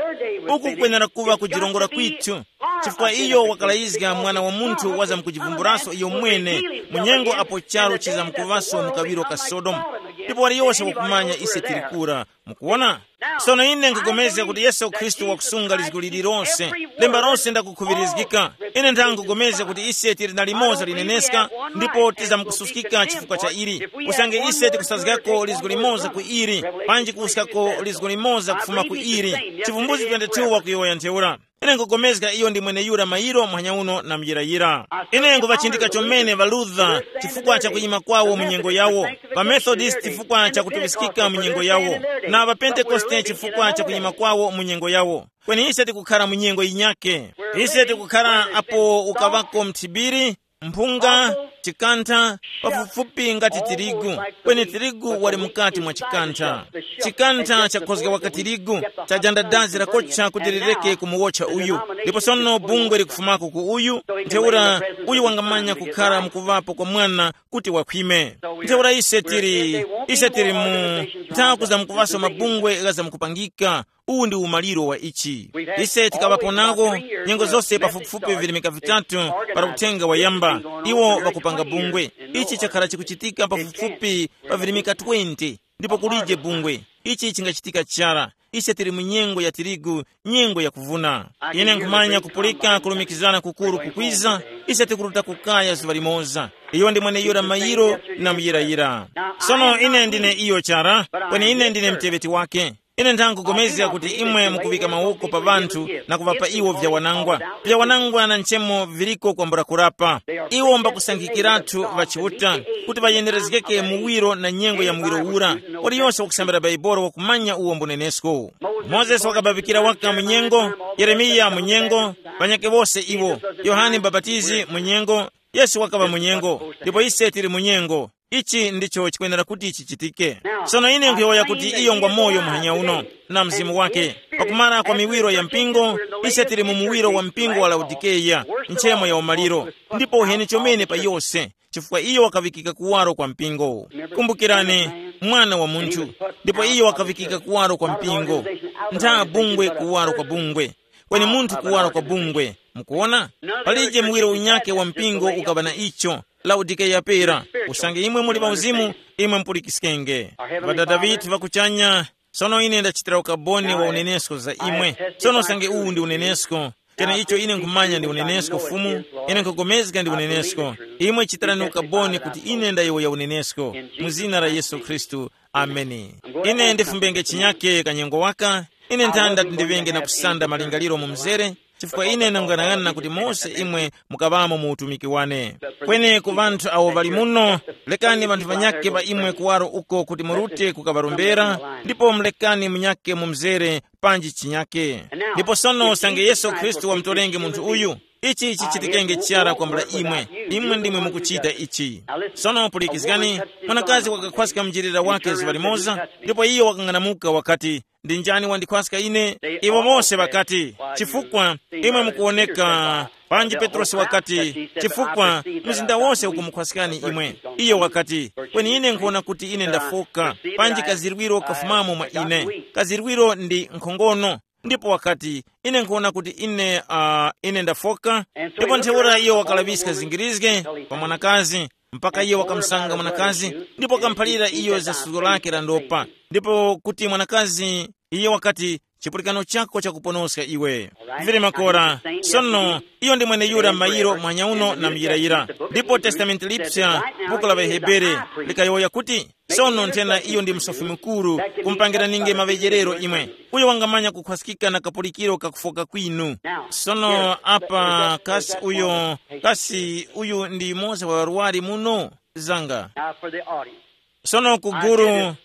uku kwenera kuŵa kujirongora kwithu. Chifukwa iyo wakalayizga Mwana wa Munthu wazamkujivumburanso iyo mwene, mu nyengo apo charu chizamkuŵaso mu kaŵiro ka Sodomu. Ndipo waliyose wakumanya ise tili kura. Mukuwona? Sono ine nkupulikana kuti Yesu Khristu wakusunga lizgu lililonse. Lemba lonse ndakukhuŵirizgika. Ine ndangugomeza kuti ise tili na limoza lineneska, ndipo tizamkususkika chifukwa cha ili. Usange ise tikusazgako lizgu limoza ku ili, panji kuwuskako lizgu limoza kufuma ku ili. Chivumbulutso twenty-two wakuyowoya ntheura. Ine nkugomezga iyo ndi mweneyura mayiro muhanya uno na muyirayira. Ine nkuvachindika chomene ŵa Luther chifukwa cha kuyima kwawo mu nyengo yawo, ŵa Methodist chifukwa cha kutuŵiskika mu nyengo yawo, na ŵa Pentekoste chifukwa cha kuyima kwawo mu nyengo yawo. Kweni ise tikukhara mu nyengo yinyake. Ise tikukhara apo ukaŵako mthibiri, mphunga, chikantha, pafupifupi ngati tirigu, kweni tirigu wali mukati mwa chikantha. Chikantha chakhozgewa ka tirigu, chajanda dazi lakocha kuti lireke kumuwotcha uyu. Ndipo sono bungwe likufumako ku uyu, ntheura uyu wangamanya kukhara mukuvapo kwa mwana kuti wakhwime. Ntheura ise tili, ise tili mu nthaku za mukuvaso mabungwe gha zamukupangika. Uwu ndi umaliro wa ichi. Ise tikaŵapo nako nyengo zose pafupifupi virimika vitatu para uthenga wayamba, iwo ŵakupanga bungwe. Ichi chakhala chikuchitika pafupifupi pa virimika twenty, ndipo kulije bungwe. Ichi chingachitika chara. Ise tili mu nyengo ya tirigu, nyengo ya kuvuna. Ine nkhumanya kupulika kulumikizana kukuru kukwiza. Ise tikuruta kukaya zuŵa limoza. Iyo ndi mweneyura mayiro na muyirayira. Sono ine ndine iyo chara, kweni ine ndine mteŵeti wake. Ine nthangugomezga kuti imwe mukuŵika mawoko pa ŵanthu na kuŵapa iwo vyawanangwa. Vyawanangwa na nchemo viliko kwambula kurapa. Iwo mbakusankhikiratu ŵa Chiuta kuti ŵayenerezgeke muwiro na nyengo ya muwiro ura. Waliyose wakusambira Baibolo wakumanya uwo mbunenesko. Mozesi wakababikira waka mu nyengo, Yeremiya mu nyengo, ŵanyakhe wose iwo, Yohane Mubapatizi mu nyengo, Yesu wakaŵa mu nyengo, ndipo ise tili mu nyengo. Ichi ndicho chikwenera kuti chichitike. Sono ine nkhuyowoya kuti iyo ngwa moyo muhanya uno, na mzimu wake. Pakumara kwa miwiro ya mpingo, ise tili mu muwiro wa mpingo wa Laodikeya, nchemo ya umaliro. Ndipo uheni chomene pa yose, chifukwa iyo wakavikika kuwaro kwa mpingo. Kumbukirani, mwana wa munthu, ndipo iyo wakavikika kuwaro kwa mpingo. Ntha bungwe kuwaro kwa bungwe, kweni munthu kuwaro kwa bungwe. Mukuona? Palije muwiro unyake wa mpingo ukaŵa na icho. Laodikeya pera, usange imwe muli pa uzimu, imwe mupulikiskenge. Ŵadada ŵithu ŵa kuchanya, sono ine ndachitira ukaboni wa unenesko za imwe. Sono usange uwu ndi unenesko, kena icho ine nkhumanya ndi unenesko Fumu, ine nkhugomezga ndi unenesko. Imwe chitirani ukaboni kuti ine ndayowoya unenesko, mu zina la Yesu Khristu. Ameni. Ine ndifumbenge chinyake kanyengo waka. Ine nthanda tindiŵenge na kusanda malingaliro mu mzere, chifukwa ine ndanguyang'ana kuti mose imwe mukaŵamo mu utumiki wane. Kweni ku ŵanthu awo ŵali muno, lekani ŵanthu ŵanyakhe ŵa imwe kuwaro uko kuti murute kukaŵarombera, ndipo mulekani munyakhe mu mzere panji chinyakhe. Ndipo sono usange Yesu Khristu wamutorenge munthu uyu, ichi chichitikenge chara kwambula imwe. Imwe ndimwe mukuchita ichi. Sono pulikizgani, mwanakazi wakakhwaska mjirira wake zuŵa limoza, ndipo iyo wakang'anamuka wakati, ndi njani wandikhwaska ine? Iwo mose ŵakati, chifukwa imwe mukuwoneka. Panji Petrosi wakati, chifukwa mzinda wose ukumukhwaskani imwe. Iyo wakati, kweni ine nkhuwona kuti ine ndafoka, panji kazirwiro kafumamo mwa ine. Kazirwiro ndi nkhongono. Ndipo wakati, ine nkhuwona kuti ine uh, ine ndafoka. Ndipo ntheura iyo wakalaŵiska zingirizge pa mwanakazi, mpaka iyo wakamusanga mwanakazi, ndipo wakamuphalira iyo za suzgo lake la ndopa, ndipo kuti mwanakazi Iye wakati, chipulikano chako chakuponoska iwe. Vili makora. Sono iyo ndi mweneyura mayiro mwanyauno na muyirayira. Ndipo testamenti lipsa, buku la ŵahebere, likayowoya kuti, sono nthena iyo ndi msofi mukuru, kumupangiraninge maŵejerero imwe, uyo wangamanya kukhwaskika na kapulikiro kakufoka kwinu. Sono apa kasi uyo, kasi uyu ndi yumoza wa ŵarwari muno? Zanga. Now for the audience. Sono ku guru,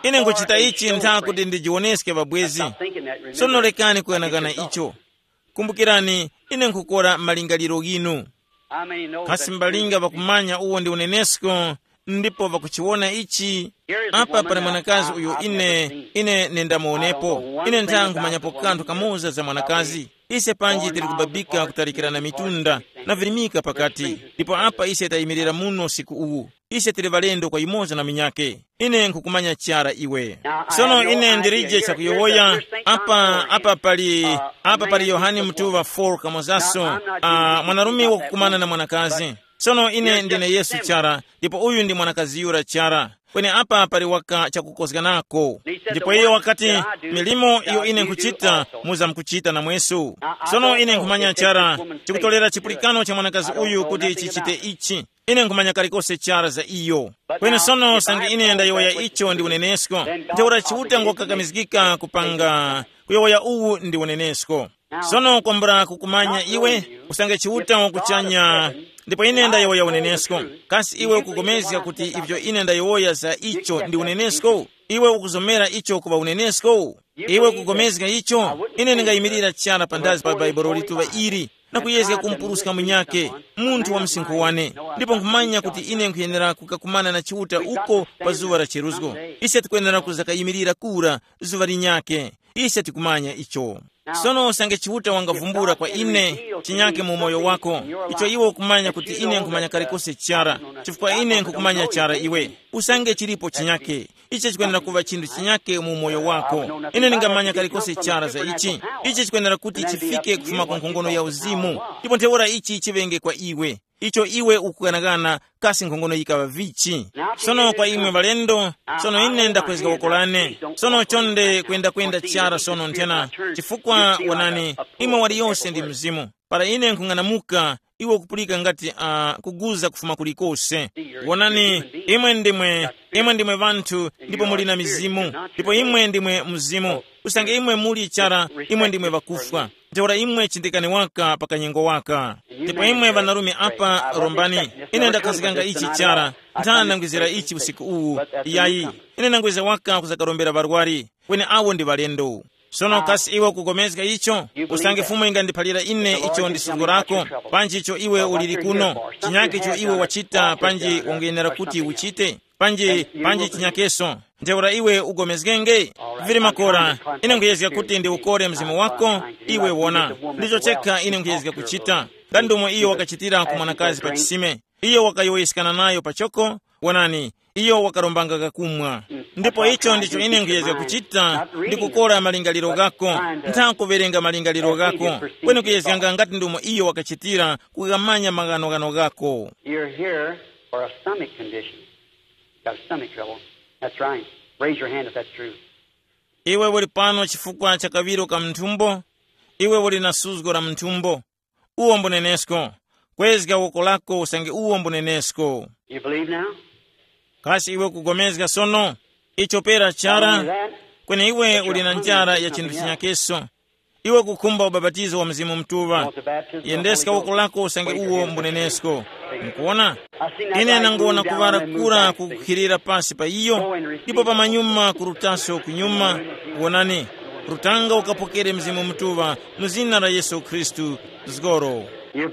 ine nkuchita ichi ntha kuti ndijiwoneske ŵabwezi. Sono lekani kuyang'ana icho. Kumbukirani, ine nkukora malingaliro ghinu. Kasi mbalinga ŵakumanya uwo ndi unenesko, ndipo ŵakuchiwona ichi? Apa pali mwanakazi uyo ine ine nendamuwonepo. Ine ntha nkhumanyapo kanthu kamoza za mwanakazi. Ise panji tili kubabika kutalikirana mitunda, na virimika pakati. Ndipo apa ise tayimirira muno siku uwu. Ise tili ŵalendo kwa yumoza na munyakhe. Ine nkhukumanya chara iwe. Sono ine ndilije chakuyowoya. Apa apa pali apa pali Yohane mutuŵa four kamozaso, uh, mwanarume wakukumana na mwanakazi. Sono ine ndine Yesu chara, ndipo uyu ndi mwanakazi yura chara. Kweni apa pali waka chakukozganako. Ndipo iyo wakati, milimo iyo ine nkhuchita, muza mukuchita namweso. Sono ine nkhumanya chara, chikutolera chipulikano cha mwanakazi uyu kuti chichite ichi. Ine nkhumanya kalikose chara za iyo. Kweni sono sange ine ndayowoya icho ndi unenesko, ntheura Chiuta ngokakamizgika kupanga kuyowoya uwu ndi unenesko. Sono kwambula kukumanya iwe, usange Chiuta wakuchanya, ndipo ine ndayowoya unenesko. Kasi iwe ukupulikana kuti ivyo ine ndayowoya za icho ndi unenesko? Iwe ukuzomera icho kuŵa unenesko? Iwe ukupulikana icho? Ine ndingayimirira chara panthazi pa Bhaibuli lituŵa ili na kuyezga kumpuruska munyakhe, munthu wa msinkhu wane, ndipo nkhumanya kuti ine nkhuyenera kukakumana na Chiuta uko pa zuŵa la cheruzgo. Ise tikwenera kuzakayimirira kura zuŵa linyakhe. Ise tikumanya icho. Sono usange Chiuta wangavumbula kwa ine chinyakhe mu moyo wako, icho iwe ukumanya kuti ine nkhumanya kalikose chara, chifukwa ine nkhukumanya chara iwe. Usange chilipo chinyakhe, ichi chikwenera kuŵa chinthu chinyakhe mu moyo wako. Ine ndingamanya kalikose chara za ichi. Ichi chikwenera kuti chifike kufuma ku nkhongono ya uzimu, ndipo ntheura ichi chiŵenge kwa iwe. Icho iwe ukughanaghana, kasi nkhongono yikaŵa vichi? Sono kwa imwe ŵalendo, sono ine ndakwezga woko lane. Sono chonde kwendakwenda chara sono nthena, chifukwa wonani, imwe waliyose ndi mzimu. Para ine nkhung'anamuka, iwe ukupulika ngati uh, kuguza kufuma kulikose. Wonani, imwe ndimwe, imwe ndimwe ŵanthu, ndipo muli na mizimu, ndipo imwe ndimwe mzimu. Usange imwe muli chara, imwe ndimwe ŵakufwa. Ntheura imwe chindikani waka pa kanyengo waka. Ndipo imwe ŵanarume apa rombani, ine ndakhazikanga ichi chara, nthana ndangwizira ichi usiku uwu. Yayi, ine ndangwizira waka kuzakarombera ŵarwari, kweni awo ndi ŵalendo. Sono kasi iwe ukupulikana icho? Usange Fumu ingandiphalira ine icho ndi suzgo lako, panji icho iwe uliri kuno, chinyake icho iwe wachita panji ungayenera kuti uchite, panji panji chinyakeso. Ntheura iwe ugomezgenge. Vili makora, ine nkhuyezga kuti ndiukore mzimu wako. Iwe wona, ndicho chekha ine nkhuyezga kuchita. Nga ndomwe iyo wakachitira ku mwanakazi pa chisime, iyo wakayowoyeskana nayo pachoko. Wonani, iyo wakarombanga kakumwa. Ndipo icho ndicho ine nkhuyezga kuchita, ndi kukora malingaliro ghako, ntha kuwerenga malingaliro ghako, kweni kuyezganga ngati ndomwe iyo wakachitira, kukamanya maghanoghano ghako. You're here for a stomach condition. Got a stomach trouble. That's right. Raise your hand if that's true. Iwe uli pano chifukwa cha kawiro ka mnthumbo. Iwe uli na suzgo la mnthumbo. Uwo mbunenesko. Kwezga woko lako usange uwo mbunenesko. You believe now? Kasi iwe kugomezga sono? Icho pera chara. Kweni iwe uli na njara ya chinthu chinyakeso. Iwe kukhumba ubapatizo wa Mzimu Mutuŵa. Yendeska woko lako usange uwo mbunenesko. Mukuona? Ine nangona kuŵala kura kukukhilira pasi pa iyo, ndipo pamanyuma kurutaso kunyuma. Wonani, rutanga ukapokere Mzimu Mutuŵa mu zina la Yesu Khristu. Zgoro.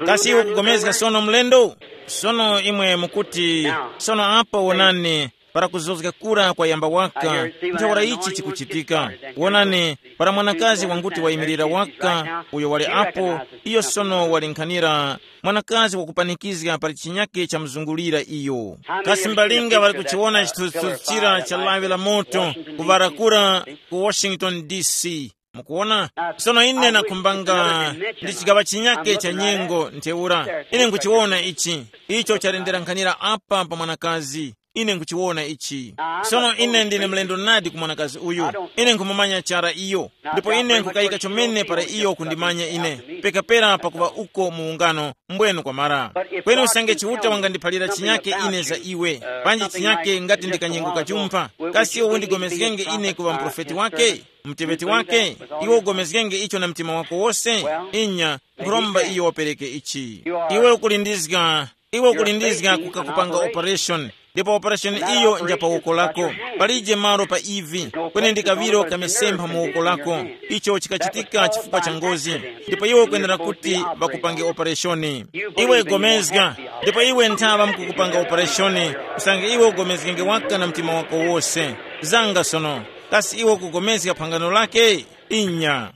Kasi iwe kugomezga sono mlendo? Sono imwe mukuti, sono apa wonani, para kuzozga kura kwayamba waka, ntheura ichi chikuchitika. Wonani, para mwanakazi wanguti wayimirira waka, uyo wali apo, iyo sono wali nkhanira mwanakazi wakupanikizga pali chinyake chamuzungulira iyo. Kasi mbalinga ŵali kuchiwona chithunzithunzi chira cha lawi la moto kuŵala kura ku Washington D C? Mukuwona? Sono ine nakhumbanga ndi chigaŵa chinyake cha nyengo ntheura. Ine nkuchiwona ichi. Icho chalendera nkhanira apa pa mwanakazi. Ine nkuchiwona ichi. Sono ine ndine mlendo nadi ku mwanakazi uyu. Ine nkhumumanya chara iyo, ndipo ine nkukayika chomene para iyo kundimanya ine, pekapera pakuŵa uko mu ungano mbwenu kwamara. Kweni usange Chiuta wangandiphalira chinyake ine za iwe, panji chinyake ngati ndi kanyengo kachumpha, kasi iwe undigomezgenge ine kuŵa muprofeti wake, mteŵeti wake? Iwe ugomezgenge icho na mtima wako wose. Inya, nkhuromba iyo wapereke ichi. Iwe ukulindizga, iwe ukulindizga kukakupanga operation, ndipo operation iyo nja pa woko lako. Palije malo pa ivi, kweni ndi kaŵiro kamisempha mu woko lako. Icho chikachitika chifukwa cha ngozi, ndipo iwe ukwenera kuti ŵakupange opereshoni. Iwe gomezga, ndipo iwe nthaŵa mkukupanga opereshoni, usange iwe ugomezgenge waka na mtima wako wose. Zanga sono, kasi iwe ukugomezga phangano lake? Inya.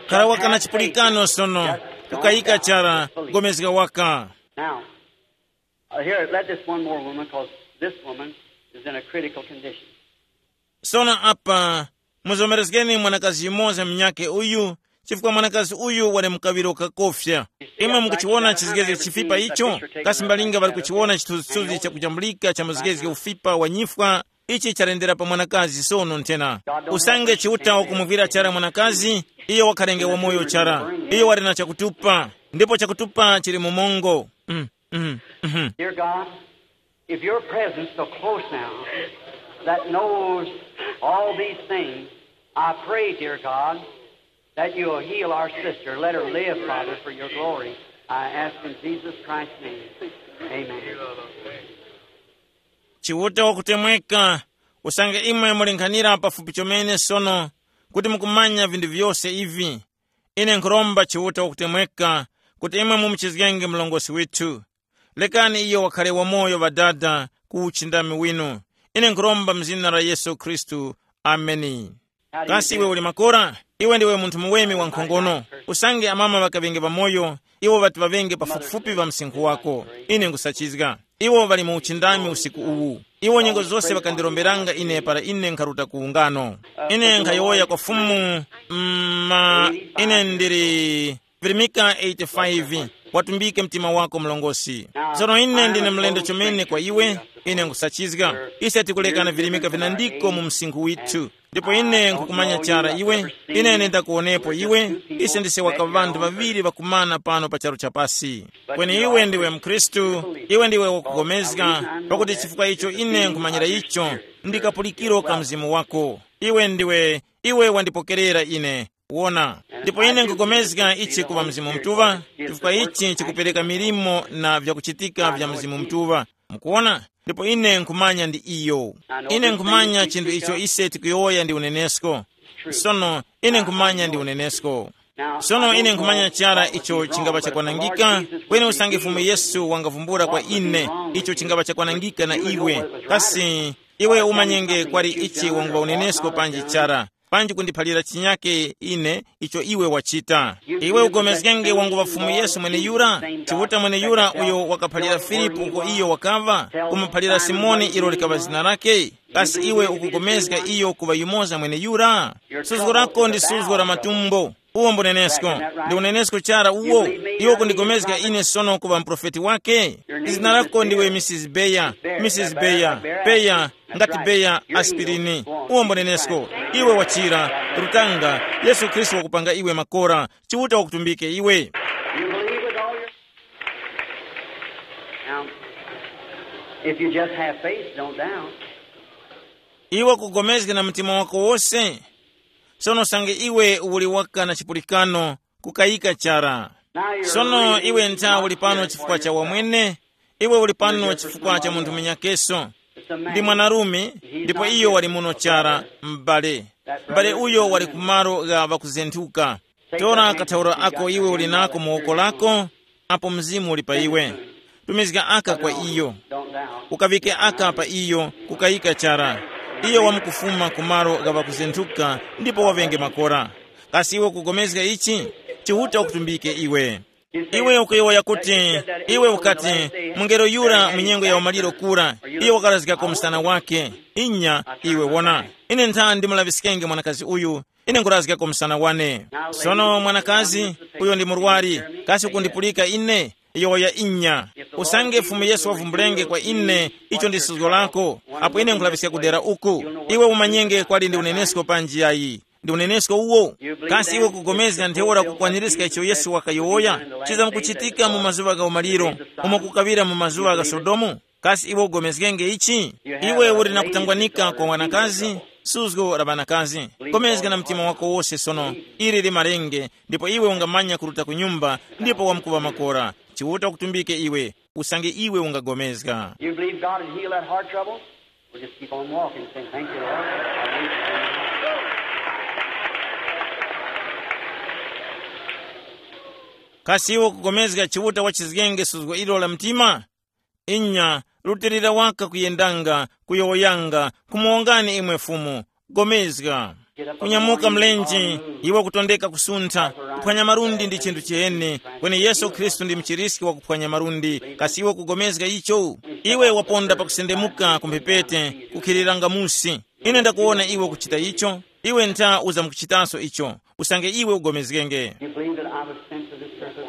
Khala waka na chipulikano sono, kukayika chara, gomezga waka. Now, uh, here, let this one more woman, because this woman is in a critical condition. Sono apa, muzomerezgeni mwanakazi yumoza munyake uyu, chifukwa mwanakazi uyu wali mukawiro kakofya. Imwe mukuchiwona chizgezge chifipa icho? Kasi mbalinga ŵali kuchiwona chithunzithunzi chakujambulika cha muzgezge ufipa wa nyifwa? Ichi chalendera pa mwanakazi sono nthena. Usange Chiuta wakumuvwira chara mwanakazi, iyo wakhalenge wamoyo chara. Iyo wali na chakutupa, ndipo chakutupa chili mu mongo. Mm, mm, mhm. Dear God, if your presence so close now that knows all these things, I pray, dear God, that you'll heal our sister. Let her live, Father, for your glory. I ask in Jesus Christ's name. Amen. Chiuta wakutemweka, usange imwe mulinkhanira pafupi chomene sono, kuti mukumanya vinthu vyose ivi. Ine nkhuromba Chiuta wakutemweka, kuti imwe mumuchizgenge mlongosi withu. Lekani iyo wakhale wamoyo, Ŵadada, ku uchindami winu. Ine nkhuromba mu zina la Yesu Khristu. Ameni. Kasi iwe uli makora? Iwe ndiwe munthu muweme wa nkhongono. Usange amama ŵakaŵenge pamoyo, iwo ŵati ŵaŵenge pafupifupi pa msinkhu wako. Ine nkhusachizga. Iwo ŵali mu uchindami usiku uwu. Iwo nyengo zose ŵakandiromberanga ine para ine nkharuta ku ungano. Ine nkhayowoya kwa Fumu, mm, ma, ine ndili, virimika eighty-five, watumbike mtima wako mlongosi. Sono ine ndine mlendo chomene kwa iwe, ine nkusachizga. Ise tikulekana virimika vinandiko mu msinkhu withu. Ndipo ine nkukumanya chara iwe, ine ndakuwonepo iwe. Ise ndise waka ŵanthu ŵaŵiri ŵakumana pano pa charu chapasi. Kweni iwe ndiwe mkhristu, iwe ndiwe wakugomezga, pakuti chifukwa icho ine nkhumanyira icho, ndi kapulikiro ka mzimu wako. Iwe ndiwe, iwe wandipokerera ine. Wona, ndipo ine nkugomezga ichi kuŵa Mzimu Mutuŵa, chifukwa ichi chikupereka milimo na vyakuchitika vya Mzimu Mutuŵa. Mukuwona? Ndipo ine nkhumanya ndi iyo. Ine nkhumanya chinthu icho ise tikuyowoya ndi unenesko. Sono, ine nkhumanya ndi unenesko. Sono ine nkhumanya chara icho chingapa chakwanangika, kweni usange Fumu Yesu wangavumbula kwa ine icho chingapa chakwanangika na iwe, kasi iwe umanyenge kwali ichi wanguŵa unenesko panji chara, panji kundiphalira chinyake ine icho iwe wachita. Iwe ugomezgenge wanguŵa Fumu Yesu mweneyura, Chiuta mweneyura uyo wakaphalira Filipu uko iyo wakaŵa, kumuphalira Simoni ilo likaŵa zina lake. Kasi iwe ukugomezga iyo kuŵa yumoza mweneyura? Suzgo lako ndi suzgo la matumbo. Uwo mbunenesko. Ndi unenesko chara uwo. Iwe kundigomezga ine sono kuŵa muprofeti wake. Zina lako ndiwe Mrs Beya. Mrs Beya. Beya, ngati Beya aspirini. Uwo mbunenesko. Iwe wachira. Rutanga. Yesu Khristu wakupanga iwe makora. Chiuta wakutumbike iwe. You believe with all your. Now, if you just have faith, don't doubt. Iwe kugomezga na mtima wako wose. Sono sange iwe uli waka na chipulikano, kukayika chara. Sono iwe ntha uli pano chifukwa cha wamwene. Iwe uli pano chifukwa cha munthu munyakeso. Ndi mwanarume, ndipo iyo wali muno chara, m'bale. M'bale uyo wali kumalo gha ŵakuzenthuka. Tora kathaura ako iwe uli nako mu woko lako, apo Mzimu uli pa iwe. Tumizga aka kwa iyo. Ukaŵike aka pa iyo, kukayika chara. Iyo wamkufuma ku malo gha ŵakuzenthuka, ndipo waŵenge makora. Kasi iwe ukugomezga ichi? Chiuta ukutumbike iwe. Iwe ukuyowoya kuti, iwe ukati, mungelo yura mu nyengo ya umaliro kura, iyo wakarazgako msana wake. Inya, iwe wona. Ine ntha ndimulaŵiskenge mwanakazi uyu, ine nkurazgako msana wane. Sono mwanakazi, uyo ndi murwari, kasi ukundipulika ine? Yowoya inya. Usange Fumu Yesu wavumbulenge kwa ine icho ndi suzgo lako, apo ine nkhulaŵiska kudera uku, iwe umanyenge kwali ndi unenesko panji yayi. Ndi unenesko uwo. Kasi iwe kugomezga ntheura kukwanirizga icho Yesu wakayowoya chizamkuchitika mu mazuŵa gha umaliro, umo kukaŵira mu mazuŵa gha Sodomu? Kasi iwe ugomezgenge ichi? Iwe uli na kutangwanika kwa wanakazi, suzgo la ŵanakazi. Gomezga na mtima wako wose sono, ili limarenge, ndipo iwe ungamanya kuruta ku nyumba, ndipo wamkuŵa makora. Chiuta ukutumbike iwe, usange iwe ungagomezga. You believe God would heal that heart trouble? We'll just keep on walking, saying, "Thank you, Lord." Kasi iwe kugomezga Chiuta wachizgenge suzgo ilo la mtima? Inya, rutilira waka kuyendanga, kuyowoyanga, kumuwongani imwe Fumu. Gomezga. Kunyamuka mlenje, iwe kutondeka kusuntha, kuphwanya malundi ndi chinthu chiheni, kweni Yesu Khristu ndi mchiriski wa kuphwanya malundi. Kasi iwe kugomezga icho? Iwe waponda pakusendemuka ku mphepete, kukhiriranga musi. Ine ndakuwona iwe kuchita icho, iwe ntha uzamkuchitaso icho, usange iwe ugomezgenge. You believe that I was sent to this purpose?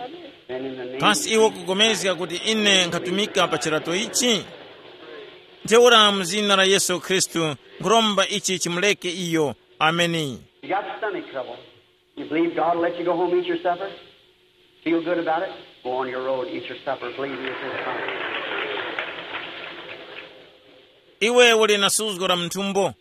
Then in the name Kasi of iwe Jesus kugomezga Christ, kuti ine nkhatumika pa chirato ichi? Ntheura mu zina la Yesu Khristu nkhuromba ichi chimuleke iyo. Ameni. You got stomach trouble. You believe God will let you go home, eat your supper? Feel good about it? Go on your road, eat your supper, believe He is in the promise. Iwe uli na suzgo la mthumbo.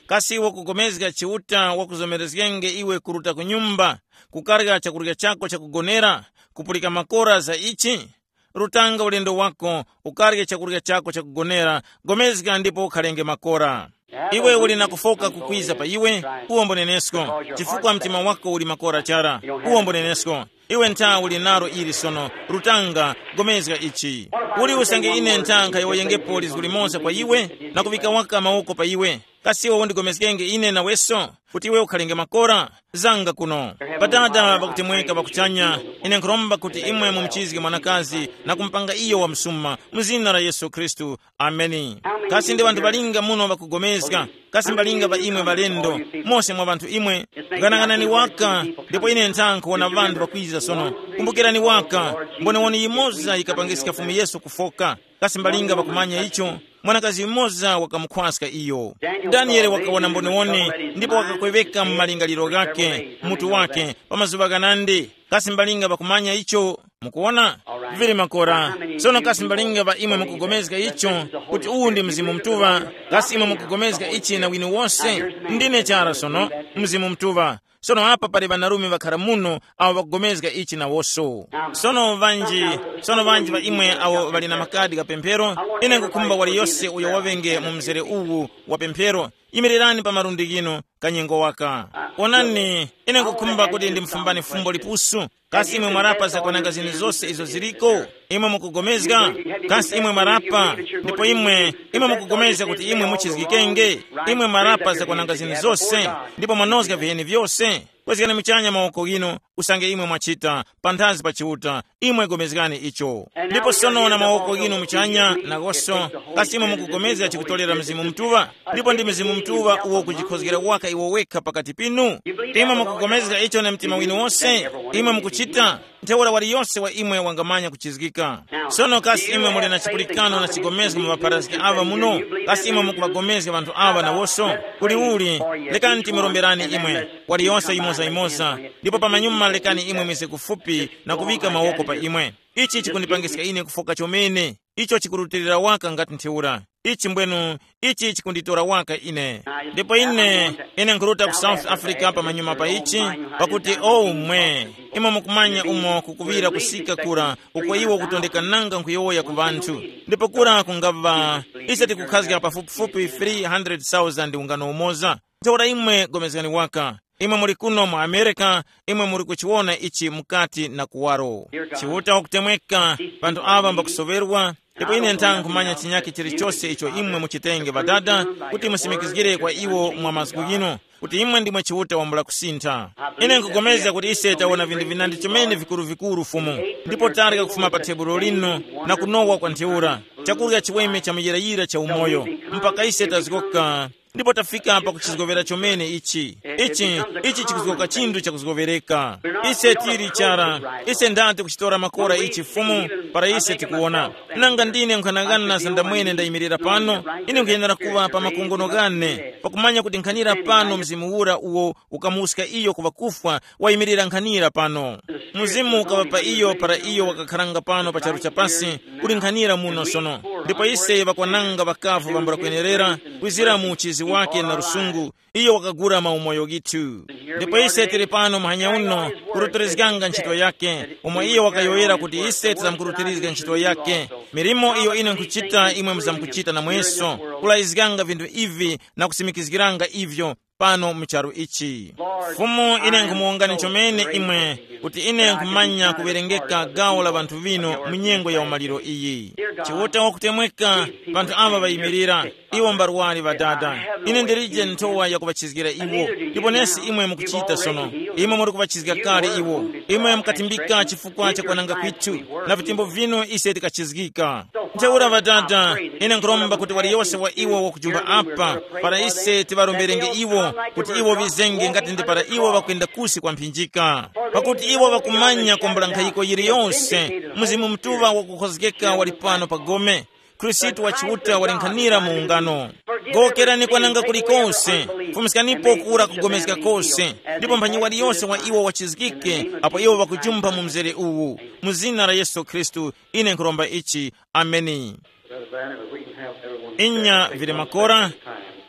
Kasi iwe kugomezga Chiuta wakuzomerezgenge iwe kuruta ku nyumba, kukarya chakurya chako chakugonera, kupulika makora za ichi? Rutanga ulendo wako, ukarye chakurya chako chakugonera, gomezga ndipo ukhalenge makora. Iwe uli na kufoka kukwiza pa iwe, uwombonenesko, chifukwa mtima wako uli makora chara, uwombonenesko. Iwe ntha uli nalo ili sono, rutanga, gomezga ichi. Uli usange ine ntha nkhayowoyengepo lizgu limoza kwa iwe, na kuvika waka mawoko pa iwe. Kasi iwe undigomezgenge ine naweso, kuti iwe ukhalenge makora? Zanga kuno. Padada pakutemweka pakuchanya, ine nkhuromba kuti imwe mumuchizge mwanakazi na kumupanga iyo wamsuma, mu zina la Yesu Khristu. Ameni. Kasi ndi ŵanthu ŵalinga muno ŵakugomezga? Kasi mbalinga ŵa imwe ŵalendo, mose mwa ŵanthu imwe? Ghanaghanani waka, ndipo ine ntha nkhuwona ŵanthu ŵakwiza sono. Kumbukirani waka, mbonewoni yimoza yikapangiska Fumu Yesu kufoka. Kasi mbalinga ŵakumanya icho? Mwanakazi yumoza wakamukhwaska iyo. Daniele wakawona mboniwone ndipo wakakweŵeka mu malingaliro ghakhe, mutu wakhe, pa mazuŵa ghanandi. Kasi mbalinga ŵakumanya icho? Mukuwona? Vili makora. Sono kasi mbalinga ŵa imwe mukugomezga icho, kuti uwu ndi Mzimu Mutuŵa? Kasi imwe mukugomezga ichi na wini wose? Ndine chara sono, Mzimu Mutuŵa. Sono apa pali ŵanarume ŵakhara muno awo ŵakugomezga ichi nawoso. Sono vanji, sono vanji va imwe awo ŵali na makadi gha pemphero, ine nkukhumba waliyose uyo waŵenge mu mzere uwu wa pemphero, yimirirani pa malundi ghinu kanyengo waka. Onani, ine nkukhumba kuti ndimufumbani fumbo lipusu. Kasi imwe mwarapa zakwananga zinu zose izo ziliko? Imwe mukugomezga? Kasi imwe mwarapa? Ndipo imwe, imwe mukugomezga kuti imwe muchizgikenge? Imwe mwarapa zakwananga zinu zose, ndipo mwanozga viheni vyose? Kwezgani muchanya mawoko ghinu, usange imwe mwachita, panthazi pa Chiuta, imwe gomezgani icho. Ndipo sono na mawoko ghinu muchanya, nagoso, kasi imwe mukugomezga chikutolera Mzimu Mutuŵa? Ndipo ndi Mzimu Mutuŵa uwo kujikhozgera waka iwo wekha pakati pinu. Imwe mukugomezga icho na mtima winu wose? Imwe mukuchita? Ntheura waliyose wa imwe wangamanya kuchizgika. Sono kasi imwe muli na chipulikano na chigomezgo mu ŵapharazgi aŵa muno? Kasi imwe mukuŵagomezga ŵanthu aŵa nawoso? Uliuli, lekani timuromberani imwe, waliyose yimoza-yimoza, ndipo pamanyuma lekani imwe mize kufupi na kuŵika mawoko pa imwe. Ichi chikundipangiska ine kufoka chomene. Icho chikurutilira waka ngati ntheura. Ichi mbwenu, ichi chikunditora waka ine. Ndipo ine, ine nkhuruta ku South Africa pamanyuma pa ichi, pakuti o mwe, imwe mukumanya umo kukuŵira kusika kura, uko iwo kutondeka nanga nkhuyowoya ku ŵanthu. Ndipo kura kungava, ise tikukhazga pafupifupi three hundred thousand ungano umoza. Ntheura imwe gomezgani waka. Imwe muli kuno mu Amerika, imwe muli kuchiwona ichi mukati na kuwaro. Chiuta wakutemweka, panthu aŵa mbakusoŵerwa, ndipo ine ntha nkhumanya chinyakhe chilichose icho imwe muchitenge Ŵadada, kuti musimikizgire kwa iwo mwa mazgu ghino, kuti imwe ndimwe Chiuta wambula kusintha. Ine nkugomezga kuti ise tawona vinthu vinandi chomene vikuru-vikuru Fumu, ndipo tarya kufuma pa tebulo lino na kunowa kwa ntheura, chakurya chiweme cha muyirayira cha umoyo, mpaka ise tazgoka Ndipo tafika pa kuchizgovera chomene ichi. Ichi, ichi chikuzgoka chinthu chakuzgovereka. Ise tili chara, ise ndati kuchitora makora ichi Fumu, para ise tikuwona. Nanga ndine nkhanang'ana za ndamwene ndayimirira pano, ine nkhuyenera kuŵa pa makongono ghane, pakumanya kuti nkhanira pano Mzimu ura uwo ukamuska iyo ku ŵakufwa wayimirira nkhanira pano. Mzimu ukaŵa pa iyo para iyo wakakharanga pano pa charu cha pasi, kuli nkhanira muno sono. Ndipo ise ŵakwananga ŵakavu ŵambula kwenerera, kwizira mu uchizi wake na lusungu, iyo wakagula maumoyo githu. Ndipo ise tili pano muhanya uno, kuroterezganga ntchito yake, umo iyo wakayowoyera kuti ise tizamukuroterezga ntchito yake. Milimo iyo ine nkhuchita imwe muzamkuchita namweso, kulayizganga vinthu ivi na kusimikizgiranga ivyo pano mu charu ichi. Fumu, ine nkhumuwongani chomene imwe, kuti ine nkhumanya kuwerengeka gawo la ŵanthu vino mu nyengo ya umaliro iyi. Chiuta wakutemweka, ŵanthu ava ŵayimirira, iwo mbarwari ŵadada. Ine ndilije nthowa yakuŵachizgira iwo, ndipo nesi imwe mukuchita sono. Imwe muri kuŵachizga kale iwo. Imwe mukatimbika chifukwa cha kwananga kwithu, na vitembo vinu ise tikachizgika. Ntheura ŵadada, ine nkhuromba kuti waliyose wa iwo wakujumba apa, para ise tiŵaromberenge iwo, kuti iwo ŵizenge ngati ndi para iwo ŵakwenda kusi kwa mphinjika. Pakuti iwo ŵakumanya kwambula nkhayiko yiliyose, Mzimu Mutuŵa wakukhozgeka wali pano pa gome. Khristu wa Chiuta wali nkhanira mu ungano. Gowokerani kwananga kulikose, fumiskanipo kura kugomezga kose, ndipo mphanyi waliyose wa iwo wachizgike, apo iwo ŵakujumpha mu mzere uwu. Mu zina la Yesu Khristu, ine nkhuromba ichi. Ameni. Brother Branham, if we can have everyone inya stand, vili makora.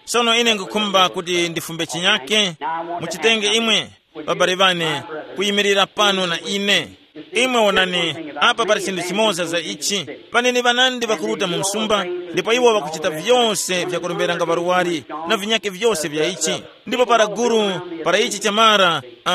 Sono ine ngukhumba kuti ndifumbe chinyake, muchitenge imwe, babale bane, kuyimirira pano na ine. Imwe wonani, apa pali chinthu chimoza za ichi. Paneni ŵanandi ŵakuruta mu msumba, ndipo iwo ŵakuchita vyose vyakuromberanga ŵarwari, na vinyake vyose vya ichi. Ndipo para guru, para ichi chamara, uh,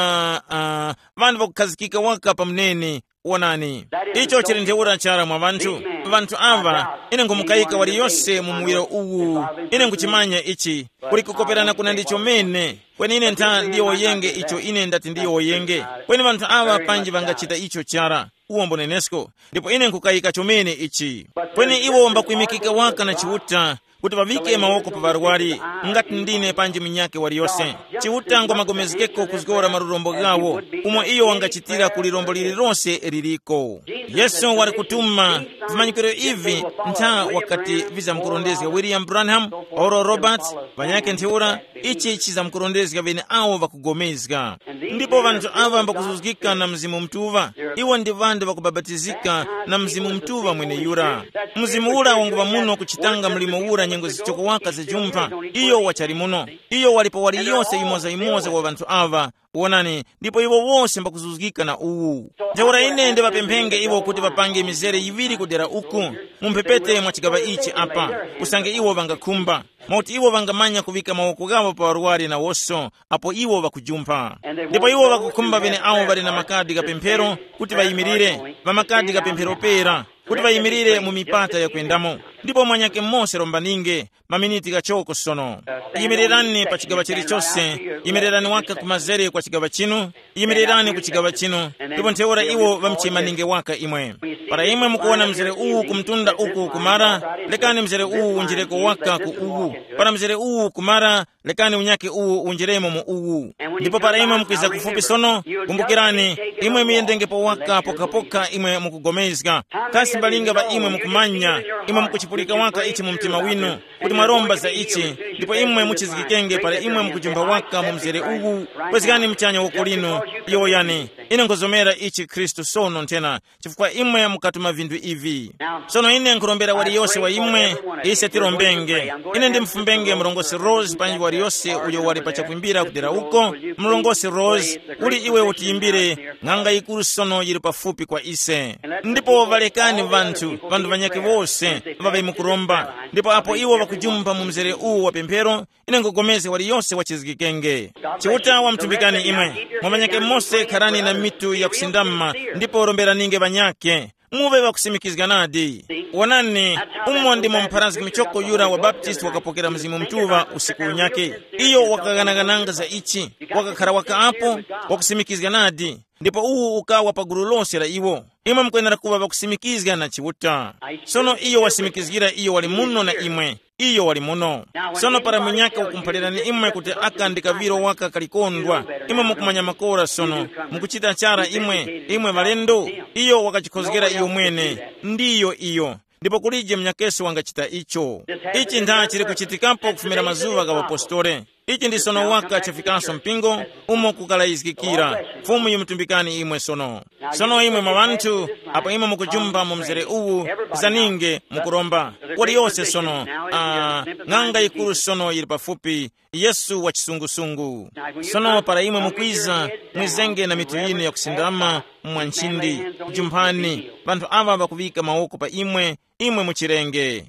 uh, ŵanthu ŵakukhazikika waka pa muneni. Wonani, icho chili ntheura chara mwa ŵanthu. Ŵanthu aŵa, ine nkhumukayika waliyose mu muwiro uwu. Ine nkuchimanya ichi, kuli kukoperana kuna ndi chomene. Kweni ine ntha ndiyowoyenge icho ine ndati ndiyowoyenge. Kweni ŵanthu aŵa panji ŵangachita icho chara, uwo mbonenesko. Ndipo ine nkukayika chomene ichi. Kweni iwo mbakwimikika waka na Chiuta, kuti ŵaŵike mawoko pa ŵarwari, ngati ndine panji munyakhe waliyose. Chiuta ngwamagomezgeko kuzgora malurombo ghawo, umo iyo wangachitira ku lirombo lililose liliko. Yesu wali kutuma vimanyikiro ivi, ntha wakati vizamkurondezga William Branham, Oral Roberts, ŵanyakhe ntheura, ichi chizamkurondezga ŵeneawo ŵakugomezga. Ndipo ŵanthu aŵa mbakuzuzgika na Mzimu Mutuŵa. Iwo ndi ŵanthu ŵakubapatizika na Mzimu Mutuŵa mweneyura. Mzimu ura wanguŵa muno kuchitanga mlimo ura nyengo zichoko waka zajumpha. Iyo wachali muno. Iyo wali pa waliyose yimoza-yimoza wa ŵanthu aŵa. Wonani, ndipo iwo wose mbakuzuzgika na uwu. Ntheura ine ndiŵapemphenge iwo kuti ŵapange mizere yiŵiri kudera uku, mu mphepete mwa chigaŵa ichi apa, usange iwo ŵangakhumba. Mwakuti iwo ŵangamanya kuŵika mawoko ghawo pa ŵarwari nawoso, apo iwo ŵakujumpha. Ndipo iwo ŵakukhumba ŵeneawo ŵali na makadi gha pemphero kuti ŵayimirire, ŵa makadi gha pemphero pera, kuti ŵayimirire mu mipata yakwendamo. Ndipo mwanyake mose rombaninge, maminiti ghachoko sono. Yimirirani pa chigaŵa chilichose, yimirirani waka kumazere kwa chigaŵa chinu, yimirirani ku chigaŵa chinu, ndipo ntheura iwo ŵamuchimaninge waka imwe. Para imwe mukuwona mzere uwu ku mtunda uku kumara, lekani mzere uwu unjireko waka ku uwu. Para mzere uwu kumara, lekani unyakhe uwu unjiremo mu uwu. Ndipo para imwe mukwiza kufupi sono, kumbukirani, imwe muyendengepo waka pokapoka imwe mukugomezga. Kasi mbalinga ŵa imwe mukumanya, imwe mukuchipulika waka ichi mu mtima winu, kuti mwaromba za ichi, ndipo imwe muchizgikenge para imwe mukujumba waka mu mzere uwu, kwezgani muchanya woko linu, yowoyani, ine nkhuzomera ichi Khristu sono nthena, chifukwa imwe mukatuma vinthu ivi. Sono ine nkhurombera waliyose wa imwe, ise tirombenge. Ine ndimufumbenge murongose Rose panji waliyose uyo wali pa chakwimbira kudera uko, murongose Rose, uli iwe utiyimbire, ng'anga yikuru sono yili pafupi kwa ise. Ndipo ŵalekani ŵanthu, ŵanthu ŵanyakhe wose, ŵaŵe mukuromba. Ndipo apo iwo ŵakujumba mu mzere uwu wa pemphero, ine nkugomezga waliyose wachizgikenge. Chiuta wamtumbikani imwe. Mwa ŵanyakhe mose kharani na mitu yakusindama, ndipo romberaninge ŵanyakhe. Muŵe ŵakusimikizga nadi. Wonani, umo ndimo mpharazgi michoko yura wa Baptist wakapokera Mzimu Mutuŵa usiku unyakhe. Iyo wakaghanaghananga za ichi, wakakhara waka apo, wakusimikizga nadi. Ndipo uwu ukawa pa gulu lose la iwo. Imwe mukwenera kuŵa ŵakusimikizga na Chiuta. Sono iyo wasimikizgira iyo wali muno na imwe. Iyo wali muno. Sono para munyaka wakumuphalirani imwe kuti aka ndi kaŵiro waka kalikondwa, imwe mukumanya makora sono, mukuchita chara imwe, imwe ŵalendo, iyo wakachikhozgera iyo mwene. Ndiyo iyo. Ndipo kulije munyakeso wangachita icho. Ichi ntha chili kuchitikapo kufumira mazuŵa gha ŵapostole. Ichi ndi sono waka chafikanso mpingo umo kukalayizgikira. Fumu yimutumbikani imwe sono. Sono imwe mwa ŵanthu, apo imwe mukujumba mu mzere uwu, zaninge mukuromba. Waliyose sono, ah, ng'anga yikuru sono yili pafupi, Yesu wa chisungusungu. Sono para imwe mukwiza, mwizenge na mitu yinu yakusindama mwa nchindi, jumphani, ŵanthu aŵa ŵakuŵika mawoko pa imwe, imwe muchirenge.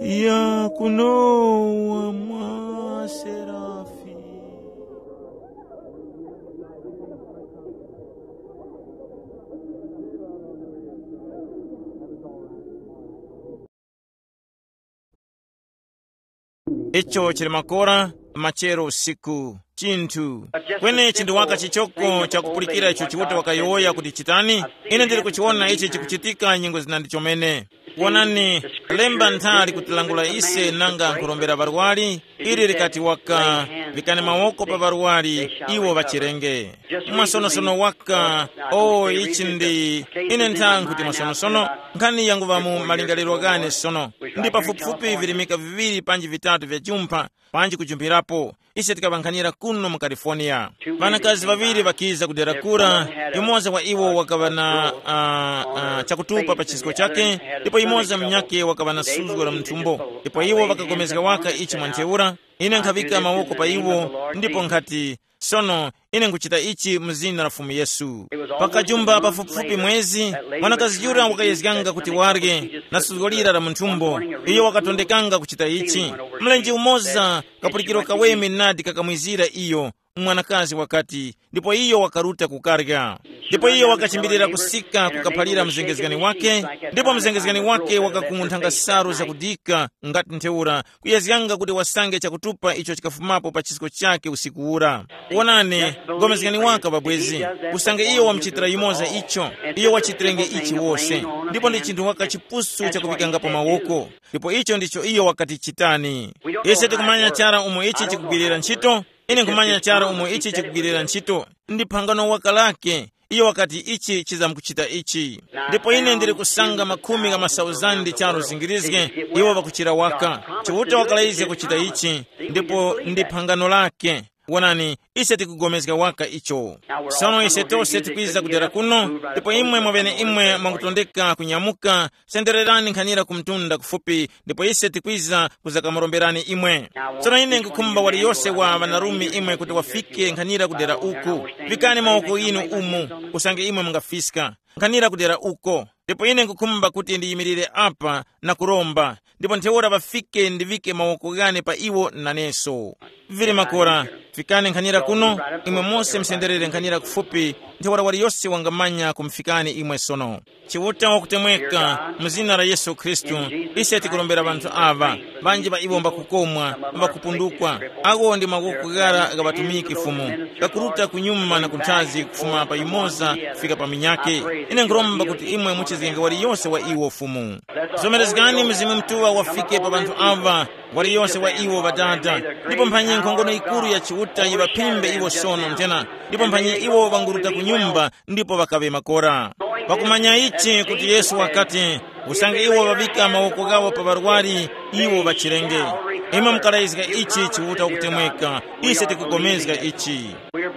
Ya kunowa mwa serafi. Icho chili makora machero usiku. Chinthu kwenechi ndi waka chichoko chakupulikira icho Chiuta wakayowoya kuti chitani. Ine ndili kuchiwona ichi chikuchitika nyengo zina ndi chomene. Wonani, lemba nthali kutilangula ise nanga nkhurombera ŵarwari, ili likati waka, likani mawoko pa ŵarwari, iwo ŵachirenge. Mwasonosono waka. O ichi ndi, ine nthankhu kuti mwasonosono, nkhani yanguŵa mu malingaliro ghane sono. Ndi pafupifupi virimika viŵiri panji vitatu vya jumpha, panji kujumphirapo, ise tikaŵankhanira kuno mu California. Ŵanakazi ŵaŵiri ŵakiza ku dera kura, yumoza wa iwo wakaŵa na, uh, uh, chakutupa pa chisko chake, ndipo yumoza munyakhe wakaŵa na suzgo la munthumbo. Ndipo iwo ŵakapulikana waka ichi mwa ntheura. Ine nkhaŵika mawoko pa iwo, ndipo nkhati, sono, ine nkhuchita ichi mu zina la Fumu Yesu. Pakajumba pafupifupi mwezi, mwanakazi yura wakayezganga kuti warye na suzgo lira la munthumbo. Iyo wakatondekanga kuchita ichi. Mlenje umoza, kapulikiro kaweme nadi kakamwizira iyo, mwanakazi wakati, ndipo iyo wakaruta kukarya. Ndipo iyo wakachimbirira kusika kukaphalira mzengezgani wake, ndipo mzengezgani wake wakakung'unthanga salu zakudika ngati ntheura, kuyezganga kuti wasange chakutupa icho chikafumapo pa chisko chake usiku ura. Wonani, pulikani waka pabwezi, usange iyo wamuchitira yumoza icho, iyo wachitirenge ichi wose. Ndipo ndi chinthu waka chipusu chakuŵikangapo mawoko. Ndipo icho ndicho iyo wakati chitani. Ise tikumanya chara umo ichi chikugwirira ntchito. Ine nkhumanya chara umo ichi chikugwirira ntchito. Ndi phangano waka lake. Iyo wakati ichi chizamkuchita ichi. Ndipo ine ndili kusanga makhumi gha masauzandi charo zingirizge, iwo ŵakuchira waka. Chiuta wakalayizga kuchita ichi, ndipo ndi phangano lake. Wonani, ise tikugomezga waka icho. Sono ise tose tikwiza kudera kuno, ndipo imwe mwaŵeneimwe mwangutondeka kunyamuka, sendererani nkhanira ku mtunda kufupi, ndipo ise tikwiza kuzakamuromberani imwe. Tsono ine nkukhumba waliyose wa ŵanarume imwe kuti wafike nkhanira kudera uku. Vikani mawoko inu umu, usange imwe mungafiska. Nkhanira kudera uko. Ndipo ine nkukhumba kuti ndiyimirire apa na kuromba, ndipo ntheura ŵafike ndiŵike mawoko ghane pa iwo naneso. Vili makora, fikani nkhanira kuno, imwe mose musenderere nkhanira kufupi, ntheura waliyose wangamanya kumufikani imwe sono. Chiuta wakutemweka, mu zina la Yesu Khristu, ise tikurombera ŵanthu aŵa, ŵanji ŵa iwo mbakukomwa, mba kupundukwa. Awo ndi mawoko ghara gha ŵatumiki Fumu, ghakuruta kunyuma na kunthazi kufuma pa yumoza kufika pa minyake. Ine nkhuromba kuti imwe muchizgenge waliyose wa iwo Fumu. Zomerezgani Mzimu Mutuŵa wafike pa ŵanthu aŵa, waliyose wa iwo Ŵadada, ndipo mphanyi nkhongono yikuru ya Chiuta yiŵaphimbe iwo sono nthena, ndipo mphanyi iwo ŵanguruta ku nyumba ndipo ŵakaŵe makora. Pakumanya ichi kuti Yesu wakati, usange iwo ŵaŵika mawoko ghawo pa ŵarwari, iwo ŵachirenge. Imwe mukalayizga ichi Chiuta wakutemweka, ise tikugomezga ichi.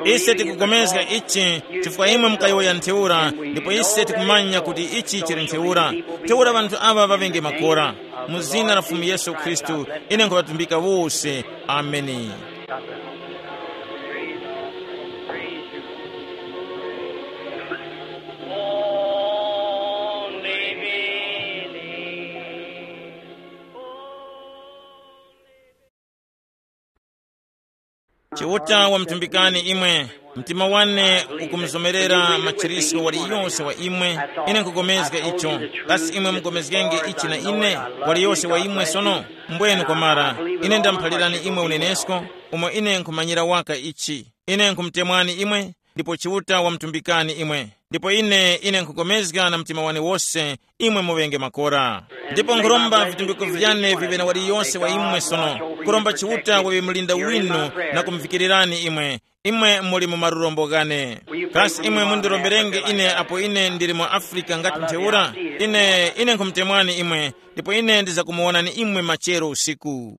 Ise tikugomezga ichi chifukwa imwe mukayowoya ntheura, ndipo ise tikumanya kuti ichi chili ntheura. Ntheura ŵanthu aŵa ŵaŵenge makora. Mu zina la Fumu Yesu Khristu, ine nkhuŵatumbika wose. Ameni. Chiuta wamutumbikani imwe. Mtima wane ukumuzomerera machirisco waliyose wa imwe. Ine nkugomezga icho. Kasi imwe mugomezgenge ichi na ine? Waliyose wa imwe sono? Mbwenu kwamara. Ine ndamuphalirani imwe unenesko, umo ine nkhumanyira waka ichi. Ine nkhumutemwani imwe, ndipo Chiuta wamutumbikani imwe. Ndipo ine ine nkhukomezga na mtima wane wose, imwe muŵenge makora. Ndipo nkhuromba vitumbiko vyane viŵe na waliyonse wa imwe sono, kuromba Chiuta waŵe mulinda winu na kumvikirirani imwe. Imwe muli mu marurombo ghane. Kasi imwe mundiromberenge ine apo ine ndili mu Afrika ngati ntheura? Ine ine nkhumutemwani imwe, ndipo ine ndizakumuwonani imwe machero usiku.